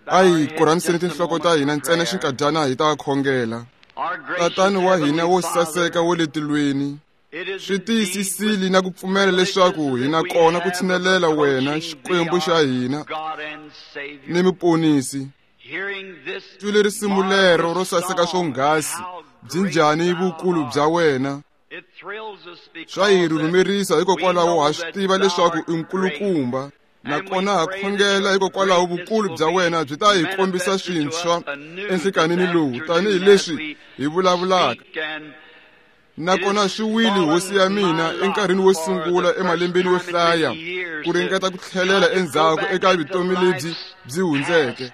A hi korhamiseni tinhloko ta hina ntsena xinkadyana hi ta khongela. Tatani wa hina wo saseka wo le tilweni, swi tiyisisile na ku pfumela leswaku hi na kona ku tshinelela wena Xikwembu xa hina ni Muponisi. Twile risimu lero ro saseka swonghasi, byi njhani vukulu bya wena? Swa hi rhurhumerisa hikokwalaho ha swi tiva leswaku i nkulukumba. Nakona ha khongela hikokwalaho vukulu bya wena byi ta hi kombisa swintshwa enhlikanini lowu tanihileswi hi vulavulaka. Nakona swi wile hosi ya mina enkarhini wo sungula emalembeni yo hlaya ku ringeta ku tlhelela endzhaku eka vutomi lebyi byi hundzeke.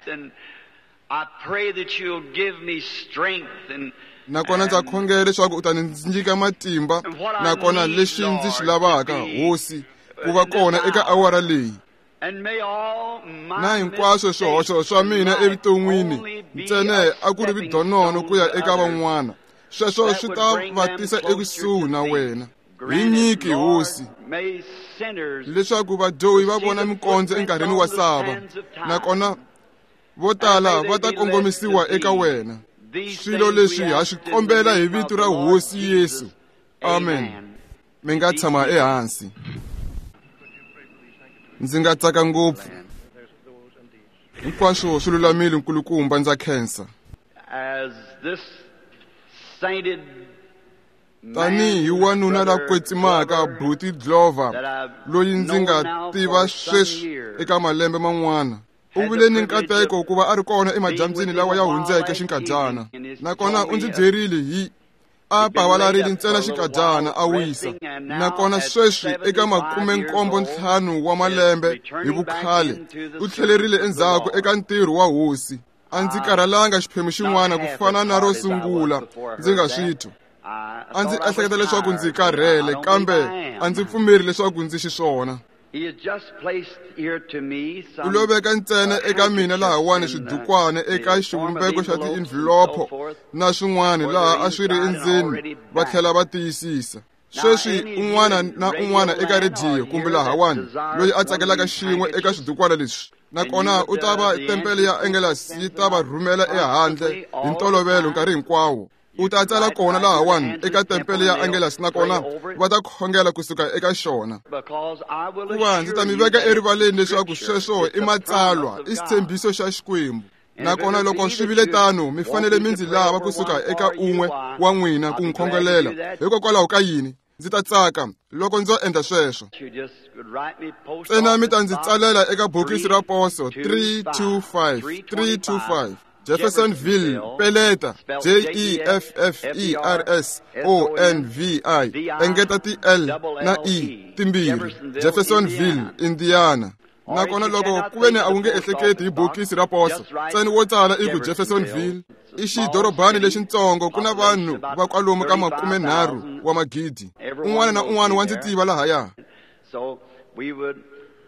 Nakona ndza khongela leswaku u ta ndzi nyika matimba, nakona lexi ndzi xi lavaka, Hosi, ku va kona eka awara leyi. Na hinkwaswo swihoxo swa mina evuton'wini ntsena a ku ri vidonono ku ya eka van'wana, sweswo swi ta va tisa ekusuhi na wena. Hi nyiki, Hosi, leswaku vadyohi va vona mikondzo enkarhini wa sava, nakona vo tala va ta kongomisiwa eka wena. Swilo leswi ha swi kombela hi vito ra Hosi Yesu. Amen. Mi nga tshama ehansi. Ndzi nga tsaka ngopfu. Hinkwaswo swi lulamile, nkulukumba, ndza khensa. Tanihi wanuna la kwetsimaka Buti Glover, loyi ndzi nga tiva sweswi eka malembe man'wana, u vile ni nkateko ku va a ri kona emadyambyini lawa ya hundzeke xinkadyana. Nakona u ndzi byerile hi a pavalarile ntsena xinkadyana a wisa. Nakona sweswi eka 75 wa malembe hi vukhale, u tlhelerile endzhaku eka ntirho wa Hosi. A ndzi karhalanga xiphemu xin'wana ku fana na ro sungula ndzi nga swi twa. A ndzi ehleketa leswaku ndzi karhele, kambe a ndzi pfumeri leswaku ndzi xiswona. U lo veka ntsena eka mina lahawani swidukwana eka xivumbeko xa ti-envelopo na swin'wana laha a swi ri endzeni, va tlhela va tiyisisa. Sweswi un'wana na un'wana eka rediyo kumbe lahawani loyi a tsakelaka xin'we eka swidukwana leswi, nakona u ta va tempele ya Angelus yi ta va rhumela ehandle hi ntolovelo nkarhi hinkwawo. U ta tsala kona lahawani eka tempele ya Angelus, nakona va ta khongela kusuka eka xona. Kuva ndzi ta mi veka erivaleni leswaku sweswo i matsalwa, i xitshembiso xa Xikwembu. Nakona loko swi vile tano, mi fanele mi ndzi lava kusuka eka un'we wa n'wina ku nkhongelela. Hikokwalaho ka yini? Ndzi ta tsaka loko ndzo endla sweswo. Ntsena mi ta ndzi tsalela eka bokisi ra poso 325 325 Jeffersonville, peleta J E F F E R S O N V I, engeta ti L na E timbirhi, Jeffersonville, Indiana. Nakona loko ku ve ni a wu nge ehleketi hi bokisi ra poso, ntsena wo tsala i ku Jeffersonville. I xidorobani lexintsongo, ku na vanhu va kwalomu ka 30 wa magidi. Un'wana na un'wana wa ndzi tiva lahaya.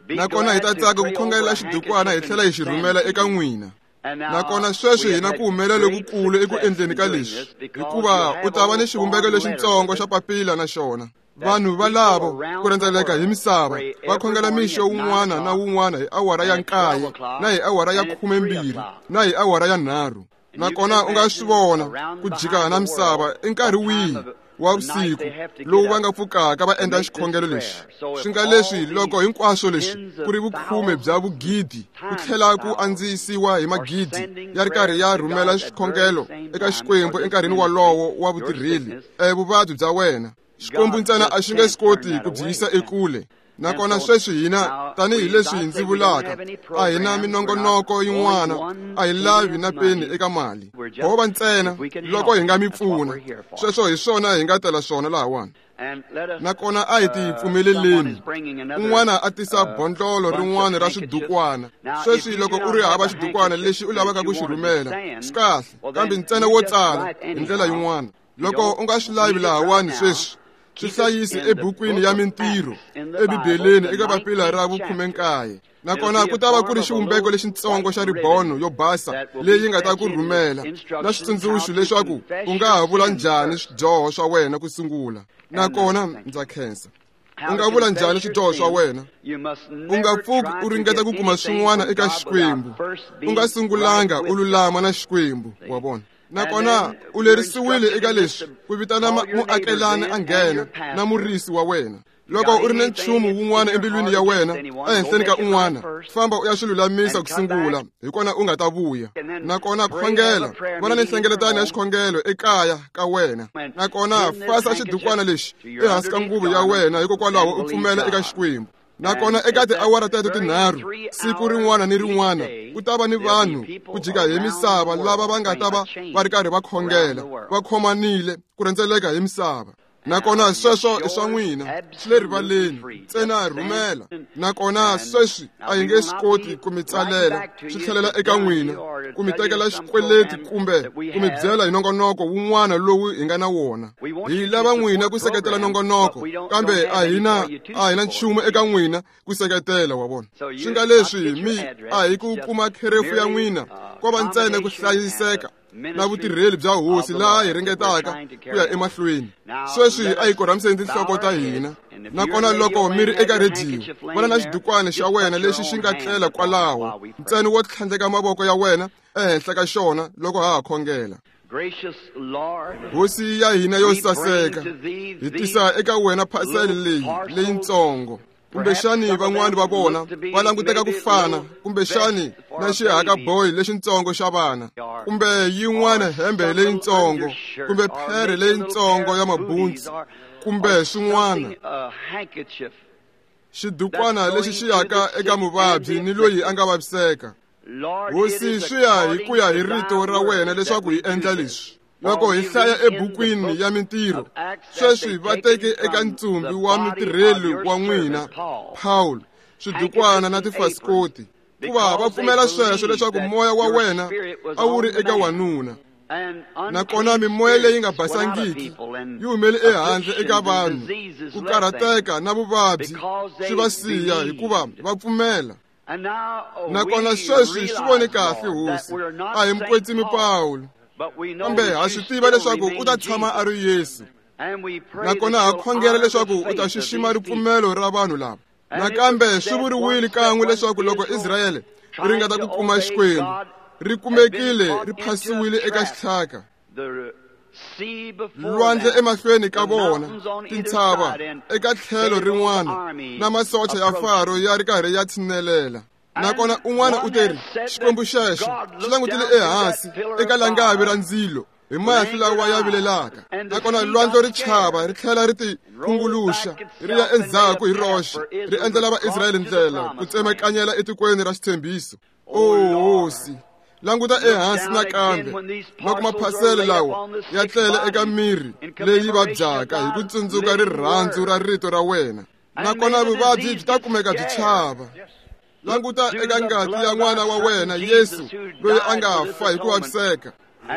Nakona hi ta tsaka ku khongela xidukwana hi tlhela hi xi rhumela eka n'wina. Nakona sweswi hi na ku humelela lokukulu eku endleni ka leswi, hikuva u ta va ni xivumbeko lexintsongo xa papila na xona. Vanhu valavo ku rhendzeleka hi misava va khongela mixo wun'wana na wun'wana hi awara ya 9 na hi awara ya 12 na hi awara ya 3. Nakona u nga swi vona ku jika na misava i nkarhi wihi wa vusiku lowu va nga pfukaka va endla xikhongelo lexi. Swi nga leswi loko hinkwaswo leswi ku ri vukhume bya vugidi ku tlhela ku andzisiwa hi magidi ya ri karhi ya rhumela xikhongelo eka Xikwembu enkarhini walowo wa vutirheli, vuvabyi bya wena. Xikwembu ntsena a xi nge swi koti ku byi yisa ekule. Nakona sweswi hina, tanihileswi ndzi vulaka, a hi na minongonoko yin'wana, a hi lavi na peni eka mali. Ho va ntsena loko hi nga mi pfuna. Sweswo hi swona hi nga tela swona lahawani. Nakona a hi ti pfumeleleni. Un'wana a tisa bondlolo rin'wana ra swidukwana. Sweswi loko u ri hava xidukwana lexi u lavaka ku xi rhumela, swi kahle, kambe ntsena wo tsala hi ndlela yin'wana. Loko u nga swi lavi lahawani sweswi, swi hlayisi ebukwini ya mintirho eBibeleni eka papila ra vu-19. Nakona ku ta va ku ri xivumbeko lexintsongo xa ribono yo basa leyi nga ta ku rhumela na xitsundzuxo leswaku u nga ha vula njhani swidyoho swa wena ku sungula. Nakona ndza khensa. U nga vula njhani swidyoho swa wena? U nga pfuki u ringeta ku kuma swin'wana eka Xikwembu u nga sungulanga u lulama na Xikwembu, wa vona. Nakona u lerisiwile eka leswi ku vitana muakelani a nghena na murisi wa wena. Loko u ri ni nchumu wun'wana embilwini ya wena ehenhleni ka un'wana, famba u ya swi lulamisa ku sungula, hi kona u nga ta vuya. Nakona khongela, vana ni nhlengeletano ya xikhongelo ekaya ka wena. Nakona fasa xidukwana lexi ehansi ka nguvu ya wena, hikokwalaho u pfumela eka Xikwembu. Nakona eka tiawara teto tinharhu siku rin'wana ni rin'wana ku ta va ni vanhu ku jika hi misava lava va nga ta va va ri karhi va khongela, va khomanile ku rhendzeleka hi misava. Nakona sweswo i swa n'wina, swi le rivaleni, ntsena rhumela. Nakona sweswi a hi nge swi koti ku mi tsalela swi tlhelela eka n'wina, ku mi tekela xikweleti kumbe ku mi byela hi nongonoko wun'wana lowu hi nga na wona. Hi lava n'wina ku seketela nongonoko, kambe a hi na nchumu eka n'wina ku seketela, wa vona. Swi nga leswi mi a hi ku kuma kherefu ya n'wina, ko va ntsena ku hlayiseka na vutirheli bya hosi laha hi ringetaka ku ya emahlweni. Sweswi a hi korhamiseni tinhloko ta hina. Nakona loko mi ri eka rediyo, vona na xidukwana xa wena lexi xi nga tlela kwalaho, ntsena wo tlhandleka mavoko ya wena ehenhla ka xona loko ha ha khongela. Hosi ya hina yo saseka, hi tisa eka wena phasele leyi leyitsongo. Kumbexani van'wani va vona va languteka ku fana, kumbexani na xihakaboyi lexitsongo xa vana, kumbe yin'wana hembe leyitsongo, kumbe phere leyitsongo ya mabuntsu, kumbe swin'wana. Xidukwana lexi xi yaka eka muvabyi ni loyi a nga vaviseka. Hosi, swi ya hi ku ya hi rito ra wena leswaku hi endla leswi. Loko hi hlaya ebukwini ya Mintirho, sweswi va teke eka ntsumbi wa mutirheli wa n'wina Paul swidukwana na tifasikoti, kuva va pfumela sweswo leswaku moya wa wena a wu ri eka wanuna. Nakona mimoya leyi nga basangiki yi humele ehandle eka vanhu, ku karhateka na vuvabyi swi va siya hikuva va pfumela. Nakona sweswi swi vone kahle, Hosi, a hi mukwetsimi Pawulo, kambe ha swi tiva leswaku u ta tshama a ri Yesu. Nakona ha khongela leswaku u ta xixima ripfumelo ra vanhu lava. Nakambe swi vuriwile kan'we leswaku loko Israyele ri ringeta ku kuma Xikwembu, ri kumekile ri phasiwile eka xitlhaka. Lwandle emahlweni ka vona, tintshava eka tlhelo rin'wana, na masocha ya Faro ya ri karhi ya tshinelela. Nakona un'wana u teri, Xikwembu xexo xi langutile ehansi eka langavi ra ndzilo hi mahlo lawa ya vilelaka. Nakona lwandle ri chava ri tlhela ri tikhunguluxa ri ya endzhaku hi roxe, ri endlela Vaisrayele ndlela ku tsemakanyela etikweni ra xitshembiso. O Hosi, languta ehansi nakambe loko maphasele lawa ya tlele eka miri leyi vabyaka hi ku tsundzuka rirhandzu ra rito ra wena. Nakona vuvabyi byi ta kumeka byi chava. Languta eka ngati ya n'wana wa wena Yesu loyi a nga fa hi ku vaviseka.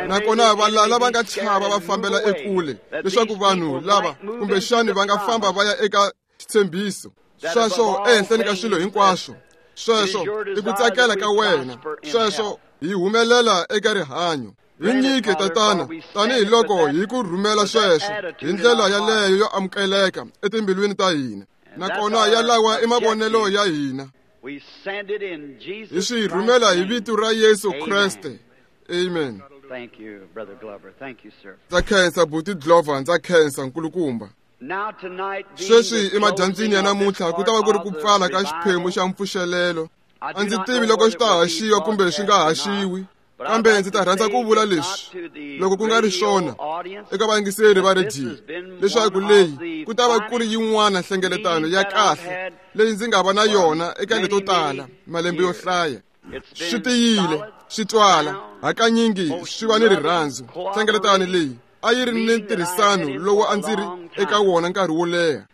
Nakona valala va nga chava va fambela ekule, leswaku vanhu lava kumbexani va nga famba va ya eka xitshembiso. Sweswo ehenhleni ka swilo hinkwaswo, sweswo i ku tsakela ka wena, sweswo hi humelela eka rihanyo. Hi nyike, Tatana, tanihiloko hi ku rhumela sweswo hi ndlela yaleyo yo amukeleka etimbilwini ta hina. Nakona yalawa i mavonelo ya hina. Hi swi rhumela hi vito ra Yesu Kreste. Amen. Ndza khensa Buti Glover, ndza khensa nkulukumba. Sweswi emadyambyini ya namuntlha ku ta va ku ri ku pfala ka xiphemu xa mpfuxelelo. A ndzi tivi loko xi ta haxiwa kumbe swi nga haxiwi, kambe ndzi ta rhandza ku vula leswi, loko ku nga ri swona eka vayingiseri va rediyo, leswaku leyi ku ta va ku ri yin'wana nhlengeletano ya kahle leyi ndzi nga va na yona eka leto tala malembe yo hlaya. Swi tiyile, swi twala, hakanyingi swi va ni rirhandzu. Nhlengeletano leyi a yi ri ni ntirhisano lowu a ndzi ri eka wona nkarhi wo leha.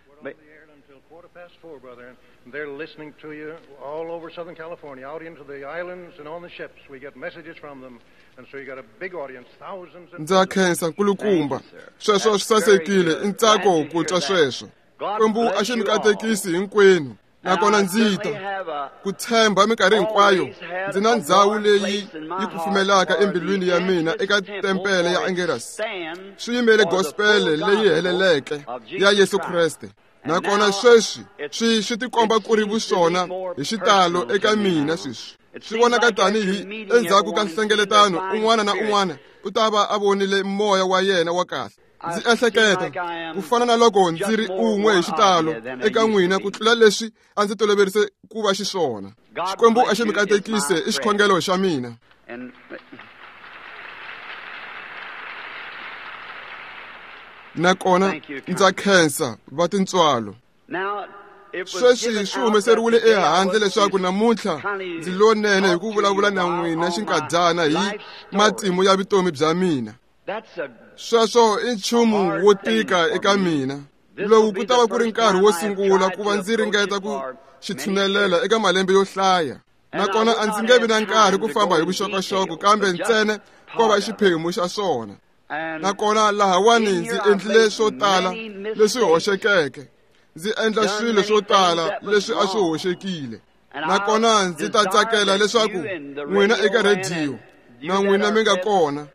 They're listening to you all over Southern California, out into the islands and on the ships. We get messages from them, and so you got a big audience, thousands and Ndza khensa nkulukumba. Sweswo swi sasekile, i ntsako ku twa sweswo. Xikwembu a xi mi katekisi hinkwenu. Nakona ndzi ta ku tshemba minkarhi hinkwayo ndzi na ndzhawu leyi yi kufumelaka embilwini ya mina eka tempele ya Angeles. Swi yimele gospel leyi heleleke ya Yesu Kreste. Nakona sweswi swi tikomba ku ri vuswona hi xitalo eka mina sweswi. Swi vonaka tanihi endzhaku ka nhlengeletano un'wana na un'wana u ta va a vonile moya wa yena wa kahle. Ndzi ehleketa ku fana na loko ndzi ri un'we hi xitalo eka n'wina ku tlula leswi a ndzi toloverise ku va xiswona. Xikwembu a xi mi katekise i xikhongelo xa mina. Nakona ndza khensa va tintswalo. Sweswi swi humeseriwile ehandle leswaku namuntlha ndzi lonene hi ku vulavula na n'wina xinkadyana hi matimu ya vutomi bya mina. Sweswo i nchumu wo tika eka mina. Lowu ku ta va ku ri nkarhi wo sungula ku va ndzi ringeta ku xi tshunelela eka malembe yo hlaya. Nakona a ndzi nge vi na nkarhi ku famba hi vuxokoxoko kambe ntsena ko va xiphemu xa swona. Nakona lahawani ndzi endlile swo tala leswi hoxekeke. Ndzi endla swilo swo tala leswi a swi hoxekile. Nakona ndzi ta tsakela leswaku n'wina eka rhediyo na n'wina mi nga kona,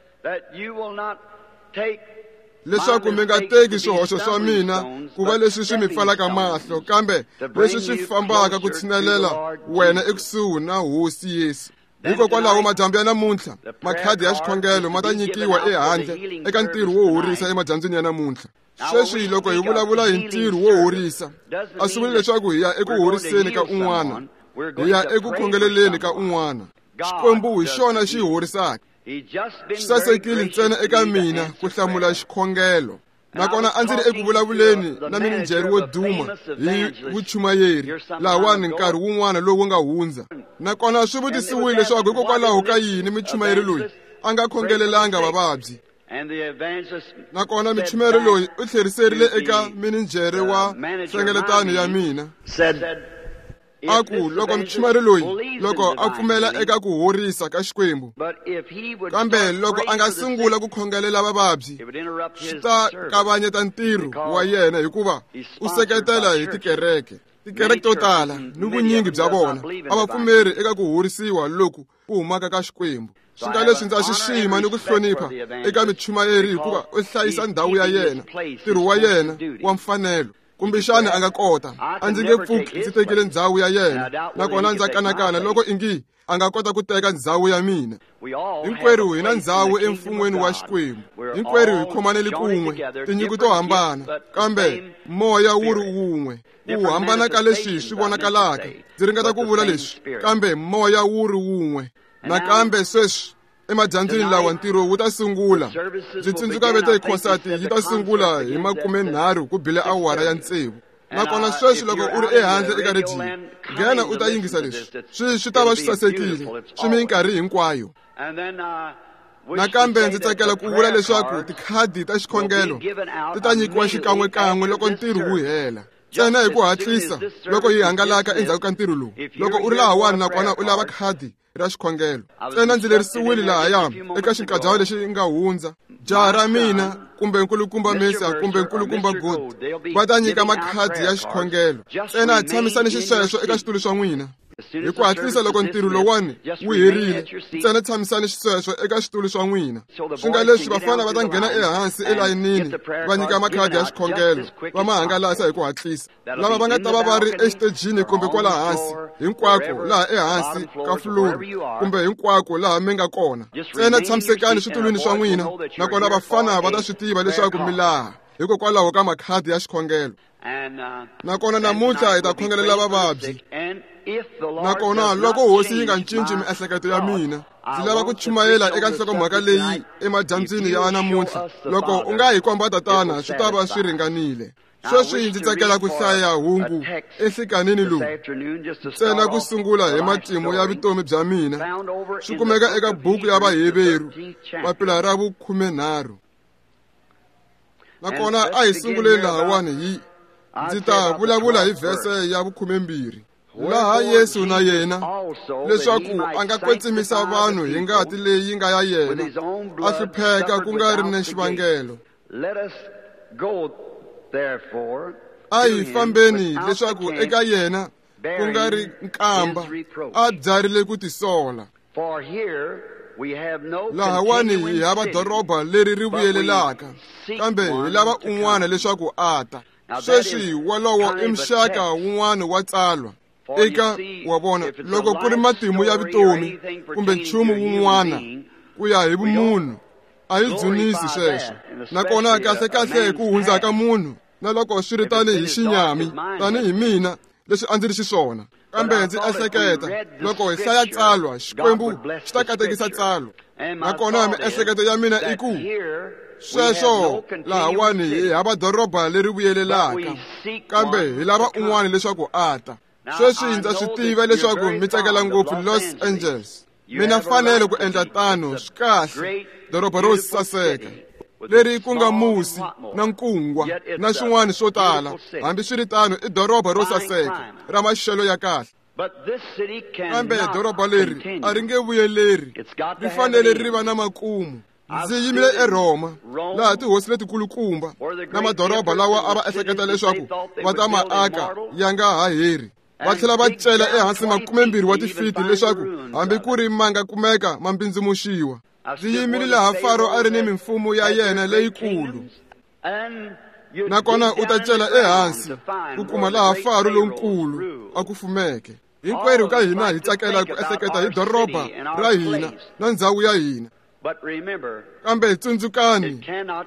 leswaku mi nga teki swihoxo swa mina ku va leswi swi mi pfalaka mahlo, kambe leswi swi fambaka ku tshinelela wena ekusuhi na Hosi Yesu. Hikokwalaho madyambu ya namuntlha makhadi ya xikhongelo ma ta nyikiwa ehandle eka ntirho wo horisa emadyambyini ya namuntlha. Sweswi loko hi vulavula hi ntirho wo horisa, a swi vuli leswaku hi ya eku horiseni ka un'wana, hi ya eku khongeleleni ka un'wana. Xikwembu hi xona xi horisaka. Swi sasekile ntsena eka mina ku hlamula xikhongelo. Nakona a ndzi ri eku vulavuleni na mininjhere wo duma hi vuchumayeri lahawani nkarhi wun'wana lowu nga hundza. Nakona swi vutisiwile leswaku hikokwalaho ka yini michumayeri loyi a nga khongelelanga vavabyi. Nakona michumayeri loyi u tlheriserile eka mininjhere wa nhlengeletano ya mina, a ku loko muchumayeri loyi loko a pfumela eka ku horisa ka Xikwembu, kambe loko a nga sungula ku khongelela vavabyi, swi ta kavanyeta ntirho wa yena hikuva u seketela hi tikereke. Tikereke to tala ni vunyingi bya vona a va pfumeri eka ku horisiwa loku ku humaka ka Xikwembu. Swi nga leswi ndza xixima ni ku hlonipha eka michumayeri hikuva u hlayisa ndhawu ya yena, ntirho wa yena wa mfanelo. Kumbexana a nga kota, a ndzi nge pfuki ndzi tekile ndhawu ya yena, nakona ndza kanakana loko ingi a nga kota ku teka ndhawu ya mina. Hinkwerhu hi na ndhawu emfun'weni wa Xikwembu. Hinkwerhu hi khomanele kun'we, tinyiko to hambana, kambe moya wu ri wun'we. Ku hambana ka leswi swi vonakalaka, ndzi ringeta ku vula leswi, kambe moya wu ri wun'we. Nakambe sweswi emadyambyini lawa ntirho wu ta sungula. Ndzi tsundzuka vete khonsati yi ta sungula hi 30 ku bile awara ya 6. Nakona sweswi loko u ri ehandle eka rediyo, nghena u ta yingisa leswi. Swi ta va swi sasekile, swi minkarhi hinkwayo. Nakambe ndzi tsakela ku vula leswaku tikhadi ta xikhongelo ti ta nyikiwa xikan'wekan'we loko ntirho wu hela. Ntsena hi ku hatlisa loko yi hangalaka endzhaku ka ntirho lowu. Loko u ri lahawani nakona u lava khadi ra xikhongelo, ntsena ndzi lerisiwile lahaya eka xinkadyana lexi nga hundza. Jaha ra mina kumbe nkulukumba Mesa kumbe nkulukumba God va ta nyika makhadi ya xikhongelo. Ntsena tshamisani xisweswo eka xitulu swa n'wina. Hi ku hatlisa loko ntirho lowani wu herile, ntsena tshamisani xisweswo eka xitulu swa n'wina. Swi nga leswi vafana va ta nghena ehansi elayinini va nyika makhadi ya xikhongelo, va ma hangalasa hi ku hatlisa. Lava va nga ta va va ri exitejini kumbe kwala hansi, hinkwako laha ehansi ka fuluru kumbe hinkwako laha mi nga kona, ntsena tshamisekani switulwini swa n'wina, nakona vafana va ta swi tiva leswaku mi laha hikokwalaho ka makhadi ya xikhongelo. Nakona namuntlha hi ta khongelela vavabyi. Nakona loko Hosi yi nga cinci miehleketo ya mina, ndzi lava ku chumayela eka nhlokomhaka leyi emadyambyini ya namuntlha. Loko u nga hi komba Tatana, swi ta va swi ringanile. Sweswi ndzi tsakela ku hlaya hungu enhlikanini lowu, ntsena ku sungula hi matimu ya vutomi bya mina. Swi kumeka eka buku ya Vaheveru, papila ra vu-13. Nakona a hi sunguleni lahawani hi ndzi ta vulavula hi vhese ya vu-12. Laha Yesu na yena leswaku a nga kwetsimisa vanhu hi ngati leyi nga ya yena, a hlupheka ku nga ri na xivangelo. A hi fambeni leswaku eka yena ku nga ri nkamba, a byarile ku tisola. Lahawani hi hava doroba leri ri vuyelelaka, kambe hi lava un'wana leswaku a ta. Sweswi wolowo i muxaka wun'wana wa tsalwa. Eka wa vona loko ku ri matimu ya vutomi kumbe nchumu wun'wana ku ya hi vumunhu, a hi dzunisi sweswo. Nakona kahlekahle ku hundza ka munhu na loko swi ri tanihi xinyami, tanihi mina leswi a ndzi ri xiswona. Kambe ndzi ehleketa loko hi hlaya tsalwa, Xikwembu xi ta katekisa tsalwa. Nakona miehleketo ya mina i ku sweswo lahawani hi hava doroba leri vuyelelaka, kambe hi lava un'wana leswaku a ta. Sweswi ndza swi tiva leswaku mi tsakela ngopfu Los Angeles. Mina fanele ku endla tano, swi kahle, doroba ro saseka leri ku nga musi na nkungwa na swin'wana swo tala. Hambiswiritano i doroba ro saseka ra maxelo ya kahle. Kambe doroba leri a ri nge vuyeleri, ri fanele ri va na makumu. Ndzi yimile eRhoma, laha tihosi letikulukumba na madoroba lawa a va ehleketa leswaku va ta ma aka ya nga ha heri. Va tlhela va cela ehansi 20 wa tifiti leswaku hambi ku ri ma nga kumeka ma mbindzimuxiwa. Ndzi yimile laha Faro a ri ni mimfumo ya yena leyikulu, nakona u ta cela ehansi ku kuma laha Faro lonkulu a ku fumeke. Hinkwerhu ka hina hi tsakela ku ehleketa hi doroba ra hina na ndzhawu ya hina. Kambe tsundzukani,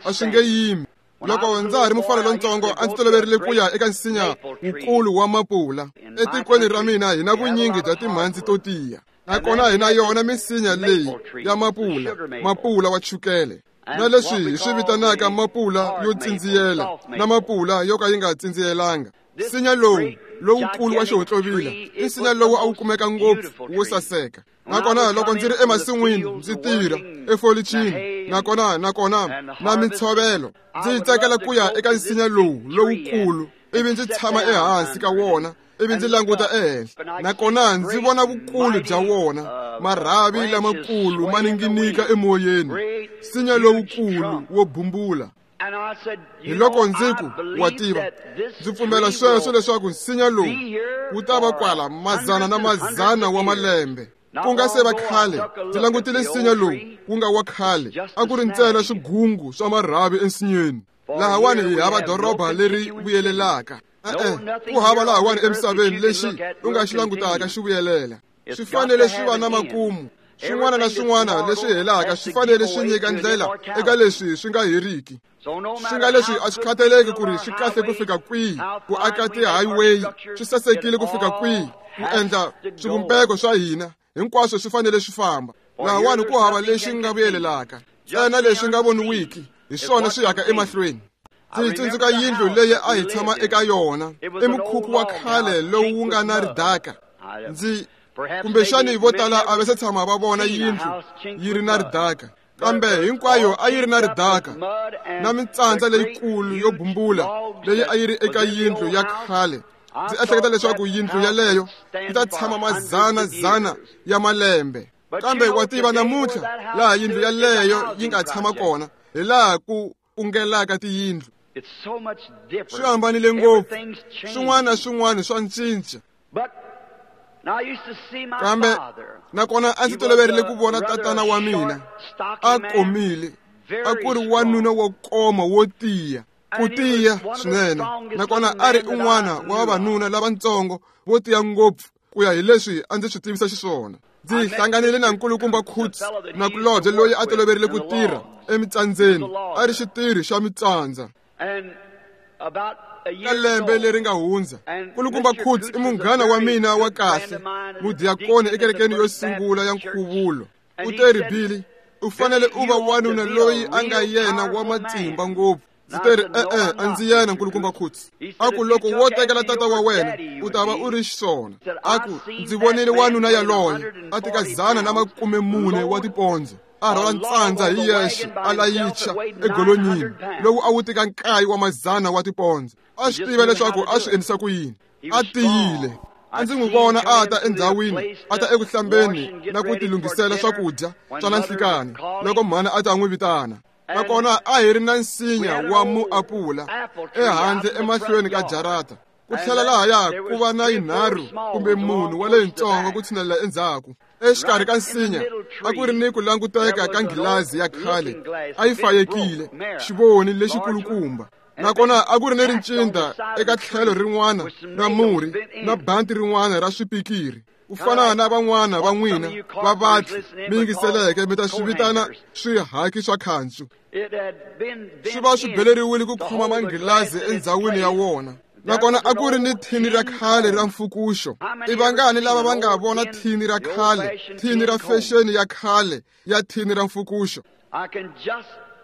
a swi nge yimi. Loko ndza ha ri mufana lontsongo, a ndzi toloverile ku ya eka nsinya wukulu wa mapula. Etikweni ra mina hi na vunyingi bya timhandzi to tiya, nakona hi na yona misinya leyi ya mapula, mapula wa chukele, na leswi hi swi vitanaka mapula yo tsindziyela na mapula yo ka yi nga tsindziyelanga. Nsinya lowu lowukulu wa xihontlovila i nsinya lowu a wu kumeka ngopfu wo saseka. Nakona loko ndzi ri emasin'wini ndzi tirha efolichini, nakona na mintshovelo, ndzi tsakela ku ya eka nsinya lowu lowukulu ivi ndzi tshama ehansi ka wona ivi ndzi languta ehenhla. Nakona ndzi vona vukulu bya wona, marhavi lamakulu ma ninginika emoyeni, nsinya lowukulu wo bumbula. Hi loko ndzi ku, wa tiva, ndzi pfumela sweswo leswaku nsinya lowu wu ta va kwala mazana na mazana wa malembe. Ku nga se va khale, ndzi langutile nsinya lowu wu nga wa khale, a ku ri ntsena swigungu swa marhavi ensinyeni. Lahawani hi hava doroba leri vuyelelaka. Ku hava lahawani emisaveni lexi u nga xi langutaka xi vuyelela. Swi fanele swi va na makumu. Swin'wana na swin'wana leswi helaka swi fanele swi nyika ndlela eka leswi swi nga heriki. Swi nga leswi a swi khathaleki ku ri swi kahle ku fika kwihi, ku aka ti-highway swi sasekile ku fika kwihi, ku endla swivumbeko swa hina, hinkwaswo swi fanele swi famba. Lahawani ku hava lexi nga vuyelelaka, ntsena leswi nga voniwiki hi swona swi yaka emahlweni. Ndzi tsundzuka yindlu leyi a hi tshama eka yona, i mukhukhu wa khale lowu wu nga na ridaka. Ndzi kumbexani vo tala a va se tshama va vona yindlu yi ri na ridaka, kambe hinkwayo a yi ri na ridaka na mitsandza leyikulu yo bumbula leyi a yi ri eka yindlu ya khale. Ndzi ehleketa leswaku yindlu yaleyo yi ta tshama mazana-zana ya malembe. Kambe wa tiva namuntlha laha yindlu yaleyo yi nga tshama kona, hi laha ku ungelaka tiyindlu. Swi hambanile ngopfu, swin'wana na swin'wana swa cinca. Kambe nakona a ndzi toloverile ku vona tatana wa mina a komile, a ku ri wanuna wo koma wo tiya, ku tiya swinene. Nakona a ri un'wana wa vavanuna lavatsongo vo tiya ngopfu ku ya hi leswi a ndzi swi tivisa xiswona. Ndzi hlanganile na nkulukumba Kutz na kulobye loyi a toloverile ku tirha emitsandzeni, a ri xitirhi xa mitsandza. Ka lembe leri nga hundza, nkulukumba Kutz i munghana wa mina wa kahle, mudiakoni ekerekeni yo sungula ya nkhuvulo. U te ri, Billy, u fanele u va wanuna loyi a nga yena wa matimba ngopfu. Ndzi te ri, e-e, a ndzi yena nkulukumba Kutz. A ku loko wo tekela tata wa wena, u ta va u ri xiswona. A ku ndzi vonile wanuna yaloye a tika 140 wa tipondzo, a rhwala ntsandza hi yexe a layicha egolonyini lowu a wu tika 9 wa mazana wa tipondzo. A swi tiva leswaku a swi endlisa ku yini. A tiyile. A ndzi n'wi vona a ta endhawini, a ta eku hlambeni na ku tilunghisela swakudya swa na nhlikani loko mhana a ta n'wi vitana. Nakona a hi ri na nsinya wa muapula ehandle emahlweni ka jarata. Ku tlhela lahaya ku va na yinharhu kumbe munhu wa leyintsongo ku tshinelela endzhaku. Exikarhi ka nsinya a ku ri ni ku languteka ka nghilazi ya khale, a yi fayekile, xivoni lexikulukumba. Nakona a ku ri ni rincindha eka tlhelo rin'wana ra murhi na banti rin'wana ra swipikiri. Ku fana na van'wana va n'wina va vatli mi yingiseleke mi ta swi vitana swihaki swa khancu. Swi va swi beleriwile ku khoma manghilazi endzhawini ya wona. Nakona a ku ri ni thini ra khale ra mfukuxo. I vangani lava va nga vona thini ra khale, thini ra fexeni ya khale ya thini ra mfukuxo?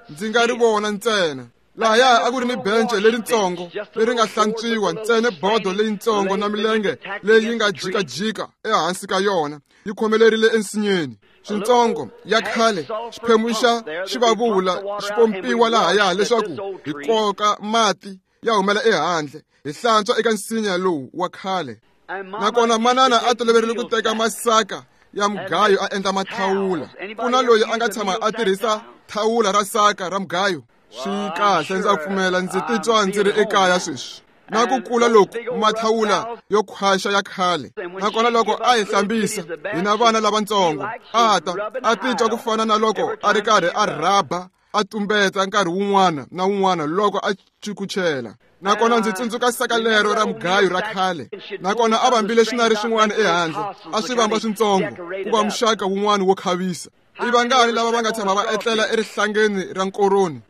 Ndzi nga ri vona ntsena. Lahaya a ku ri ni bence leritsongo leri nga hlantswiwa ntsena, bodo leyitsongo na milenge leyi nga jikajika ehansi ka yona yi khomelerile ensinyeni. Swintsongo ya khale, xiphemu xa xivavula xi pompiwa lahaya leswaku hi koka mati ya humela ehandle, hi hlantswa eka nsinya lowu wa khale. Nakona manana a toloverile ku teka masaka ya mugayo a endla mathawula. Ku na loyi a nga tshama a tirhisa thawula ra saka ra mugayo? Swi kahle, ndza pfumela ndzi titwa ndzi ri ekaya sweswi. Na ku kula loku mathawula yo khwaxa ya khale. Nakona loko a hi hlambisa hina vana lavatsongo, a ta a titwa ku fana na loko a ri karhi a rhaba a tumbeta nkarhi wun'wana na wun'wana loko a cukuchela. Nakona ndzi tsundzuka saka lero ra mugayo ra khale. Nakona a vambile swinari swin'wana ehandle, a swi vamba swintsongo ku va muxaka wun'wana wo khavisa. I vangani lava va nga tshama va etlela erihlangeni ra nkoroni?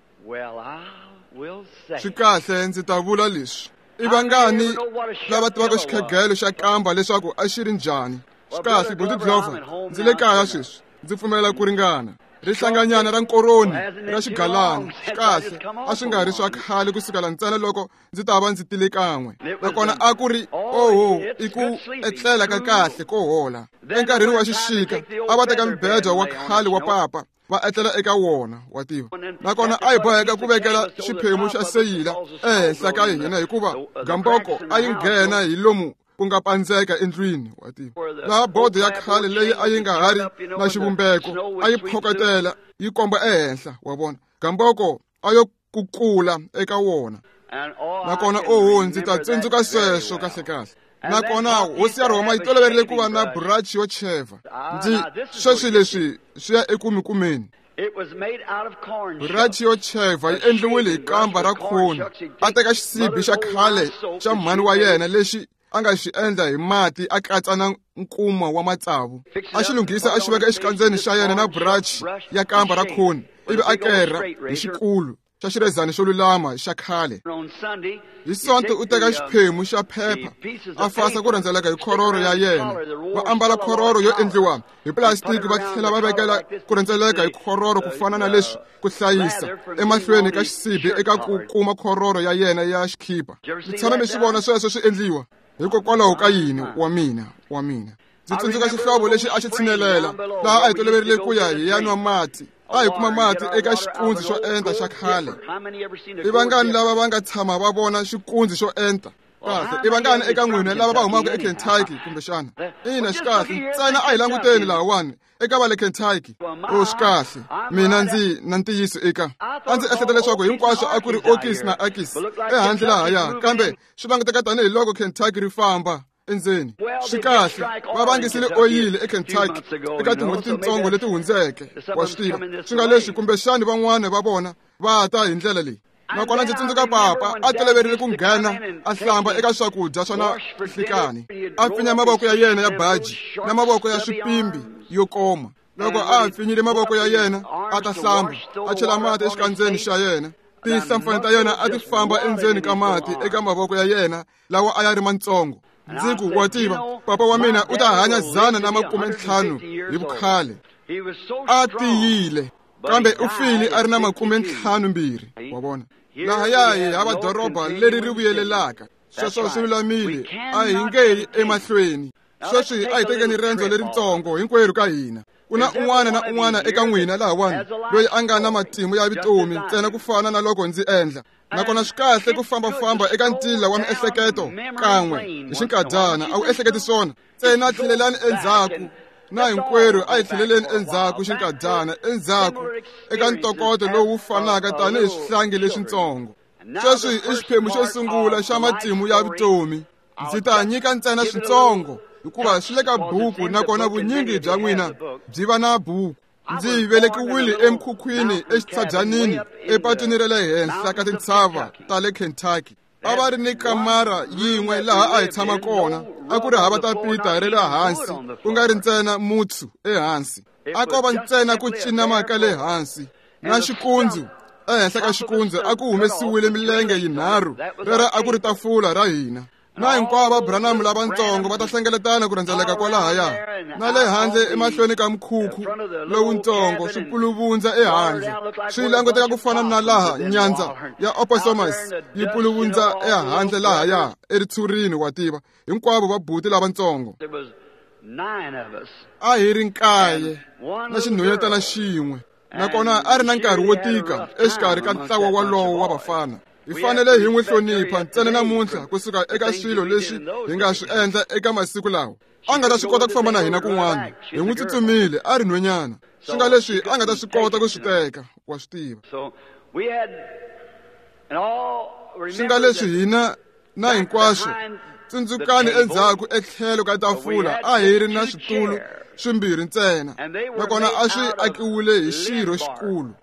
Swi kahle, ndzi ta vula leswi. I vangani lava tivaka xikhegelo xa kamba leswaku a xi ri njhani? Swi kahle, Buti Glover, ndzi le kaya sweswi. Ndzi pfumela ku ringana. Rihlanganyana ra nkoroni ra xigalana. Swi kahle, a swi nga ri swa khale kusukela ntsena loko ndzi ta va ndzi tile kan'we. Nakona a ku ri oho, i ku etlela ka kahle ko hola. Enkarhini wa xixika a va teka mbedwa wa khale wa papa va etlela eka wona, wa tiva. Nakona a hi boheka ku vekela xiphemu xa seyila ehenhla ka hina hikuva gamboko a yi nghena hi lomu ku nga pandzeka endlwini, wa tiva. Laha bodo ya khale leyi a yi nga ha ri na xivumbeko a yi phokotela yi komba ehenhla, wa vona. Gamboko a yo kukula eka wona. Nakona oho, ndzi ta tsundzuka sweswo kahle kahle. Nakona hosi ya Rhoma yi toloverile ku va na burachi yo cheva. Ndzi sweswi leswi swi ya ekumikumeni. Burachi yo cheva yi endliwile hi kamba ra khoni. A teka xisibi xa khale xa mhani wa yena lexi a nga xi endla hi mati a katsa na nkuma wa matsavu. A xi lunghisa a xi veka exikandzeni xa yena na burachi ya kamba ra khoni, ivi a kerha hi xikulu xa xirhezani xo lulama xa khale. Hi Sonto u teka xiphemu xa phepha a fasa ku rhendzeleka hi khororo ya yena. Va ambala khororo yo endliwa hi plastic va tlhela va vekela ku rhendzeleka hi khororo ku fana na leswi ku hlayisa emahlweni ka xisibi eka ku kuma khororo ya yena ya xikhipa. Mi tshame mi swi vona sweswo swi endliwa? Hikokwalaho ka yini? Wa mina, wa mina. Ndzi tsundzuka xihlovo lexi a xi tshinelela laha a hi toloverile ku ya hi ya nwa mati. A hi kuma mati eka xikundzi xo enta xa khale. I vangani lava va nga tshama va vona xikundzi xo enta? Kahle, i vangani eka n'wina lava va humaka eKentucky kumbexana? Ina, swi kahle. Ntsena a hi languteni lahawani eka va le Kentucky. O, swi kahle. Mina ndzi na ntiyiso eka. A ndzi ehleketa leswaku hinkwaswo a ku ri Okis na Akis ehandle lahaya, kambe swi languteka tanihiloko Kentucky ri famba endzeni. Swi kahle, va vangisile oyili eKentucky eka tin'hweti tintsongo leti hundzeke, wa swi tiva. Swi nga leswi kumbexani van'wana va vona va ta hi ndlela leyi. Nakona ndzi tsundzuka papa a toloverile ku nghena a hlamba eka swakudya swa na nhlikani, a pfinya mavoko ya yena ya baji na mavoko ya swipimbi yo koma. Loko a pfinyile mavoko ya yena a ta hlamba, a chela mati exikandzeni xa yena. Tinhlampfana ta yena a ti famba endzeni ka mati eka mavoko ya yena lawa a ya ri mantsongo. Ndzi ku, wa tiva, papa wa mina u ta hanya 150 hi vukhale. A tiyile, kambe u file a ri na 52, wa vona. Lahaya hi hava doroba leri ri vuyelelaka. Sweswo swi lulamile, a hi nge yi emahlweni. Sweswi a hi tekeni riendzo leritsongo hinkwerhu ka hina. Ku na un'wana na un'wana eka n'wina lahawani loyi a nga na matimu ya vutomi ntsena ku fana na loko ndzi endla. Nakona swi kahle ku fambafamba eka ntila wa miehleketo kan'we hi xinkadyana, a wu ehleketi swona. Ntsena tlhelelani endzhaku, na hinkwerhu a hi tlheleleni endzhaku xinkadyana, endzhaku eka ntokoto lowu fanaka tanihi swihlangi leswintsongo. Sweswi i xiphemu xo sungula xa matimu ya vutomi. Ndzi ta nyika ntsena swintsongo hikuva swi le ka buku, nakona vunyingi bya n'wina byi va na buku. Ndzi velekiwile emkhukhwini exitshabyanini epatwini ra le henhla ka tintshava ta le Kentucky. A va ri ni kamara yin'we laha a hi tshama kona, a ku ri hava tapita ra le hansi, ku nga ri ntsena mutsu ehansi. A ko va ntsena ku cinama ka le hansi na xikundzu. Ehenhla ka xikundzu a ku humesiwile milenge yinharhu, rero a ku ri tafula ra hina. Na hinkwavo va Branham lavatsongo va ta hlengeletana ku rhendzeleka kwalahaya, na le handle emahlweni ka mukhukhu lowutsongo swi puluvundza ehandle, swi languteka ku fana na laha nyandza ya opossums yi puluvundza ehandle lahaya eritshurini, wa tiva, hinkwavo va buti lavatsongo. A hi ri nkaye na xinhwanyetana xin'we, nakona a ri na nkarhi wo tika exikarhi ka ntlawa walowo wa vafana. Hi fanele hi n'wi hlonipha ntsena namuntlha kusuka eka swilo leswi hi nga swi endla eka masiku lawa. A nga ta swi kota ku famba na hina kun'wana, hi n'wi tsutsumile a ri nhwanyana, swi nga leswi a nga ta swi kota ku swi teka, wa swi tiva. Swi nga leswi hina na hinkwaswo tsundzukani endzhaku etlhelo ka tafula a hi ri na switulu swimbirhi ntsena, nakona a swi akiwile hi xirho xikulu.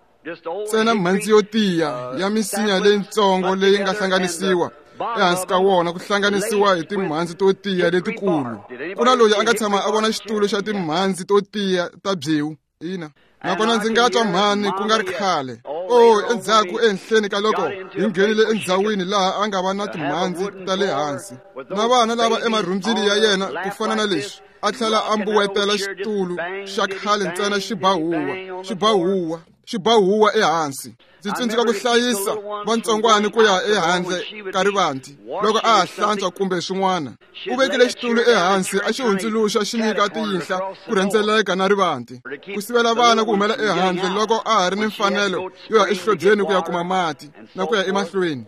Ntsena mhandzi yo tiya ya misinya leyitsongo leyi nga hlanganisiwa ehansi ka wona ku hlanganisiwa hi timhandzi to tiya letikulu. Ku na loyi a nga tshama a vona xitulu xa timhandzi to tiya ta byewu, ina. Nakona ndzi nga twa mhani ku nga ri khale, o endzhaku ehenhleni ka loko hi nghenile endzhawini laha a nga va na timhandzi ta le hansi, na vana lava emarhumbyini ya yena ku fana na leswi, a tlhela a mbuwetela xitulu xa khale ntsena xi ba huwa, xi ba huwa, xi ba huwa ehansi. Ndzi tsundzuka ku hlayisa vantsongwana ku ya ehandle ka rivanti loko a ha hlantswa kumbe swin'wana. U vekile xitulu ehansi a xi hundzuluxa xi nyika tiyinhla ku rhendzeleka na rivanti, ku sivela vana ku humela ehandle loko a ha ri ni mfanelo yo ya exihlobyeni ku ya kuma mati na ku ya emahlweni.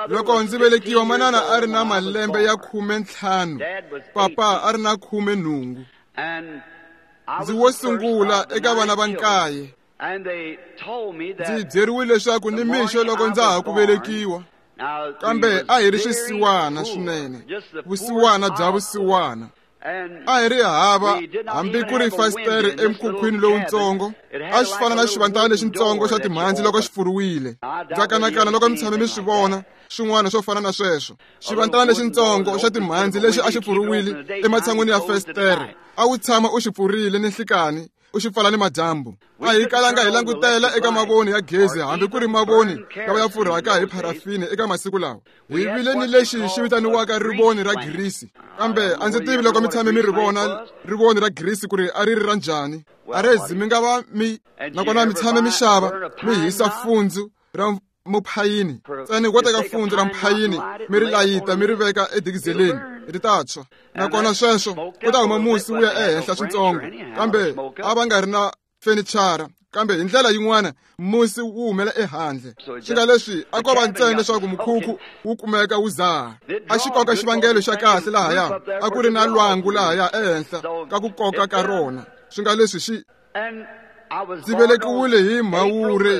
Loko ndzi velekiwa, manana a ri na malembe ya 15, papa a ri na 18. Ndzi wo sungula eka vana va nkaye. Ndzi byeriwile leswaku ni mixo loko ndza ha ku velekiwa, kambe a hi ri swisiwana swinene, vusiwana bya vusiwana. A hi ri hava hambi ku ri fasitere emkhukhwini lowutsongo, a xi fana na xivandlana lexitsongo xa timhandzi loko xi pfuriwile. Ndza kanakana loko mi tshame mi swi vona swin'wana swo fana na sweswo. Xivandlana lexitsongo xa timhandzi lexi a xi pfuriwile ematshan'wini ya fasitere, a wu tshama u xi pfurile ni nhlikani, u xi pfala ni madyambu. A hi kalanga hi langutela eka mavoni ya gezi hambi ku ri mavoni lawa ya pfurhaka hi pharafini eka masiku lawa. Hi vile ni lexi xi vitaniwaka rivoni ra girisi, kambe a ndzi tivi loko mi tshame mi ri vona rivoni ra girisi ku ri a ri ri ra njhani. Arezi mi nga va mi nakona mi tshame mi xava mi hisa fundzu ra muphayini, ntsena wo teka fundzu ra muphayini mi ri layita mi ri veka edikizeleni, ri ta tshwa. Nakona sweswo ku ta huma musi wu ya ehenhla switsongo, kambe a va nga ri na fenichara, kambe hi ndlela yin'wana musi wu humela ehandle. Swi nga leswi a ko va ntsena leswaku mukhukhu wu kumeka wu zaha. A xi koka xivangelo xa kahle lahaya, a ku ri na lwangu lahaya ehenhla ka ku koka ka rona. Swi nga leswi xi ndzi velekiwile hi Mhawuri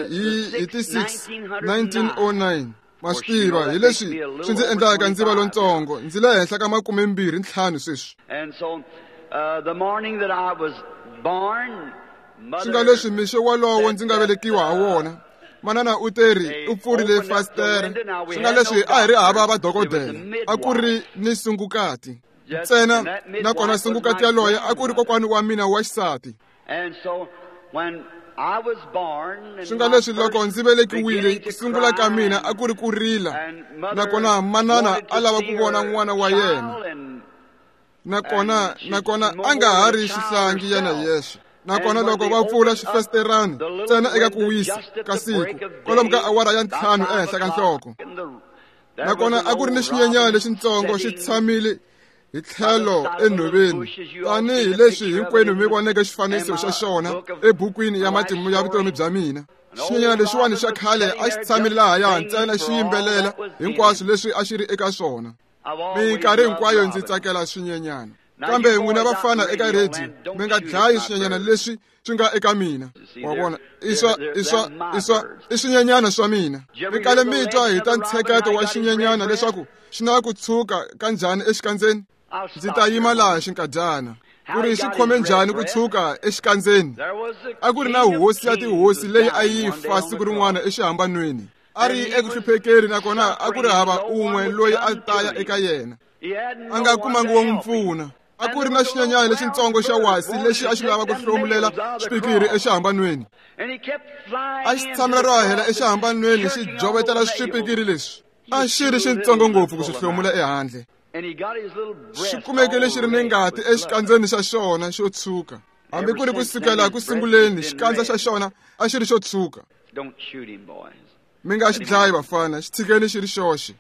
hi ti 6 1909. Ma swi tiva hi leswi swi ndzi endlaka ndzi va lontsongo, ndzi le henhla ka 25 sweswi. Swi nga leswi mixo wolowo ndzi nga velekiwa ha wona, manana u teri u pfurile fasitere. Swi nga leswi a hi ri hava vadokodela, a ku ri ni sungukati ntsena, nakona sungukati yaloye a ku ri kokwani wa mina wa xisati. Swi nga leswi loko ndzi velekiwile, ku sungula ka mina a ku ri ku rila, nakona manana a lava ku vona n'wana wa yena, nakona a nga ha ri xihlangi yena yexe. Nakona loko va pfula xifesiterani ntsena eka ku wisa ka siku kwalomu ka awara ya 5 ehenhla ka nhloko, nakona a ku ri ni xinyenyana lexitsongo xi tshamile hi tlhelo enhoveni, tanihi leswi hinkwenu mi voneke xifaniso xa xona ebukwini ya matimu ya vutomi bya mina. Xinyenyana lexiwani xa khale a xi tshamile lahaya ntsena xi yimbelela hinkwaswo leswi a xi ri eka swona. Minkarhi hinkwayo ndzi tsakela swinyenyana, kambe n'wina vafana eka rediyo mi nga dlayi swinyenyana leswi swi nga eka mina. Wa vona, i swinyenyana swa mina. Mi kale mi twa hi ta ntsheketo wa xinyenyana leswaku xi na ku tshuka kanjhani exikandzeni. Ndzi ta yima laha xinkadyana. Ku ri xi khome njhani ku tshuka exikandzeni? A ku ri na hosi ya tihosi leyi a yi fa siku rin'wana exihambanweni. A ri eku hluphekeni nakona a ku ri hava un'we loyi a ta ya eka yena. A nga kumangi wo n'wi pfuna. A ku ri na xinyenyana lexitsongo xa wasi lexi a xi lava ku hlomulela xipikiri exihambanweni. A xi tshamela ro hahela exihambanweni xi jovetela swipikiri leswi. A xi ri xitsongo ngopfu ku swi hlomula ehandle. Xi kumeke lexi ri ni ngati exikandzeni xa xona xo tshuka. Hambi ku ri ku sukela ku sunguleni xikandza xa xona a xi ri xo tshuka. Mi nga xi dlayi vafana, xi tshikeni xi ri xoxe.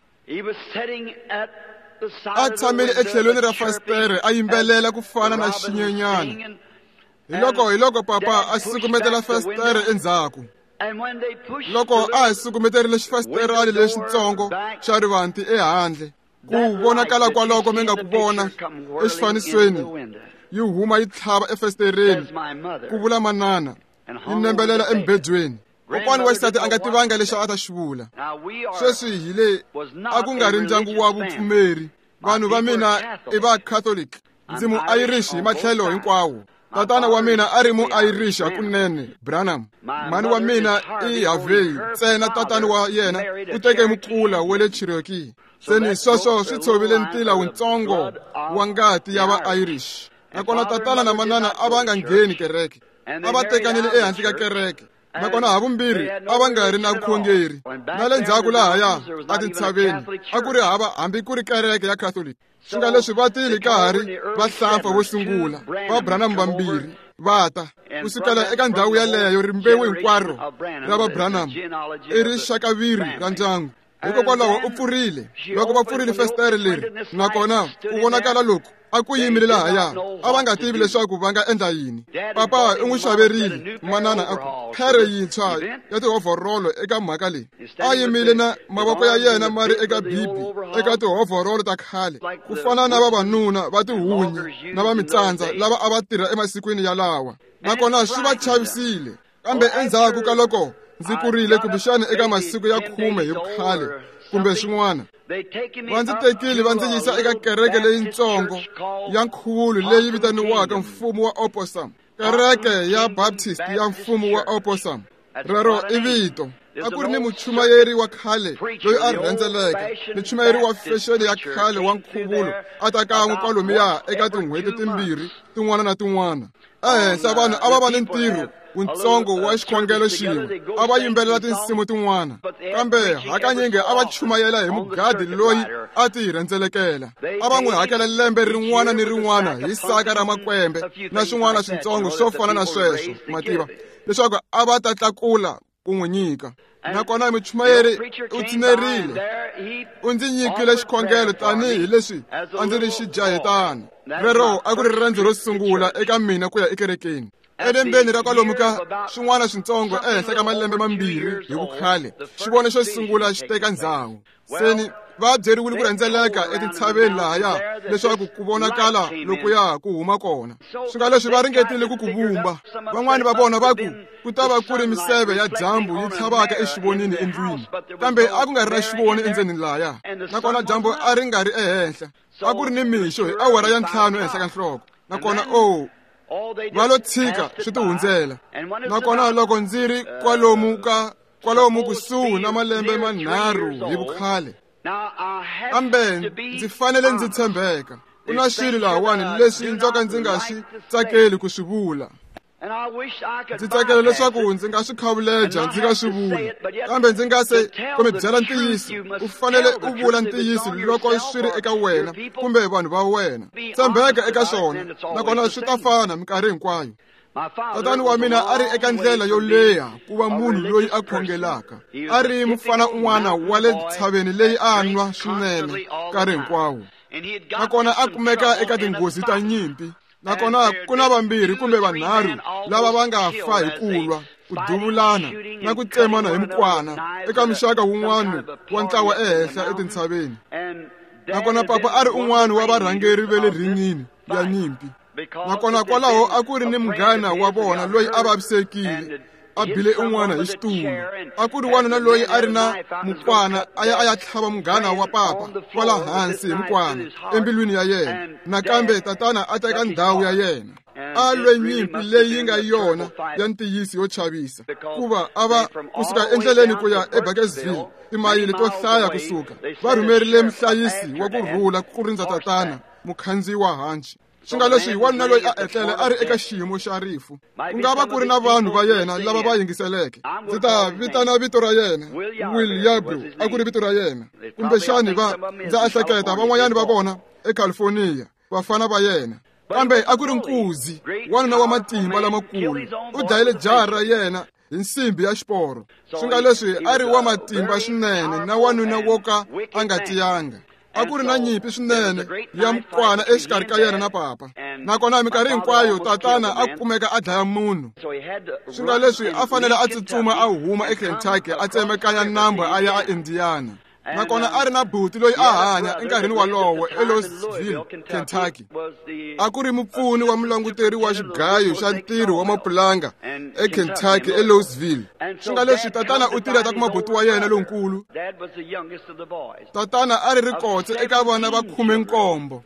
A tshamile etlhelweni ra fasitere a yimbelela ku fana na xinyenyana. Hi loko papa a sukumetela fasitere endzhaku. Loko a ha sukumeterile xifasiterani lexitsongo xa rivanti ehandle, ku vonakala kwaloko mi nga ku vona exifanisweni yi huma yi tlhava efasitereni, ku vula manana, yi nembelela embedweni. Kokwani wa xisati a nga tivanga lexi a ta xi vula. Sweswi hi le a ku nga ri ndyangu wa vupfumeri. Vanhu va mina i va Catholic. Ndzi mu Irish hi matlhelo hinkwawo. Tatana wa mina a ri mu Irish hakunene, Branham. Mhani wa mina i Harvey ntsena. Tatana wa yena u teke mukula wa le Cherokee. Seni sweswo swi tshovile ntila wutsongo wa ngati ya va Irish. Nakona tatana na manana a va nga ngheni kereke. A va tekanile ehandle ka kereke. Nakona havumbirhi a va nga ri na vukhongeri. Na le ndzhaku lahaya etintshaveni a ku ri hava hambi ku ri kereke ya Catholic. Swi nga leswi va tile ka ha ri vahlampfa vo sungula va Branham vambirhi va ta ku sukela eka ndhawu yaleyo. Rimbewu hinkwaro ra va Branham i rixakaviri ra ndyangu. Hikokwalaho u pfurile, loko va pfurile fesitere leri nakona ku vonakala loku a ku yimile lahaya, a va nga tivi leswaku va nga endla yini. Papa u n'wi xaverile, manana a ku, phere yintshwa ya tihovhorolo eka mhaka leyi. A yimile na mavoko ya yena ma ri eka bibi eka tihovhorolo ta khale, ku fana na vavanuna va tihunyi na va mitsandza lava a va tirha emasikwini yalawa, nakona swi va chavisile. Kambe endzhaku ka loko ndzi kurile, kumbexana eka masiku ya 10 hi vukhale kumbe swin'wana, va ndzi tekile va ndzi yisa eka kereke leyitsongo ya nkhuvulo leyi vitaniwaka Mfumo wa Opossum, kereke ya Baptist ya Mfumo wa Opossum. Rero i vito. A ku ri ni muchumayeri wa khale loyi a rhendzeleka, muchumayeri wa fexeni ya khale wa nkhuvulo, a ta kan'we kwalomuya eka tin'hweti timbirhi tin'wana na tin'wana. Ehenhla vanhu a va va ni ntirho wutsongo wa xikhongelo xin'we, a va yimbelela tinsimu tin'wana, kambe hakanyingi a va chumayela hi mugadi loyi a ti rhendzelekela. A va n'wi hakela lembe rin'wana ni rin'wana hi saka ra makwembe na swin'wana switsongo swo fana na sweswo, mativa, leswaku a va ta tlakula ku n'wi nyika. Nakona muchumayeri u tshinerile, u ndzi nyikile xikhongelo tanihi leswi a ndzi ri xijahetana. Rero a ku ri riendzo ro sungula eka mina ku ya ekerekeni. Elembeni ra kwalomu ka swin'wana switsongo ehenhla ka malembe 2 hi vukhale, xivono xo sungula xi teka ndzhawu. Seni va byeriwile ku rhendzeleka etintshaveni lahaya leswaku ku vonakala lokuya ku huma kona. Swi nga leswi va ringetile ku ku vumba. Van'wani va vona va ku ku ta va ku ri miseve ya dyambu yi tlhavaka exivonini endlwini, kambe a ku nga ri na xivoni endzeni lahaya, nakona dyambu a ri nga ri ehenhla. A ku ri ni mixo hi awara ya 5 ehenhla ka nhloko. Nakona o va lo tshika swi ti hundzela. Nakona loko ndzi ri kwalomu kusuhi na malembe 3 hi vukhale, kambe ndzi fanele ndzi tshembeka, ku na swilo lahawani leswi ndzo ka ndzi nga swi tsakeli ku swi vula. Ndzi tsakela leswaku ndzi nga swi khavuleja ndzi nga swi vuli, kambe ndzi nga se ku mi byela ntiyiso. U fanele u vula ntiyiso loko swi ri eka wena kumbe vanhu va wena. Tshembeka eka swona, nakona swi ta fana minkarhi hinkwayo. Tatani wa mina a ri eka ndlela yo leha ku va munhu loyi a khongelaka. A ri mufana un'wana wa le ntshaveni leyi a nwa swinene nkarhi hinkwawo, nakona a kumeka eka tinghozi ta nyimpi. Nakona ku na vambirhi kumbe vanharhu lava va nga fa hi ku lwa, ku duvulana na ku tsemana hi mukwana eka muxaka wun'wana wa ntlawa ehenhla etintshaveni. Nakona papa a ri un'wana wa varhangeri va le ringini ya nyimpi. Nakona kwalaho a ku ri ni munghana wa vona loyi a vavisekile. a bile un'wana hi xitulu. A ku ri wanuna loyi a ri na mukwana a ya tlhava munghana wa papa kwala hansi hi mukwana embilwini ya yena. Nakambe tatana a teka ndhawu ya yena. A lwe nyimpi leyi nga yona ya ntiyiso yo chavisa, kuva a va kusuka endleleni ku ya eBurkesville, timayili to hlaya kusuka, va rhumerile muhlayisi wa ku rhula ku rindza tatana, mukhandziyi wa hanci. Swi nga leswi wanuna loyi a etlele a ri eka xiyimo xa rifu. Ku nga va ku ri na vanhu va yena lava va yingiseleke. Ndzi ta vitana vito ra yena, Will Yarbrough a ku ri vito ra yena. Kumbexani va ndza ehleketa van'wanyani va vona eCalifornia, vafana va yena. Kambe a ku ri nkuzi, wanuna wa matimba lamakulu. U dlayile jaha ra yena hi nsimbi ya xiporo. Swi nga leswi a ri wa matimba swinene na wanuna wo ka a nga tiyanga. A ku ri na nyimpi swinene ya mukwana exikarhi ka yena na papa. Nakona minkarhi hinkwayo tatana a kumeka a dlaya munhu. Swi nga leswi a fanele a tsutsuma a huma eKentucky a tsemekanya nambu a ya eIndiana. Nakona a ri na buti loyi a hanya enkarhini walowo eLouisville, Kentucky. A ku ri mupfuni wa mulanguteri wa xigayo xa ntirho wa mapulanga eKentucky eLouisville. Swi nga leswi tatana u tirha ta kuma buti wa yena lonkulu. Tatana a ri rikotse eka vana va 17.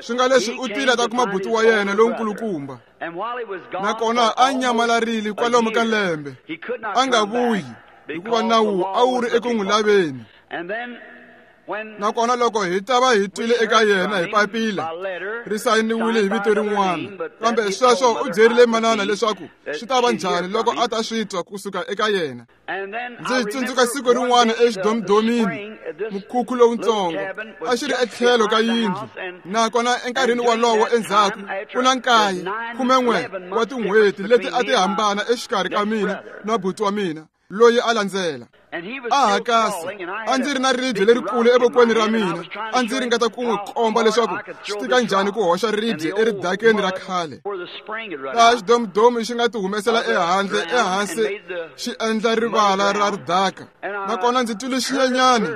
Swi nga leswi u tile ta kuma buti wa yena lonkulukumba. Nakona a nyamalarile kwalomu ka lembe, a nga vuyi hikuva nawu a wu ri eku n'wi laveni. Nakona loko hi ta va hi twile eka yena hi papila ri sayiniwile hi vito rin'wana, kambe sweswo u byerile manana leswaku swi ta va njhani loko a ta swi twa kusuka eka yena. Ndzi tsundzuka siku rin'wana exidomidomini, mukhukhu lowutsongo a xi ri etlhelo ka yindlu. Nakona enkarhini walowo endzhaku ku na 9, 11 wa tin'hweti leti a ti hambana exikarhi ka mina na buti wa mina loyi a landzela. A hakasa, a ndzi ri na ribye lerikulu evokweni ra mina, a ndzi ringeta ku n'wi komba leswaku swi tika njhani ku hoxa ribye eridakeni ra khale, laha xidomidomi xi nga ti humesela ehandle ehansi xi endla rivala ra ridaka. Nakona ndzi twile xinyenyana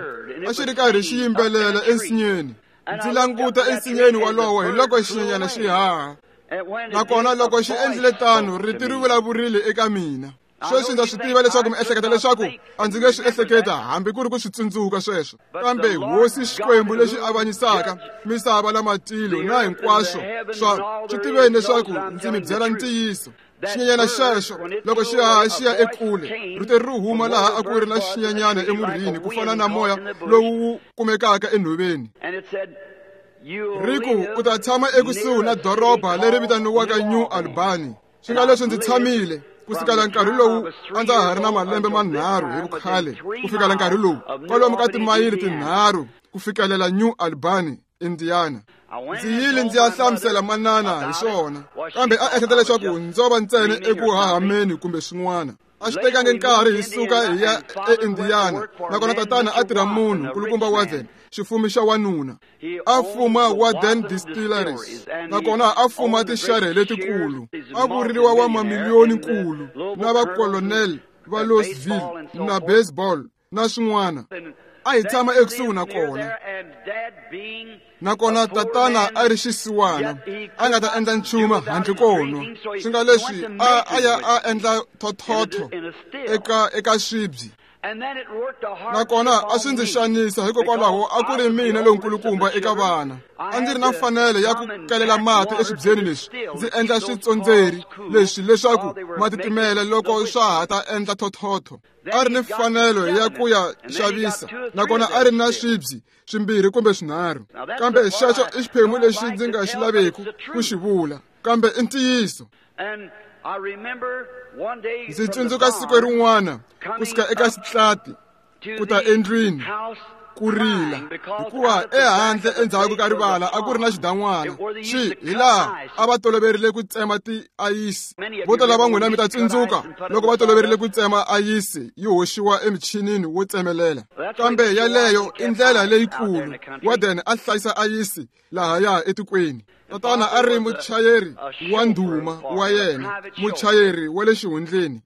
a xi ri karhi xi yimbelela ensinyeni. Ndzi languta ensinyeni walowo hi loko xinyenyana xi haha. Nakona loko xi endlile tano, rito ri vulavurile eka mina. Sweswi ndza swi tiva leswaku mi ehleketa leswaku a ndzi nge swi ehleketa hambi ku ri ku swi tsundzuka sweswo. Kambe Hosi Xikwembu lexi avanyisaka misava na matilo na hinkwaswo swa swi tiveni leswaku ndzi mi byela ntiyiso. Xinyenyana xexo loko xi haha xi ya ekule, rito ri huma laha a ku ri na xinyenyana emurhini ku fana na moya lowu wu kumekaka enhoveni. Ri ku u ta tshama ekusuhi na doroba leri vitaniwaka New Albany. Swi nga leswi ndzi tshamile kusukela nkarhi lowu a ndza ha ri na malembe manharhu hi vukhale ku fikela nkarhi lowu kwalomu ka timayili 3 ku fikelela New Albany, Indiana. Ndzi yile ndzi ya hlamusela manana hi swona, kambe a ehleketa leswaku ndzo va ntsena eku hahameni kumbe swin'wana. A swi tekangi nkarhi hi suka hi ya eIndiana. Nakona tatana a tirha munhu nkulukumba Wathen, xifumi xa wanuna. A fuma Wathen Distilleries, nakona a fuma tixarhe letikulu. A vuriwa wa mamiliyoni nkulu na vakolonel va Louisville na baseball na swin'wana. A hi tshama ekusuhi na kona. Nakona tatana a ri xisiwana, a nga ta endla nchumu handle ko nwa. Swi nga leswi a ya a endla thothotho eka swibyi. Nakona a swi ndzi xanisa hikokwalaho a ku ri mina lonkulukumba eka vana. A ndzi ri na mfanelo ya ku kelela mati eswibyeni leswi, ndzi endla switsondzeri leswi leswaku ma titimela loko swa ha ta endla thothotho. A ri ni mfanelo ya ku ya xavisa, nakona a ri na swibyi swimbirhi kumbe swinharhu. Kambe xexo i xiphemu lexi ndzi nga xi laveki ku xi vula, kambe i ntiyiso. Ndzi tsundzuka siku rin'wana kusuka eka xitlati ku ta endlwini ku rila, hikuva ehandle endzhaku ka rivala a ku ri na xidan'wana xi hi laha a va toloverile ku tsema tiayisi. Vo tala va n'wina mi ta tsundzuka loko va toloverile ku tsema ayisi yi hoxiwa emichinini wo tsemelela. Kambe yaleyo i ndlela leyikulu Warden a hlayisa ayisi lahaya etikweni. Tatana a ri muchayeri wa ndhuma wa yena, muchayeri wa le xihundleni.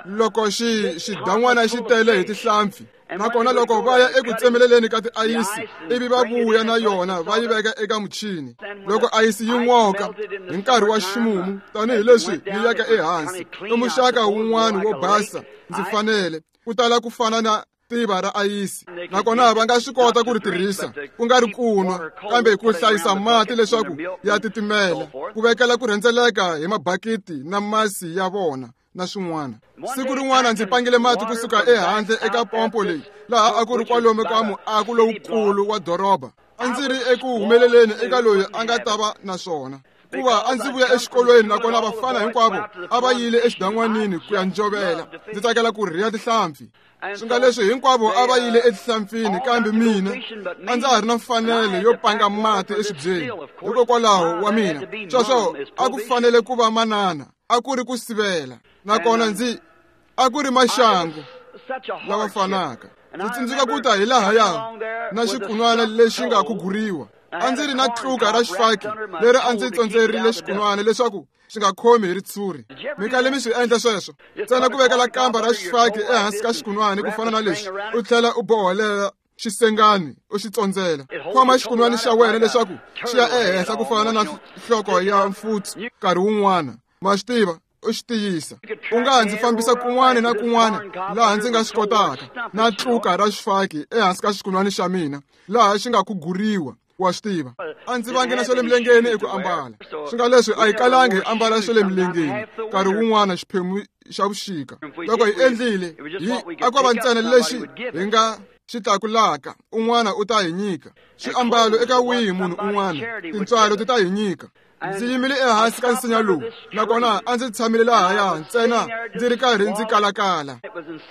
Loko xidan'wana xi tele hi tihlampfi, nakona loko va ya eku tsemeleleni ka tiayisi ivi va vuya na yona va yi veka eka muchini. Loko ayisi yi n'oka hi nkarhi wa ximumu tanihileswi yi yaka ehansi, i muxaka wun'wana wo basa ndzi fanele ku tala ku fana na tiva ra ayisi, nakona va nga swi kota ku ri tirhisa ku nga ri ku nwa, kambe ku hlayisa mati leswaku ya titimela, ku vekela ku rhendzeleka hi mabakiti na masi ya vona na swin'wana. Siku rin'wana ndzi pangile mati kusuka ehandle eka pompo leyi laha a ku ri kwalomu ka muako lowukulu wa doroba. A ndzi ri eku humeleleni eka loyi a nga ta va na swona, kuva a ndzi vuya exikolweni nakona vafana hinkwavo a va yile exidan'wanini ku ya njovela. Ndzi tsakela ku rhiya tihlampfi. Swi nga leswi hinkwavo a va yile etihlampfini, kambe mina a ndza ha ri na mfanelo yo panga mati exibyeni. Hikokwalaho wa mina sweswo a ku fanele ku va manana, a ku ri ku sivela, nakona ndzi a ku ri maxangu lawa fanaka. Ndzi tsundzuka ku ta hi lahaya na xikunwana lexi nga khuguriwa. A ndzi ri na tluka ra xifaki leri a ndzi tsondzerile xikunwana leswaku xi nga khomi hi ritshuri. Mi kale mi swi endla sweswo, ntsena ku vekela kamba ra xifaki ehansi ka xikunwana ku fana na leswi, u tlhela u boholela xisengani u xi tsondzela. Khoma xikunwana xa wena leswaku xi ya ehenhla ku fana na nhloko ya mfutsu nkarhi wun'wana, ma swi tiva, u xi tiyisa. U nga ndzi fambisa kun'wana na kun'wana laha ndzi nga swi kotaka na tluka ra xifaki ehansi ka xikunwana xa mina laha xi nga khuguriwa, wa swi tiva. A ndzi vangi na swa le milengeni eku ambala. Swi nga leswi a hi kalangi hi ambala swa le milengeni nkarhi wun'wana xiphemu xa vuxika. Loko hi endlile, hi a ko va ntsena lexi hi nga xi tlakulaka, un'wana u ta hi nyika swiambalo eka wihi munhu un'wana, tintswalo ti ta hi nyika. Ndzi yimile ehansi ka nsinya lowu, nakona a ndzi tshamile lahaya ntsena ndzi ri karhi ndzi kalakala.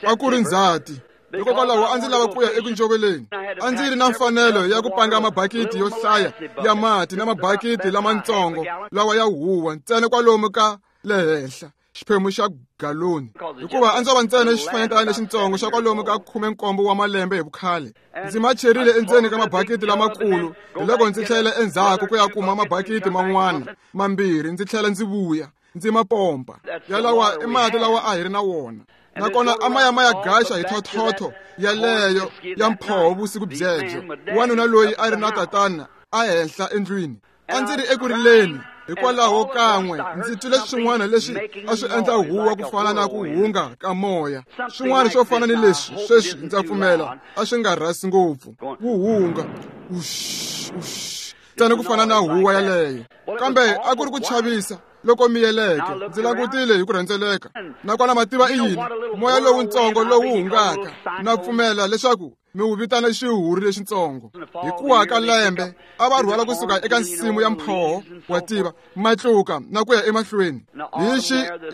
A ku ri ndzhati, hikokwalaho a ndzi lava ku ya eku njoveleni. A ndzi ri na mfanelo ya ku panga mabakiti yo hlaya ya mati na mabakiti lamatsongo lawa ya huwa ntsena kwalomu ka le henhla xiphemu xa galoni, hikuva a ndzo va ntsena xifanyetana lexitsongo xa kwalomu ka 17 wa malembe hi vukhale. Ndzi macherile endzeni ka mabakiti lamakulu, hiloko ndzi tlhela endzhaku ku ya kuma mabakiti man'wana mambirhi, ndzi tlhela ndzi vuya ndzi ma pompa. Yalawa i mati lawa a hi ri na wona, nakona a ma ya ma ya gaxa hi thothotho yaleyo ya mphoho vusiku byebyo. Wanuna loyi a ri na tatana a henhla endlwini. A ndzi ri eku rileni hikwalaho kan'we ndzi twile swin'wana leswi a swi endla huwa ku fana na ku hunga ka moya, swin'wana swo fana ni leswi sweswi ndza pfumela a swi nga rhasi ngopfu, wu hunga ush ush ntsena ku fana na huwa yaleyo. Kambe a ku ri ku chavisa loko miyeleke. Ndzi langutile hi ku rhendzeleka, nakona mativa i yini? Moya lowutsongo lowu hungaka, na pfumela leswaku mi wu vitana xihuri lexitsongo. Hi kuwa ka lembe a va rhwala kusuka eka nsimu ya mphoho wa tiva matluka na ku ya emahlweni hi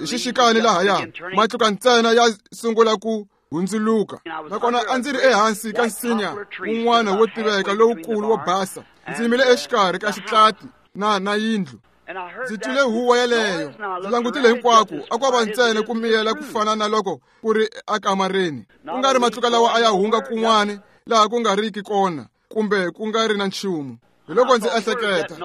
xixikani lahaya, matluka ntsena ya sungula ku hundzuluka. Nakona a ndzi ri ehansi ka nsinya wun'wana wo tiveka lowukulu wo basa, ndzi yimile exikarhi ka xitlati na yindlu. Ndzi twile huwa yaleyo, ndzi langutile hinkwako, a ko va ntsena ku miyela ku fana na loko ku ri ekamareni, ku nga ri matluka lawa a ya hunga kun'wana laha ku nga riki kona kumbe ku nga ri na nchumu. Hiloko ndzi ehleketa,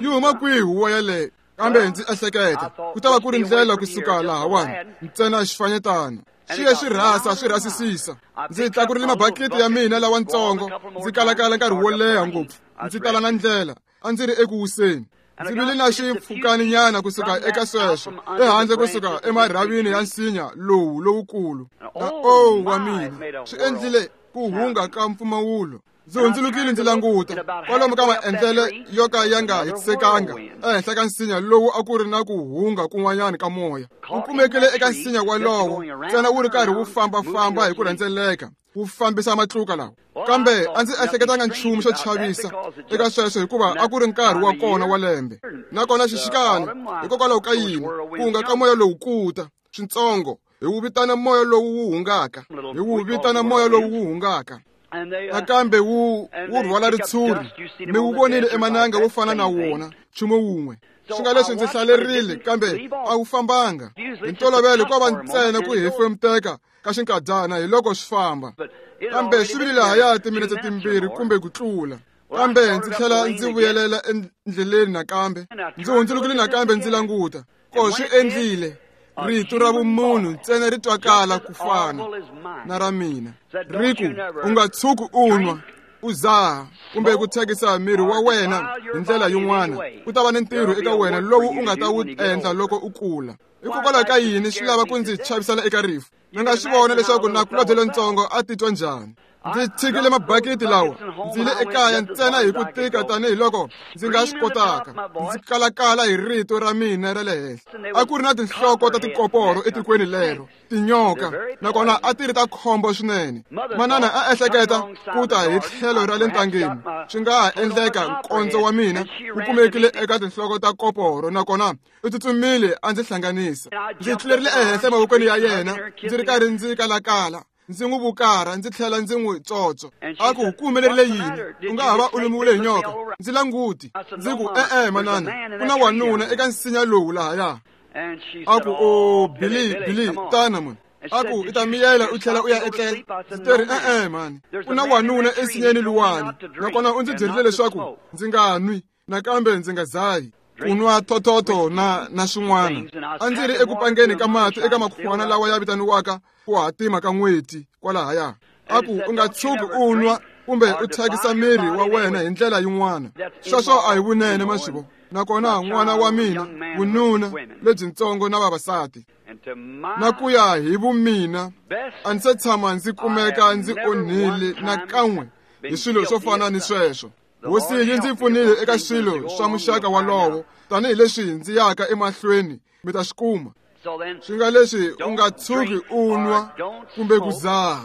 yi huma kwihi huwa yaleyo? Kambe ndzi ehleketa ku ta va ku ri ndlela kusuka lahawani ntsena xifanyetana xi ye xi rhasa swi rhasisisa. Ndzi tlakurile mabakiti ya mina lawatsongo, ndzi kalakala nkarhi wo leha ngopfu, ndzi tala na ndlela. A ndzi ri eku wiseni. Ndzi vile na xipfukaninyana kusuka eka sweswo ehandle kusuka emarhavini ya nsinya lowu lowukulu. Na o wa mina, swi endlile ku hunga ka mpfumawulo. Ndzi hundzulukile ndzi languta kwalomu ka maendlelo yo ka ya nga hetisekanga ehenhla ka nsinya lowu a ku ri na ku hunga kun'wanyana ka moya. Wu kumekile eka nsinya walowo ntsena wu ri karhi wu fambafamba hi ku rhendzeleka, wu fambisa matluka lawa. Kambe a ndzi ehleketanga nchumu xo chavisa eka sweswo, hikuva a ku ri nkarhi wa kona wa lembe. Nakona xixikana, hikokwalaho ka yini ku hunga ka moya lowu kuta switsongo, hi wu vitana moya lowu wu hungaka, hi wu vitana moya lowu wu hungaka. Nakambe wu rhwala ritshuri, mi wu vonile emananga wo fana na wona, nchumu wun'we. Swi nga leswi ndzi hlalerile, kambe a wu fambanga. Hi ntolovelo ko va ntsena ku hefemuteka ka xinkadyana hi loko swi famba, kambe swi vile lahaya timinetse timbirhi kumbe ku tlula. Kambe ndzi tlhela ndzi vuyelela endleleni nakambe, ndzi hundzulukile nakambe ndzi languta ko swi endlile. Rito ra vumunhu ntsena ri twakala ku fana na ra mina. Ri ku, u nga tshuki u nwa, u zaha, kumbe ku thyakisa miri wa wena hi ndlela yin'wana. Ku ta va ni ntirho eka wena lowu u nga ta wu endla loko u kula. Hikokwalaho ka yini swi lava ku ndzi chavisela eka rifu? Mi nga swi vona leswaku nakulobye lontsongo a titwa njhani. Ndzi tshikile mabakiti lawa, ndzi le ekaya ntsena hi ku tika tanihiloko ndzi nga swi kotaka. Ndzi kalakala hi rito ra mina ra le henhla. A ku ri na tinhloko ta tikoporo etikweni lero, tinyoka, nakona a ti ri ta khombo swinene. Manana a ehleketa ku ta hi tlhelo ra le ntangeni. Swi nga ha endleka nkondzo wa mina wu kumekile eka tinhloko ta koporo, nakona u tsutsumile a ndzi hlanganisa. Ndzi tlulerile ehenhla emavokweni ya yena, ndzi ri karhi ndzi kalakala. Ndzi n'wi vukara, ndzi tlhela ndzi n'wi tsotso. A ku, ku humelerile yini? U nga ha va u lumiwile hi nyoka. Ndzi languti. Ndzi ku, e-e, manana, ku na wanuna eka nsinya lowu lahaya. A ku, o, Billy, Billy, tana mani. A ku, i ta miyela u tlhela u ya etlela. Ndzi teri, e-e, mani, ku na wanuna ensinyeni luwani, nakona u ndzi byerile leswaku ndzi nga nwi, nakambe ndzi nga zahi. Ku nwa thothotho na swin'wana. A ndzi ri eku pangeni ka mati eka makhwana lawa ya vitaniwaka ku hatima ka n'weti kwalahaya. A ku, u nga tshuki u nwa kumbe u thyakisa miri wa wena hi ndlela yin'wana. Sweswo a hi vunene, maswivo. Nakona n'wana wa mina, vununa lebyintsongo na vavasati. Na ku ya hi vumina, a ndzi se tshama ndzi kumeka ndzi onhile nakan'we hi swilo swo fana ni sweswo. Hosi yi ndzi pfunile eka swilo swa muxaka walowo, tanihileswi ndzi yaka emahlweni mi ta swi kuma. Swi nga leswi u nga tshuki u nwa kumbe ku zaha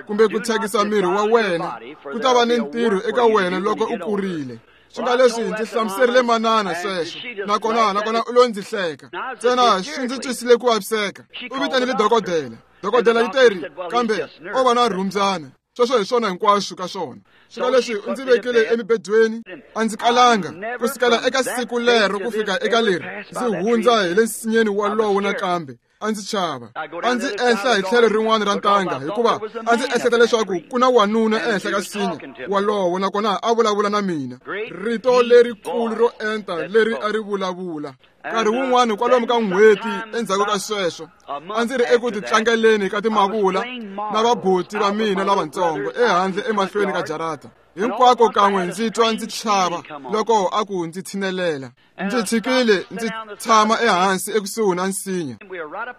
kumbe ku thyakisa miri wa wena, ku ta va ni ntirho eka wena loko u kurile. Swi nga leswi ndzi hlamuserile manana sweswo, nakona u lo ndzi hleka. Ntsena swi ndzi twisile ku vaviseka. U vitanile dokodela. Dokodela yi teri, kambe o va na rhumbyana. Sweswo hi swona hinkwaswo ka swona. Swi nga leswi u ndzi vekile emibedweni, a ndzi kalanga ku sukela eka siku lero ku fika eka leri ndzi hundza hi le nsinyeni walowo nakambe. A ndzi chava. A ndzi ehla hi tlhelo rin'wana ra ntanga, hikuva a ndzi ehleketa leswaku ku na wanuna ehenhla ka nsinya walowo, nakona a vulavula na mina. Rito lerikulu ro enta leri a ri vulavula. Nkarhi wun'wana kwalomu ka n'hweti endzhaku ka sweswo, a ndzi ri eku titlangeleni ka timavula na vabuti va mina lavatsongo ehandle emahlweni ka jarata. Hinkwako kan'we ndzi twa ndzi chava loko a ku ndzi tshinelela. Ndzi tshikile ndzi tshama ehansi ekusuhi na nsinya.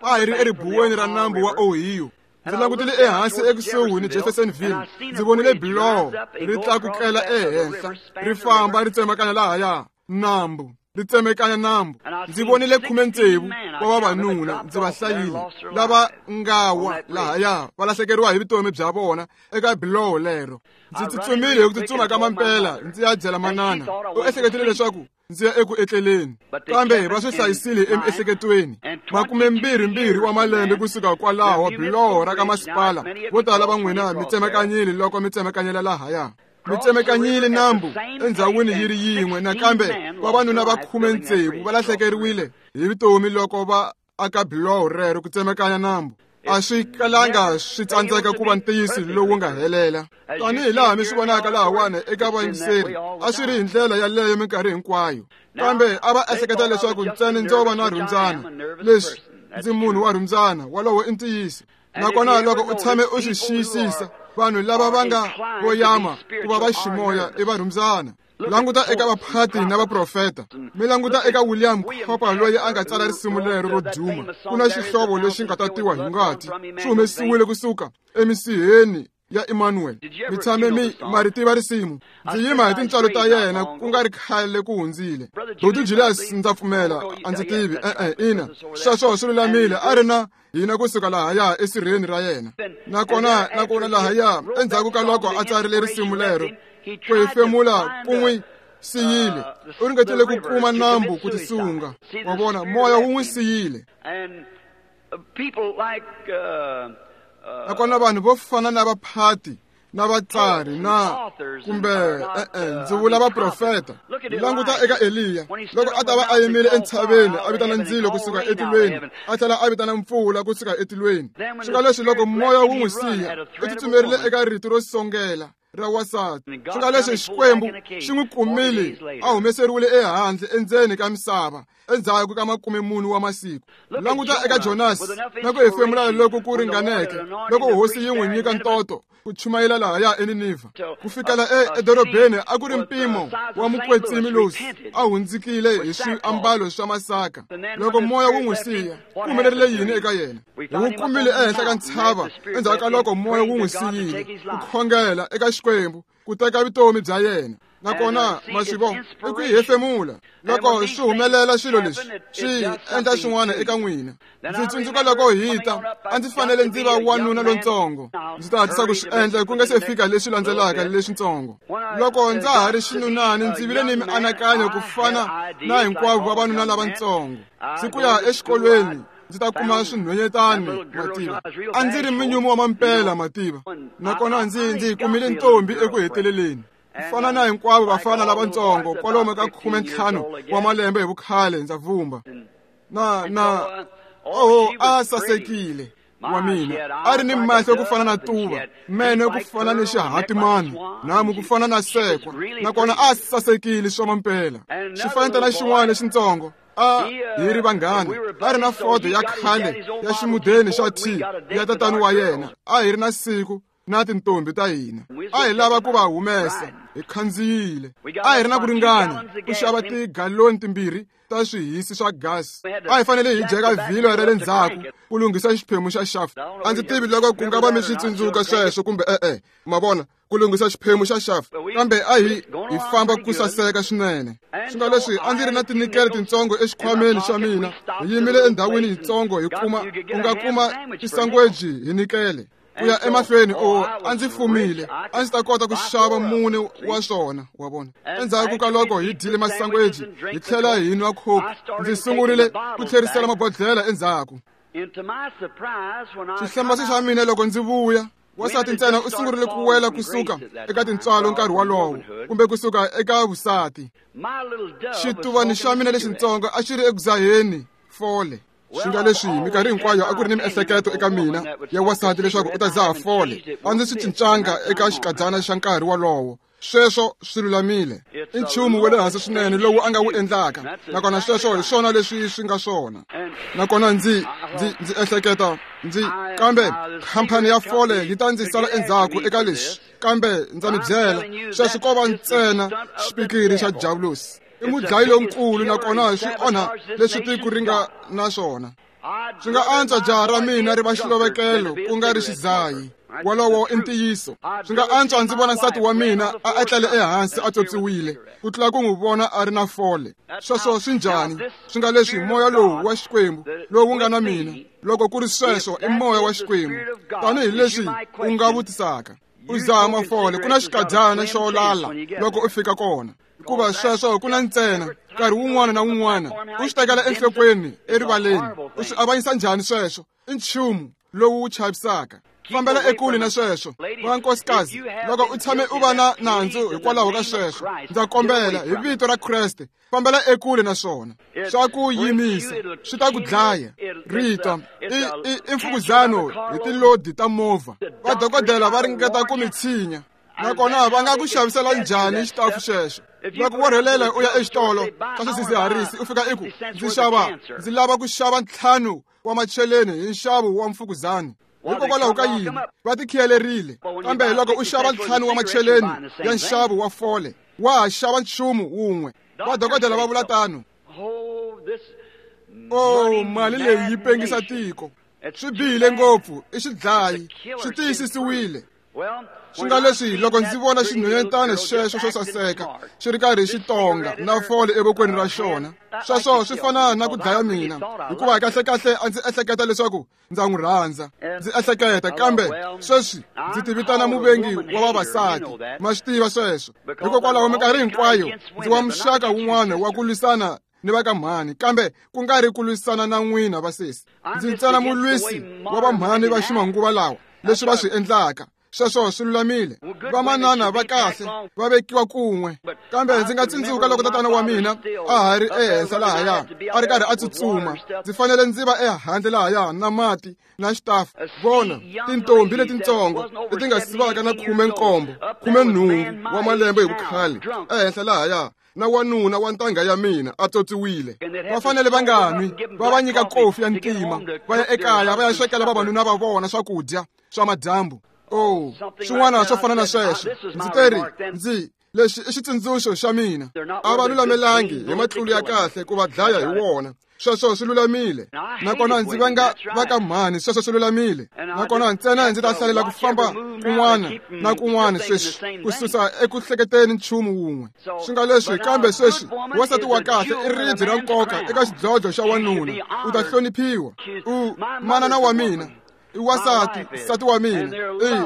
A hi ri eribuweni ra nambu wa Ohio. Ndzi langutile ehansi ekusuhi ni Jeffersonville. Ndzi vonile biloho ri tlakukela ehenhla, ri famba ri tsemakanya lahaya nambu, ri tsemekanya nambu. Ndzi vonile 16 wa vavanuna, ndzi va hlayile, lava nga wa lahaya va lahlekeriwa hi vutomi bya vona eka biloho lero. Ndzi tsutsumile hi ku tsutsuma ka mampela ndzi ya byela manana. U ehleketile leswaku ndzi ya eku etleleni, kambe va swi hlayisile emiehleketweni. 22 wa malembe kusuka kwalaho, biloho ra ka masipala vo tala va n'wina mi tsemakanyile loko mi tsemakanyela lahaya. Mi tsemekanyile nambu endzhawini yi ri yin'we, nakambe vavanuna va 16 va lahlekeriwile hi vutomi loko va aka biloho rero ku tsemekanya nambu. A swi kalanga swi tsandzeka ku va ntiyiso lowu nga helela. Tanihi laha mi swi vonaka lahawani eka vayingiseri, a swi ri hi ndlela yaleyo minkarhi hinkwayo. Kambe a va ehleketa leswaku ntsena ndzo va na rhumbyana. Leswi ndzi munhu wa rhumbyana, walowo i ntiyiso. Nakona loko u tshame u swi xiyisisa, vanhu lava va nga voyama ku va va ximoya i va rhumbyana. Languta eka vaphati na vaprofeta. Mi languta eka William Cowper loyi a nga tsala risimu lero ro duma. Ku na xihlovo lexi nga tatiwa hi ngati, swi humesiwile kusuka emisiheni ya Emmanuel. Mi tshame mi ma ri tiva risimu. Ndzi yima hi tintswalo ta yena ku nga ri khale ku hundzile. Dr. Julius, ndza pfumela, a ndzi tivi. E-e, ina, sweswo swi lulamile. A ri na hina kusuka lahaya esirheni ra yena. Nakona lahaya endzhaku ka loko a tsarile risimu lero, ku hefemula ku n'wi siyile. U ringetile ku kuma nambu ku tisunga. Wa vona, moya wu n'wi siyile. Nakona vanhu vo fana na vaphati na vatsari na kumbe ndzi vula vaprofeta. Languta eka Eliya loko a ta va a yimile entshaveni a vitana ndzilo kusuka etilweni, a tlhela a vitana mpfula kusuka etilweni. Swi nga leswi loko moya wu n'wi siya, u tsutsumerile eka rito ro songela. ra wansati. Swi nga leswi Xikwembu xi n'wi kumile a humeseriwile ehandle endzeni ka misava endzhaku ka 40 wa masiku. Languta eka Jonasi na ku hefemula loko ku ringaneke loko hosi yi n'wi nyika ntoto ku chumayela lahaya eNinivha. Ku fikela edorobeni a ku ri mpimo wa mukwetsimi losi a hundzikile hi swiambalo swa masaka. Loko moya wu n'wi siya, ku humelerile yini eka yena? Hi wu kumile ehenhla ka ntshava endzhaku ka loko moya wu n'wi siyile, ku khongela eka Xikwembu ku teka vutomi bya yena. Nakona maswivo i ku hefemula loko swi humelela swilo leswi swi endla swin'wana eka n'wina. Ndzi tsundzuka loko hi ta a ndzi fanele ndzi va wanuna lontsongo. Ndzi ta hatlisa ku swi endla ku nga se fika leswi landzelaka leswitsongo. Loko ndza ha ri xinunani ndzi vile ni mianakanyo ku fana na hinkwavo vavanuna lavatsongo. Ndzi ku ya exikolweni ndzi ta kuma swinhwenyetani mativa. A ndzi ri munyumi wa mampela mativa. Nakona ndzi kumile ntombi eku heteleleni. Fana na hinkwavo vafana lavatsongo kwalomu ka 15 wa malembe hi vukhale ndza vumba. Na oho a sasekile wa mina. A ri ni mahlo ku fana na tuva, meno ku fana ni xihatimani, nhamu ku fana na sekwa. Nakona a sasekile swa mampela. Xifanetana xin'wana lexitsongo a hi ri vanghana. A ri na fodo ya khale ya ximudeni xa T ya tatani wa yena. A hi ri na siku na tintombi ta hina. A hi lava ku va humesa, hi khandziyile. A hi ri na ku ringana ku xava tigaloni 2 ta swihisi swa gasi. A hi fanele hi jeka vhilwa ra le ndzhaku ku lunghisa xiphemu xa shaft. A ndzi tivi loko ku nga va mi swi tsundzuka sweswo kumbe e-e, ma vona, ku lunghisa xiphemu xa shaft. Kambe a hi famba ku saseka swinene. Swi nga leswi a ndzi ri na tinikele tintsongo exikhwameni xa mina. Hi yimile endhawini yitsongo hi kuma u nga kuma tisangweji hi nikele. Ku ya emahlweni o a ndzi fumile, a ndzi ta kota ku xava 4 wa swona, wa vona. Endzhaku ka loko hi dyile masangweji hi tlhela hi nwa coke, ndzi sungurile ku tlherisela mabodlhela endzhaku. Xihlambaso xa mina loko ndzi vuya, wansati ntsena u sungurile ku wela kusuka eka tintswalo nkarhi wolowo, kumbe kusuka eka vusati. Xituvani xa mina lexitsongo a xi ri eku dzaheni fole. Swi nga leswi minkarhi hinkwayo a ku ri ni miehleketo eka mina ya wansati leswaku u ta dzaha fole. A ndzi swi cincanga eka xikadzana xa nkarhi wolowo. Sweswo swi lulamile. I nchumu wa le hansi swinene lowu a nga wu endlaka. Nakona sweswo hi swona leswi swi nga swona. Nakona ndzi ehleketa ndzi kambe khampani ya fole yi ta ndzi sala endzhaku eka leswi. Kambe ndza mi byela, sweswo ko va ntsena xipikiri xa Diablosi. I mudlayi lonkulu nakona swi onha leswi tiko ri nga na swona. Swi nga antswa jaha ra mina ri va xilovekelo ku nga ri xidzayi. Wolowo i ntiyiso. Swi nga antswa ndzi vona nsati wa mina a etlele ehansi a tswotswiwile ku tlula ku n'wi vona a ri na fole. Sweswo swi njhani? Swi nga leswi moya lowu wa Xikwembu lowu nga na mina, loko ku ri sweswo i moya wa Xikwembu, tanihi leswi u nga vutisaka. U dzaha mafole, ku na xikadzana xo lala loko u fika kona. Hikuva sweswo ku na ntsena nkarhi wun'wana na wun'wana u swi tekela enhlokweni erivaleni. U swi avanyisa njhani sweswo? I nchumu lowu wu chavisaka. Fambela ekule na sweswo. Vankosikazi, loko u tshame u va na nandzu hikwalaho ka sweswo, ndza kombela hi vito ra Kreste, fambela ekule na swona. Swa ku yimisa, swi ta ku dlaya. Rito i mfukuzano hi tilodi ta movha. Vadokodela va ringeta ku mi tshinya. Nakona va nga ku xavisela njhani xitafu xexo? Loko wo rhelela u ya exitolo xa swidzidziharisi u fika i ku ndzi lava ku xava 5 wa macheleni hi nxavo wa mfukuzani. Hikokwalaho ka yini? Va tikhiyelerile. Kambe loko u xava 5 wa macheleni ya nxavo wa fole, wa ha xava nchumu wun'we. Vadokodela va vula tano. O mali leyi yi pengisa tiko. Swi bihile ngopfu, i xidlayi, swi tiyisisiwile. Swi nga leswi loko ndzi vona xinhwenyetana xexo xo saseka xi ri karhi xi tonga na fole evokweni ra xona, sweswo swi fana na ku dlaya mina, hikuva kahlekahle a ndzi ehleketa leswaku ndza n'wi rhandza. Ndzi ehleketa, kambe sweswi ndzi tivitana muvengi wa vavasati. Ma swi tiva sweswo. Hikokwalaho minkarhi hinkwayo ndzi wa muxaka wun'wana wa ku lwisana ni va ka mhani, kambe ku nga ri ku lwisana na n'wina vasesi. Ndzi ntsena mulwisi wa vamhani va ximanguva lawa, leswi va swi endlaka. Sweswo swi lulamile. Vamanana va kahle va vekiwa kun'we. Kambe ndzi nga tsundzuka loko tatana wa mina a ha ri ehenhla lahaya, a ri karhi a tsutsuma. Ndzi fanele ndzi va ehandle lahaya na mati na xitafu. Vona tintombi letintsongo leti nga sivaka na 17, 18 wa malembe hi vukhale ehenhla lahaya na wanuna wa ntangha ya mina a totsiwile. Va fanele va nga nwi, va va nyika kofi ya ntima, va ya ekaya va ya swekela vavanuna va vona swakudya swa madyambu. Oh, swin'wana swo fana na sweswo. Ndzi teri ndzi lexi i xitsundzuxo xa mina. A va lulamelangi hi matlulu ya kahle ku va dlaya hi wona. Sweswo swi lulamile. Nakona ndzi vanga va ka mhani, sweswo swi lulamile. Nakona ntsena ndzi ta hlalela ku famba kun'wana na kun'wana sweswi, ku susa eku hleketeni nchumu wun'we. Swi nga leswi, kambe sweswi wansati wa kahle i ribye ra nkoka eka xidlodlo xa wanuna. U ta hloniphiwa. U manana wa mina, i wansati, nsati wa mina.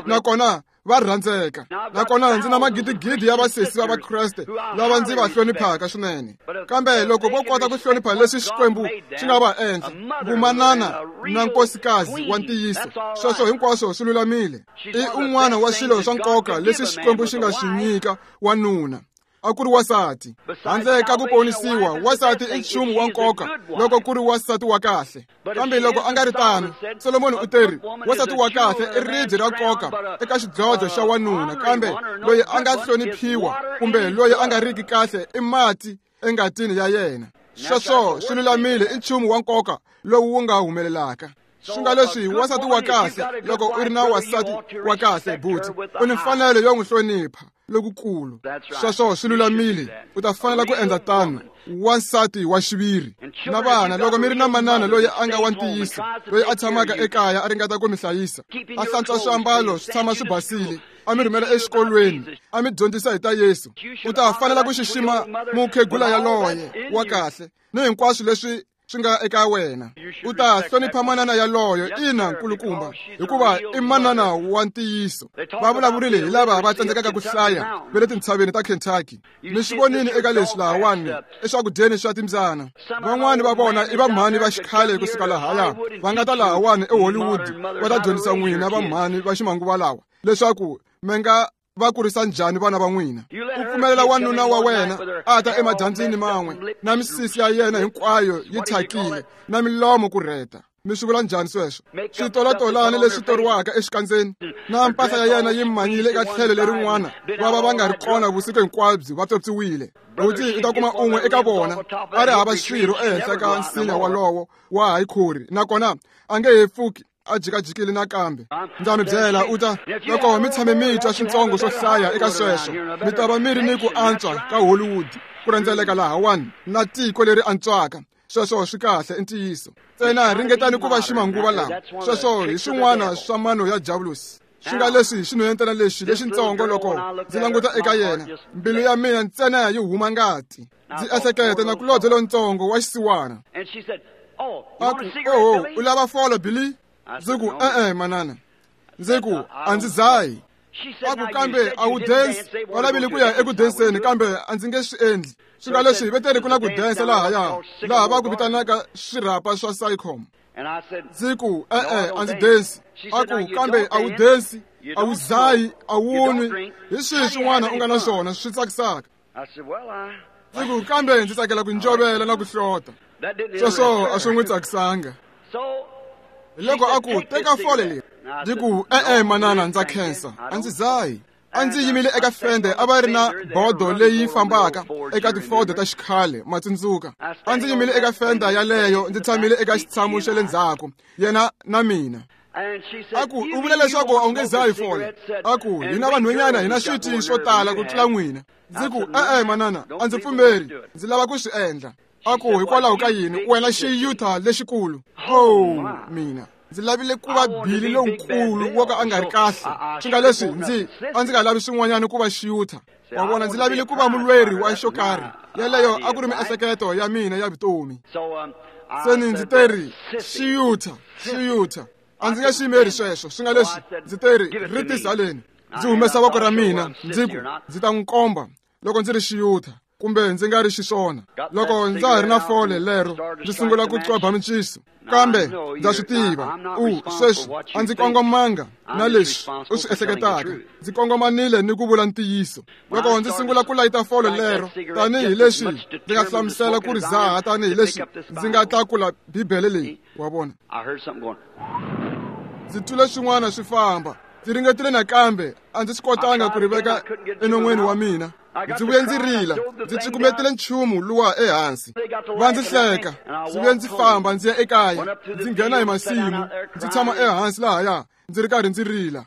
Nakona va rhandzeka. Nakona ndzi na magidigidi ya vasesi va Vakreste lava ndzi va hloniphaka swinene. Kambe loko vo kota ku hlonipha leswi Xikwembu xi nga va endla, vumanana na nkosikazi wa ntiyiso, sweswo hinkwaswo swi lulamile. I un'wana wa swilo swa nkoka leswi Xikwembu xi nga swi nyika wanuna. A ku ri wansati. Handle ka ku ponisiwa, wansati i nchumu wa nkoka loko ku ri wansati wa kahle. Kambe loko a nga ri tano, Solomoni u teri, wansati wa kahle i ribye ra nkoka eka xidlodlo xa wanuna, kambe loyi a nga hloniphiwa kumbe loyi a nga riki kahle i mati engatini ya yena. Sweswo swi lulamile, i nchumu wa nkoka lowu wu nga humelelaka. Swi nga leswi, wansati wa kahle, loko u ri na wansati wa kahle, buti, u ni mfanelo yo n'wi hlonipha lokukulu. Sweswo swi lulamile, u ta fanela ku endla tano. Wansati wa xiviri. Na vana, loko mi ri na manana loyi a nga wa ntiyiso, loyi a tshamaka ekaya a ringeta ku mi hlayisa, a hlantswa swiambalo swi tshama swi basile, a mi rhumela exikolweni, a mi dyondzisa hi ta Yesu, u ta fanela ku xixima mukhegula yaloye wa kahle ni hinkwaswo leswi swi nga eka wena. U ta hlonipha manana yaloyo, ina nkulukumba, hikuva i manana wa ntiyiso. Va vulavurile hi lava va tsandzekaka ku hlaya va le tintshaveni ta Kentucky. Mi swi vonile eka leswi lahawani eswakudyeni swa timbyana. Van'wani va vona i vamhani va xikhale kusuka lahaya, va nga ta lahawani eHollywood va ta dyondzisa n'wina vamhani va ximanguva lawa leswaku mi nga va kurisa njhani vana va n'wina. U pfumelela wanuna wa wena a ta emadyambyini man'we na misisi ya yena hinkwayo yi thyakile na milomo ku rheta. Mi swi vula njhani sweswo? Switolatolani leswi toriwaka exikandzeni na mpahla ya yena yi manyile eka tlhelo lerin'wana, va va va nga ri kona vusiku hinkwabyo, va pyopyiwile. Buti, u ta kuma un'we eka vona a ri hava swirho ehenhla ka nsinya walowo wa hayikhori, nakona a nge he pfuki a jikajikile nakambe. Ndza mi byela, u ta loko mi tshame mi twa swintsongo swo hlaya eka sweswo, mi ta va mi ri ni ku antswa ka Hollywood ku rhendzeleka lahawani na tiko leri antswaka. Sweswo swi kahle, i ntiyiso. Ntsena ringetani ku va ximanguva lawa. Sweswo hi swin'wana swa mano ya Diavulosi. Swi nga leswi xinhwanyetana lexi lexintsongo, loko ndzi languta eka yena, mbilu ya mina ntsena yi huma ngati. Ndzi ehleketa nakulobye lontsongo wa xisiwana. A ku, oho, u lava folo, Billy? Ndzi ku, e-e, manana. Ndzi ku, a ndzi dzahi. A ku, kambe a wu densi. Va lavile ku ya eku denseni, kambe a ndzi nge swi endli. Swi nga leswi veteri ku na ku densa lahaya, laha va ku vitanaka swirhapa swa Sycom. Ndzi ku, e-e, a ndzi densi. A ku, kambe a wu densi, a wu dzahi, a wu nwi. Hi swihi swin'wana u nga na swona swi tsakisaka? Ndzi ku, kambe ndzi tsakela ku njovela na ku hlota. Sweswo a swi n'wi tsakisanga. Hiloko a ku, teka fole leri. Ndzi ku, e-e, manana, ndza khensa, a ndzi dzahi. A ndzi yimile eka fende, a va ri na bodo leyi fambaka eka tifodo ta xikhale, ma tsundzuka. A ndzi yimile eka fenda yaleyo, ndzi tshamile eka xitshamo xa le ndzhaku, yena na mina. A ku, u vula leswaku a wu nge dzahi fole? A ku, hina vanhwanyana hi na switi swo tala ku tlula n'wina. Ndzi ku, e-e, manana, a ndzi pfumeri, ndzi lava ku swi endla. A ku, hikwalaho ka yini wena xiyutha lexikulu? Oh, mina ndzi lavile ku va Billy lonkulu wo ka a nga ri kahle. Swi nga leswi ndzi a ndzi nga lavi swin'wanyana ku va xiyutha. Wa vona, ndzi lavile ku va mulweri wa xo karhi. Yeleyo a ku ri miehleketo ya mina ya vutomi. Se ni ndzi teri xiyutha, xiyutha. A ndzi nge xi yimeri sweswo. Swi nga leswi ndzi teri ri tisaleni. Ndzi humesa voko ra mina, ndzi ku, ndzi ta n'wi komba loko ndzi ri xiyutha. kumbe ndzi nga ri xiswona. Loko ndza ha ri na fole lero, ndzi sungula ku qweba minciso. Kambe ndza swi tiva, u sweswi a ndzi kongomanga na leswi u swi ehleketaka. Ndzi kongomanile ni ku vula ntiyiso. Loko ndzi sungula ku layita fole lero, tanihi leswi ndzi nga hlamusela ku ri zaha, tanihi leswi ndzi nga tlakula Bibele leyi, wa vona. Ndzi twile swin'wana swi famba. Ndzi ringetile nakambe, a ndzi swi kotanga ku ri veka enon'weni wa mina. Ndzi vuye ndzi rila, ndzi cukumetile nchumu luwa ehansi. Va ndzi hleka, ndzi vuye ndzi famba ndzi ya ekaya, ndzi nghena hi masimu, ndzi tshama ehansi lahaya, ndzi ri karhi ndzi rila.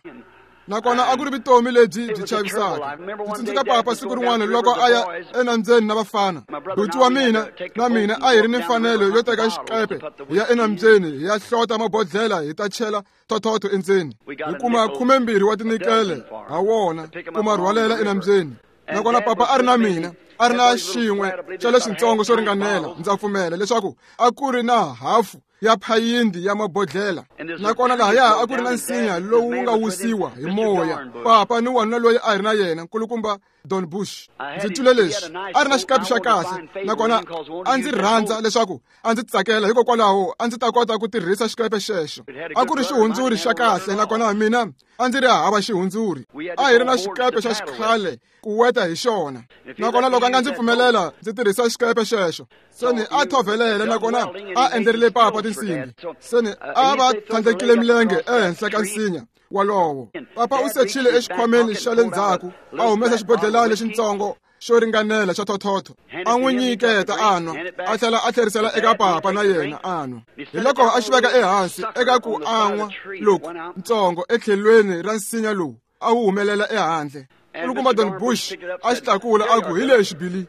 Nakona a ku ri vutomi lebyi byi chavisaka. Ndzi tsundzuka papa siku rin'wana loko a ya enambyeni na vafana. Buti wa mina na mina a hi ri ni mfanelo yo teka xikepe hi ya enambyeni hi ya hlota mabodhlela hi ta chela thothotho endzeni. Hi kuma 12 wa tinikele ha wona ku ma rhwalela enambyeni. Nakona papa a ri na mina, a ri na xin'we xa leswitsongo swo ringanela, ndza pfumela leswaku a ku ri na hafu ya phayindi ya mabodhlela. Nakona lahaya a ku ri na nsinya lowu wu nga wisiwa hi moya. Papa ni wanuna loyi a ri na yena, nkulukumba Don Bush. Ndzi twile leswi, a ri na xikapi xa kahle, nakona a ndzi rhandza leswaku a ndzi tsakela, hikokwalaho a ndzi ta kota ku tirhisa xikepe xexo. A ku ri xihundzuri xa kahle, nakona mina a ndzi ri hava xihundzuri. A hi ri na xikepe xa xikhale ku weta hi xona. Nakona loko a nga ndzi pfumelela ndzi tirhisa xikepe xexo, seni a thovelele, nakona a endlerile papa tinsimbi. Seni a va tlhandlekile milenge ehenhla ka nsinya walowo. Papa u sechile exikhwameni xa le ndzhaku, a humesa xibodhlelana lexitsongo xo ringanela xa thothotho, a n'wi nyiketa a nwa, a tlhela a tlherisela eka papa na yena a nwa. Hi loko a xi veka ehansi eka ku an'wa loku ntsongo etlhelweni ra nsinya lowu a wu humelela ehandle. Nkulukumba Don Bush a xi tlakula a ku, hi lexi Billy.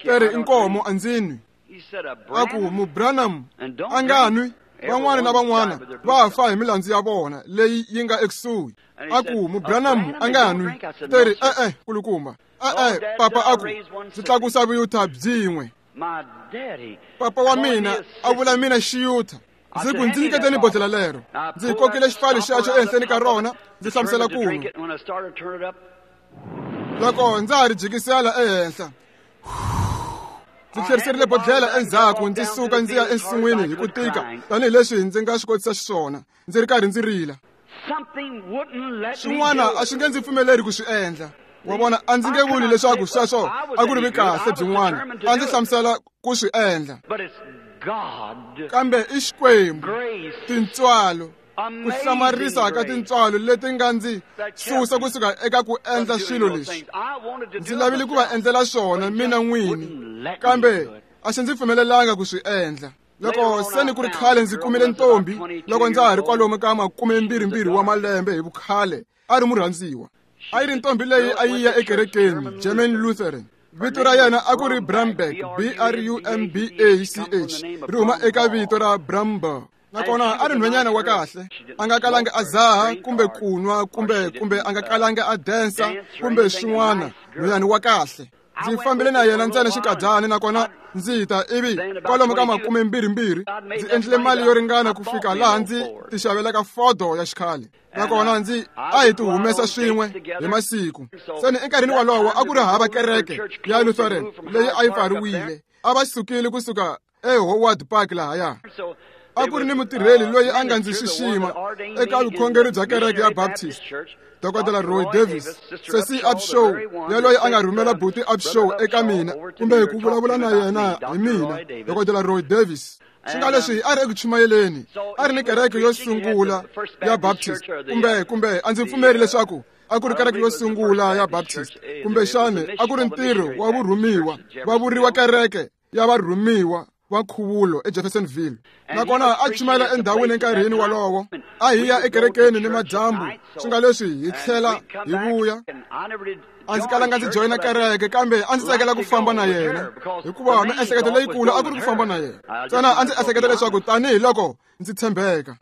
Teri inkomo a ndzi nwi. A ku, Mubranham a nga nwi. Van'wana na van'wana va fa hi milandzu ya vona leyi yi nga ekusuhi. A ku, Mubranham a nga nwi. Teri e-e, nkulukumba. E-e, papa a ku, ndzi tlakusa vuyutha byin'we. Papa wa mina a vula mina xiyutha. Ndzi ku, ndzi nyiketeni bodhlela lero. Ndzi kokile xipfalo xexo ehenhleni ka rona, ndzi hlamusela ku nwa. Loko ndza ha ri jikisela ehenhla, ndzi tlheriserile bodhlela endzhaku, ndzi suka ndzi ya ensin'wini hi ku tika tanihileswi ndzi nga swi kotisa xiswona, ndzi ri karhi ndzi rila. Swin'wana a swi nge ndzi pfumeleri ku swi endla. Wa vona, a ndzi nge vuli leswaku sweswo a ku ri kahle byin'wana, a ndzi hlamusela ku swi endla. Kambe i Xikwembu, tintswalo, ku hlamarisa ka tintswalo leti nga ndzi susa kusuka eka ku endla swilo leswi. Ndzi lavile ku va endlela swona mina n'wini, kambe a xi ndzi pfumelelanga ku swi endla. Loko se ni ku ri khale ndzi kumile ntombi, loko ndza ha ri kwalomu ka 22 wa malembe hi vukhale, a ri murhandziwa. A yi ri ntombi leyi a yi ya ekerekeni, German Lutheran. Vito ra yena a ku ri Brumback, B-R-U-M-B-A-C-H, ri huma eka vito ra Brumbaugh. Nakona a ri nhwenyana wa kahle, a nga kalanga a zaha kumbe ku nwa kumbe a nga kalanga a densa kumbe swin'wana, nhwenyana wa kahle. Ndzi fambile na yena ntsena xikadyana, nakona ndzi ta ivi kwalomu ka 22 ndzi endlile mali yo ringana ku fika laha ndzi tixavelaka fodo ya xikhale. Nakona ndzi a hi ti humesa swin'we hi masiku. Seni enkarhini walowo a ku ri hava kereke ya Lutheran leyi a yi pfariwile. A va sukile kusuka eHoward Park lahaya. A ku ri ni mutirheli loyi a nga ndzi xixima eka vukhongeri bya kereke ya Baptist, Dr. Roy Davis, Sesi Upshaw, yaloyi a nga rhumela buti Upshaw eka mina kumbe ku vulavula na yena hi mina, Dr. Roy Davis. Swi nga leswi a ri eku chumayeleni, a ri ni kereke yo sungula ya Baptist, kumbe a ndzi pfumeri leswaku a ku ri kereke yo sungula ya Baptist, kumbexani a ku ri ntirho wa vurhumiwa, va vuriwa kereke ya varhumiwa va nkhuvulo eJeffersonville. Nakona a chumayela endhawini enkarhini walowo, a hi ya ekerekeni ni madyambu, swi nga leswi hi tlhela hi vuya. A ndzi kalanga ndzi joyina kereke, kambe a ndzi tsakela ku famba na yena, hikuva miehleketo leyikulu a ku ri ku famba na yena. Ntsena a ndzi ehleketa leswaku tanihiloko ndzi tshembeka,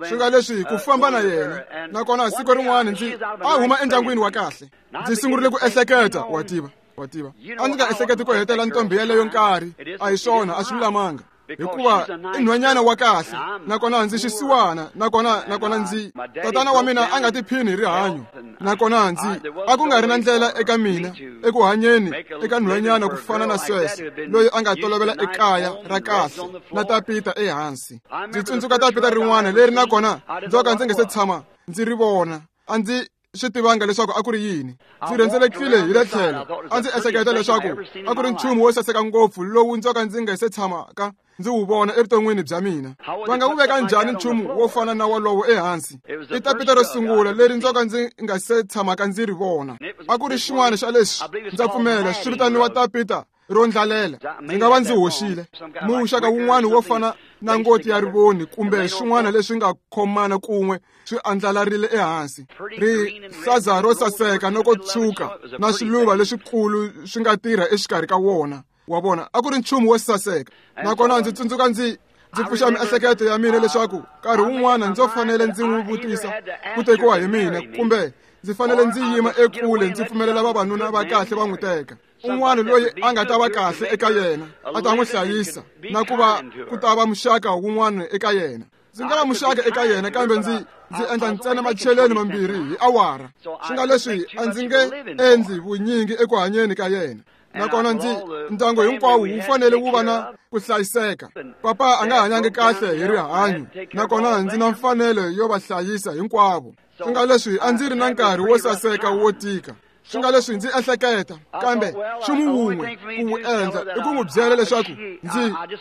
swi nga leswi ku famba na yena. Nakona siku rin'wana ndzi a huma endyangwini wa kahle, ndzi sungurile ku ehleketa, wa tiva, a ndzi nga ehleketi ku hetela ntombi yeleyo nkarhi. A hi swona, a swi lulamanga, hikuva i nhwanyana wa kahle, nakona ndzi xisiwana, nakona ndzi tatana wa mina a nga tiphini hi rihanyo. Nakona ndzi a ku nga ri na ndlela eka mina eku hanyeni eka nhwanyana ku fana na sweswo, loyi a nga tolovela ekaya ra kahle na tapita ehansi. Ndzi tsundzuka tapita rin'wana leri nakona ndzo ka ndzi nge se tshama ndzi ri vona. A ndzi swi tivanga leswaku a ku ri yini. Ndzi rhendzelekile hi le tlhelo, a ndzi ehleketa leswaku a ku ri nchumu wo saseka ngopfu lowu ndzo ka ndzi nga se tshamaka ndzi wu vona evuton'wini bya mina. Va nga wu veka njhani nchumu wo fana na wolowo ehansi? I tapita ro sungula leri ndzo ka ndzi nga se tshamaka ndzi ri vona. A ku ri xin'wana xa leswi, ndza pfumela, swi vitaniwa tapita ro ndlalela. Ndzi nga va ndzi hoxile. Muxaka wun'wana wo fana na ngoti ya rivoni kumbe swin'wana leswi nga khomana kun'we swi andlalarile ehansi. Rihlaza ro saseka no ko tshuka na swiluva leswikulu swi nga tirha exikarhi ka wona. Wa vona, a ku ri nchumu wo saseka. Nakona ndzi tsundzuka ndzi pfuxa miehleketo ya mina leswaku nkarhi wun'wana ndzo fanele ndzi n'wi vutisa ku tekiwa hi mina, kumbe ndzi fanele ndzi yima ekule ndzi pfumelela vavanuna va kahle va n'wi teka. Un'wana loyi a nga ta va kahle eka yena, a ta n'wi hlayisa, na ku va ku ta va muxaka wun'wana eka yena. Ndzi nga va muxaka eka yena, kambe ndzi endla ntsena macheleni mambirhi hi awara. Swi nga leswi a ndzi nge endli vunyingi eku hanyeni ka yena. Nakona ndzi ndyangu hinkwawo wu fanele wu va na ku hlayiseka. Papa a nga hanyangi kahle hi rihanyo, nakona ndzi na mfanelo yo va hlayisa hinkwavo. Swi nga leswi a ndzi ri na nkarhi wo saseka wo tika. Swi nga leswi ndzi ehleketa, kambe nchumu wun'we ku wu endla i ku n'wi byela leswaku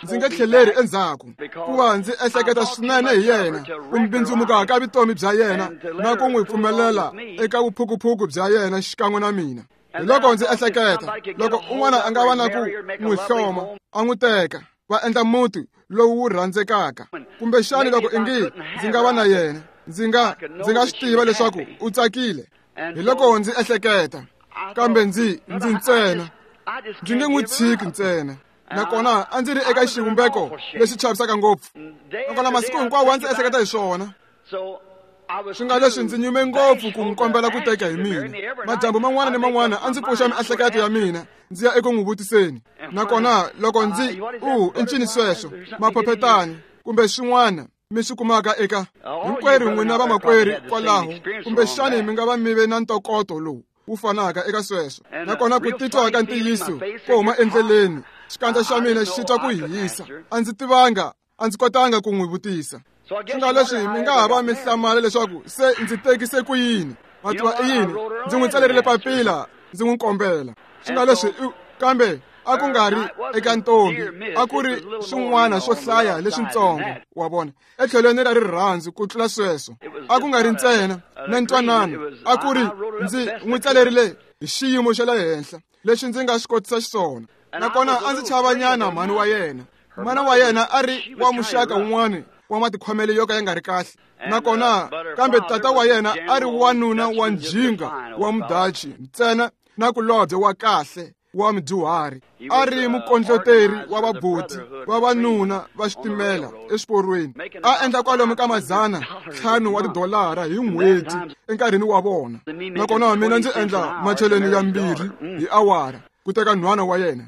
ndzi nge tlheleri endzhaku, ku va ndzi ehleketa swinene hi yena, ku mbindzumuka ka vutomi bya yena na ku n'wi pfumelela eka vuphukuphuku bya yena xikan'we na mina. Hi loko ndzi ehleketa, loko un'wana a nga va na ku n'wi hloma, a n'wi teka, va endla muti lowu wu rhandzekaka. Kumbexani loko ingi ndzi nga va na yena, ndzi nga swi tiva leswaku u tsakile. Hi loko ndzi ehleketa, kambe ndzi ntsena, ndzi nge n'wi tshiki ntsena. Nakona a ndzi ri eka xivumbeko lexi chavisaka ngopfu. Nakona masiku hinkwawo a ndzi ehleketa hi swona. Swi nga leswi ndzi nyume ngopfu ku n'wi kombela ku teka hi mina. Madyambu man'wana ni man'wana a ndzi pfuxa miehleketo ya mina ndzi ya eku n'wi vutiseni. Nakona loko ndzi i ncini sweswo, maphephetani kumbe swin'wana mi swi kumaka eka hinkwerhu n'wina vamakwerhu kwalaho, kumbexani mi nga va mi ve na ntokoto lowu wu fanaka eka sweswo. Nakona ku titwa ka ntiyiso ko huma endleleni, xikandza xa mina xi twa ku hisa. A ndzi tivanga, a ndzi kotanga ku n'wi vutisa. Swi nga leswi mi nga ha va mi hlamala leswaku se ndzi tekise ku yini. Ma tiva i yini? Ndzi n'wi tsalerile papila ndzi n'wi kombela. Swi nga leswi kambe a ku nga ri eka ntombi, a ku ri swin'wana swo hlaya leswintsongo, wa vona, etlhelweni ra rirhandzu ku tlula sweswo. A ku nga ri ntsena na ntwanano, a ku ri ndzi n'wi tsalerile hi xiyimo xa le henhla lexi ndzi nga swi kotisa xiswona. Nakona a ndzi chavanyana mhani wa yena. Mana wa yena a ri wa muxaka wun'wana wa matikhomelo yo ka ya nga ri kahle. Nakona kambe tata wa yena a ri wanuna wa njhinga wa mudachi ntsena na kulobye wa kahle wa mudyuhari. A ri mukondloteri wa vaboti vavanuna va xitimela exiporweni. A endla kwalomu ka 500 wa tidolara hi n'hweti enkarhini wa vona. Nakona mina ndzi endla macheleni ya 2 hi awara ku teka nhwana wa yena.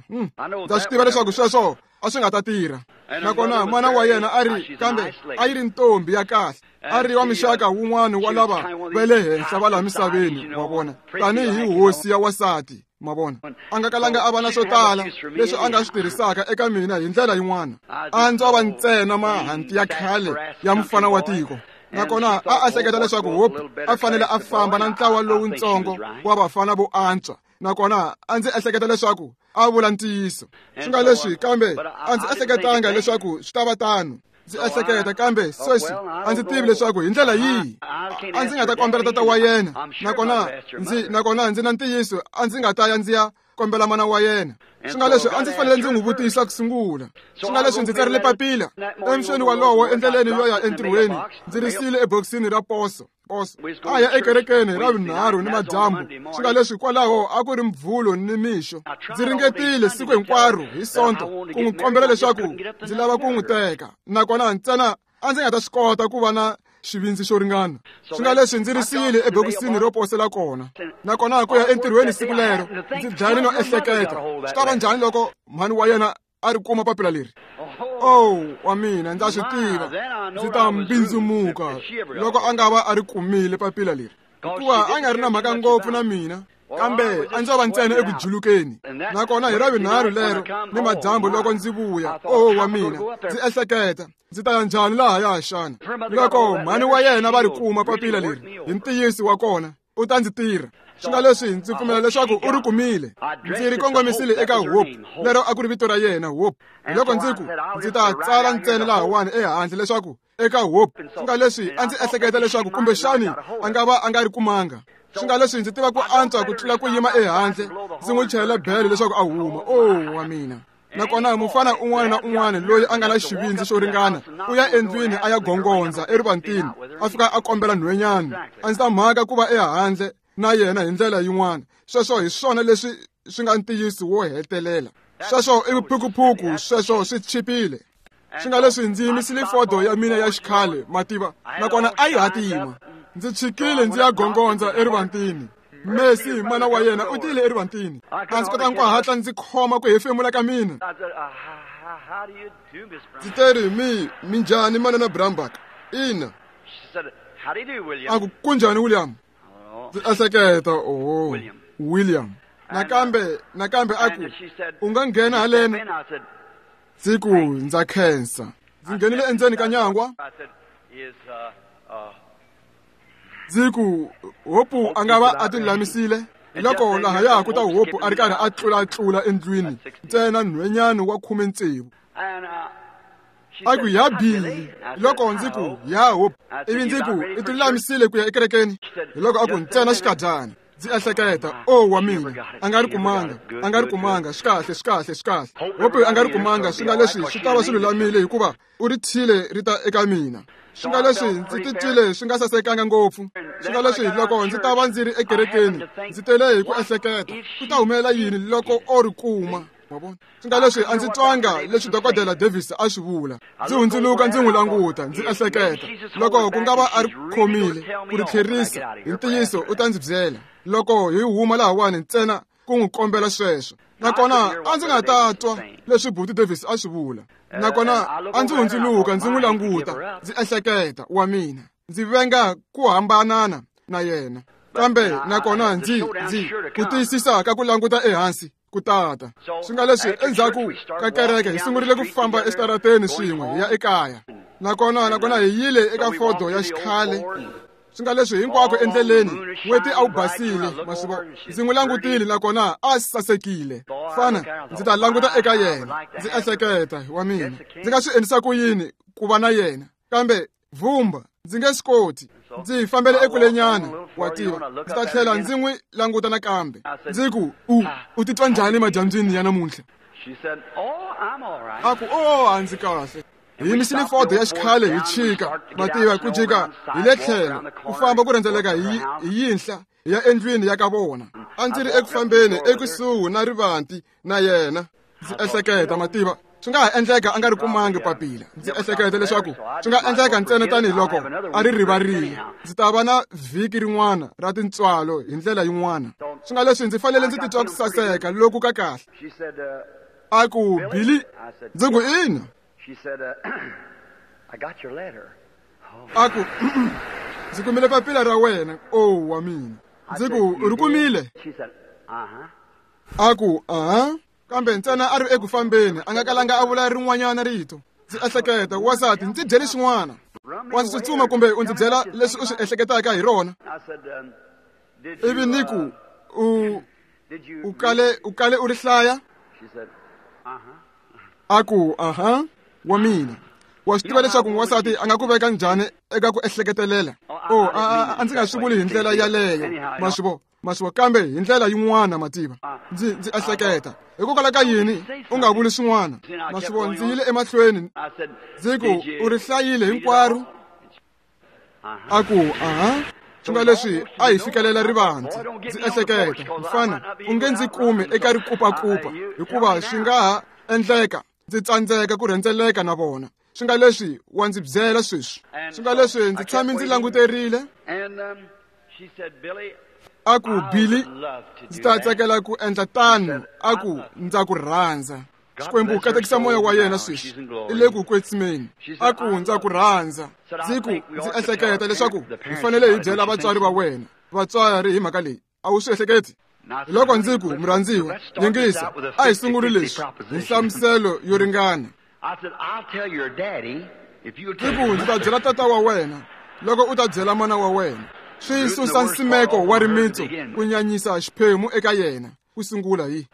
Ndza swi tiva leswaku sweswo a swi nga ta tirha. Nakona mana wa yena a ri, kambe a yi ri ntombi ya kahle, a ri wa mixaka wun'wana wa lava va le henhla va laha misaveni, wa vona, tanihi hosi ya wasati, ma vona. A nga kalanga a va na swo tala leswi a nga swi tirhisaka eka mina hi ndlela yin'wana. A ndzo va ntsena mahanti ya khale ya mufana wa tiko. Nakona a ehleketa leswaku Hope a fanele a famba na ntlawa lowuntsongo wa vafana vo antswa. Nakona a ndzi ehleketa leswaku a vula ntiyiso. Swi nga leswi, kambe a ndzi ehleketanga leswaku swi ta va tano. Ndzi ehleketa, kambe sweswi a ndzi tivi leswaku hi ndlela yihi a ndzi nga ta kombela tata wa yena. Nakona ndzi na ntiyiso a ndzi nga ta ya ndzi ya kombela mana wa yena. Swi nga leswi a ndzi fanele ndzi n'wi vutisa ku sungula. Swi nga leswi ndzi tsarile papila emixweni walowo endleleni yo ya entirhweni, ndzi ri siyile ebokisini ra poso. A ya ekerekeni ra vunharhu ni madyambu. Swi nga leswi kwalaho a ku ri mvhulo ni mixo. Ndzi ringetile siku hinkwaro hi Sonto ku n'wi kombela leswaku ndzi lava ku n'wi teka. Nakona ntsena a ndzi nga ta swi kota ku va na xivindzi xo ringana. Swi nga leswi ndzi ri siyile ebokisini ro posela kona. Nakona ku ya entirhweni siku lero ndzi dlayile no ehleketa, swi ta va njhani loko mhani wa yena a ri kuma papila leri? Oh, wa mina, ndza swi tiva ndzi ta mbindzumuka loko a nga va a ri kumile papila leri. Hikuva a nga ri na mhaka ngopfu na mina, kambe a ndzo va ntsena eku julukeni. Nakona hi Ravunharhu lero ni madyambu loko ndzi vuya, oh wa mina, ndzi ehleketa, ndzi ta ya njhani lahaya xana? Loko mhani wa yena va ri kuma papila leri, hi ntiyiso wa kona, u ta ndzi tirha. Swi nga leswi ndzi pfumela leswaku u ri kumile. Ndzi ri kongomisile eka Hope, lero a ku ri vito ra yena, Hope. Loko ndzi ku, ndzi ta tsala ntsena lahawani ehandle leswaku eka Hope. Swi nga leswi a ndzi ehleketa leswaku kumbexani a nga va a nga ri kumanga. Swi nga leswi ndzi tiva ku antswa ku tlula ku yima ehandle, ndzi n'wi chayela bele leswaku a huma. Oh wa mina. Nakona mufana un'wana na un'wana loyi a nga na xivindzi xo ringana u ya endlwini a ya gongondza erivantini, a fika a kombela nhwenyana. A ndzi ta mhaka ku va ehandle na yena hi ndlela yin'wana. Sweswo hi swona leswi swi nga ntiyiso wo hetelela. Sweswo i vuphukuphuku, sweswo swi chipile. Swi nga leswi ndzi yimisile fodo ya mina ya xikhale, mativa, nakona a yi hatima. Ndzi chikile ndzi ya gongondza erivantini. Messi mana wa yena u tile erivantini. A ndzi kotanga ku hatla ndzi khoma ku hefemula ka mina. Ndzi teri, minjhani manana Brambach? Ina. A ku, kunjhani William? Ndzi ehleketa, oh, William. Nakambe a ku, u nga nghena haleni? Ndzi ku, ndza khensa. Ndzi nghenile endzeni ka nyangwa. Ndzi ku, Hope a nga va a tilulamisile. Loko lahaya ku ta Hope a ri karhi a tlulatlula endlwini, ntsena nhwenyana wa 16. A ku, ya Billy. Loko ndzi ku, ya Hope. Ivi ndzi ku, i tilulamisile ku ya ekerekeni? Loko a ku, ntsena xikadyana. Ndzi ehleketa, oh wa mina, a nga ri kumanga, swi kahle. Hope a nga ri kumanga, swi nga leswi swi ta va swi lulamile hikuva u ri thyile ri ta eka mina. Swi nga leswi ndzi titwile swi nga sasekanga ngopfu. Swi nga leswi loko ndzi ta va ndzi ri ekerekeni, ndzi tele hi ku ehleketa, ku ta humelela yini loko o ri kuma? Swi nga leswi a ndzi twanga leswi Dokodela Davis a swi vula. Ndzi hundzuluka ndzi n'wi languta, ndzi ehleketa, loko ku nga va a ri khomile ku ri tlherisa, hi ntiyiso u ta ndzi byela. Loko hi huma lahawani ntsena ku n'wi kombela sweswo. Nakona a ndzi nga ta twa leswi Buti Davis a swi vula. Nakona a ndzi hundzuluka ndzi n'wi languta, ndzi ehleketa, wa mina, ndzi venga ku hambanana na yena. Kambe nakona ndzi ku tiyisisa ka ku languta ehansi ku tata. Swi nga leswi endzhaku ka kereke hi sungurile ku famba eswitarateni swin'we hi ya ekaya. Nakona hi yile eka fodo ya xikhale. Swi nga leswi hinkwako endleleni n'weti a wu basile, masivo. Ndzi n'wi langutile nakona a sasekile. Fana, ndzi ta languta eka yena, ndzi ehleketa, wa mina, ndzi nga swi endlisa ku yini ku va na yena? Kambe vumba, ndzi nge swi koti. Ndzi fambele ekulenyana, wa tiva. Ndzi ta tlhela ndzi n'wi languta nakambe. Ndzi ku, u titwa njhani madyambyini ya namuntlha? A ku, oh, a ndzi kahle. Hi yimisile fodo ya xikhale hi chika, mativa, ku jika hi le tlhelo, ku famba ku rhendzeleka hi yinhla hi ya endlwini ya ka vona. A ndzi ri eku fambeni ekusuhi na rivanti na yena. Ndzi ehleketa, mativa, swi nga ha endleka a nga ri kumangi papila. Ndzi ehleketa leswaku swi nga endleka ntsena tanihiloko a ri rivarile. Ndzi ta va na vhiki rin'wana ra tintswalo hi ndlela yin'wana. Swi nga leswi ndzi fanele ndzi titwa ku saseka loku ka kahle. A ku, Billy, ndzi ku, ina. A ku, ndzi kumile papila ra wena, oh wa mina. Ndzi ku, u ri kumile? A ku, aha. Kambe ntsena a ri eku fambeni, a nga kalanga a vula rin'wanyana rito. Ndzi ehleketa, wasati, ndzi byeli xin'wana. Wa ndzi tsutsuma kumbe u ndzi byela leswi u swi ehleketaka hi rona. Ivi ni ku, u kale u ri hlaya? A ku, aha, wa mina. Wa swi tiva leswaku n'wansati a nga ku veka njhani eka ku ehleketelela? Oh, a ndzi nga swi vuli hi ndlela yaleyo, masivo, kambe hi ndlela yin'wana, mativa. Ndzi ehleketa, hikokwalaho ka yini u nga vuli swin'wana? Masivo, ndzi yile emahlweni, ndzi ku, u ri hlayile hinkwaro? A ku, aha. Swi nga leswi a hi fikelela rivanti. Ndzi ehleketa, mfana, u nge ndzi kumi eka rikupakupa, hikuva swi nga ha endleka ndzi tsandzeka ku rhendzeleka na vona. Swi nga leswi wa ndzi byela sweswi. Swi nga leswi ndzi tshame ndzi languterile. A ku, Billy, ndzi ta tsakela ku endla tano. A ku, ndza ku rhandza. Xikwembu katekisa moya wa yena sweswi, i le ku kwetsimeni. A ku, ndza ku rhandza. Ndzi ku, ndzi ehleketa leswaku hi fanele hi byela vatswari va wena. vatswari hi mhaka leyi a wu swi ehleketi loko ndzi ku murhandziwa yingisa a hi sunguli leswi hi nhlamuselo yo ringana ndzi ku ndzi ta byela tata wa wena loko u ta byela mana wa wena swi susa nsimeko wa rimitsu ku nyanyisa xiphemu eka yena ku sungula hi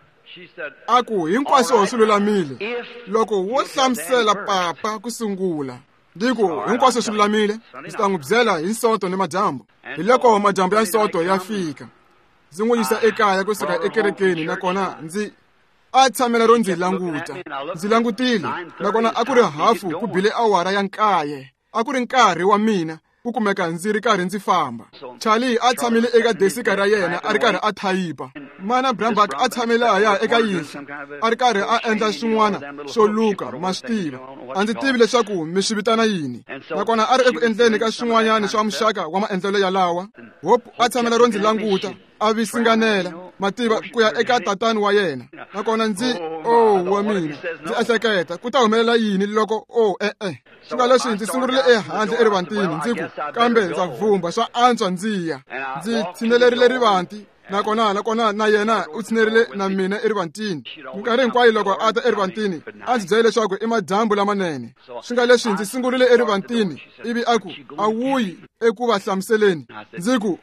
a ku hinkwaswo swi lulamile loko wo hlamusela papa ku sungula ndzi ku hinkwaswo swi lulamile ndzi ta n'wi byela hi Sonto ni madyambu hi loko madyambu ya Sonto ya fika ndzi n'wi yisa ekaya kusuka ekerekeni nakona ndzi a tshamela ro ndzi languta ndzi langutile nakona a ku ri hafu ku bile awara ya 9 a ku ri nkarhi wa mina ku kumeka ndzi ri karhi ndzi famba Charlie a tshamile eka desika ra yena a ri karhi a thayipa mana Brambak a tshamile haya eka yinhla a ri karhi a endla swin'wana swo luka ma swi tiva a ndzi tivi leswaku mi swi vitana yini nakona a ri eku endleni ka swin'wanyana swa muxaka wa maendlelo yalawa Hope a tshamela ro ndzi languta a visinganela mativa ku ya eka tatani wa yena nakona ndzi wa mina ndzi ehleketa ku ta humelela yini loko e-e swi nga leswi ndzi sungurile ehandle erivantini ndzi ku kambe ndza vumba swa antswa ndzi ya ndzi tshinelerile rivanti nakona na yena u tshinerile na mina erivantini minkarhi hinkwayo loko a ta erivantini a ndzi byele leswaku i madyambu lamanene swi nga leswi ndzi sungurile erivantini ivi a ku a wuyi eku va hlamuseleni ndzi ku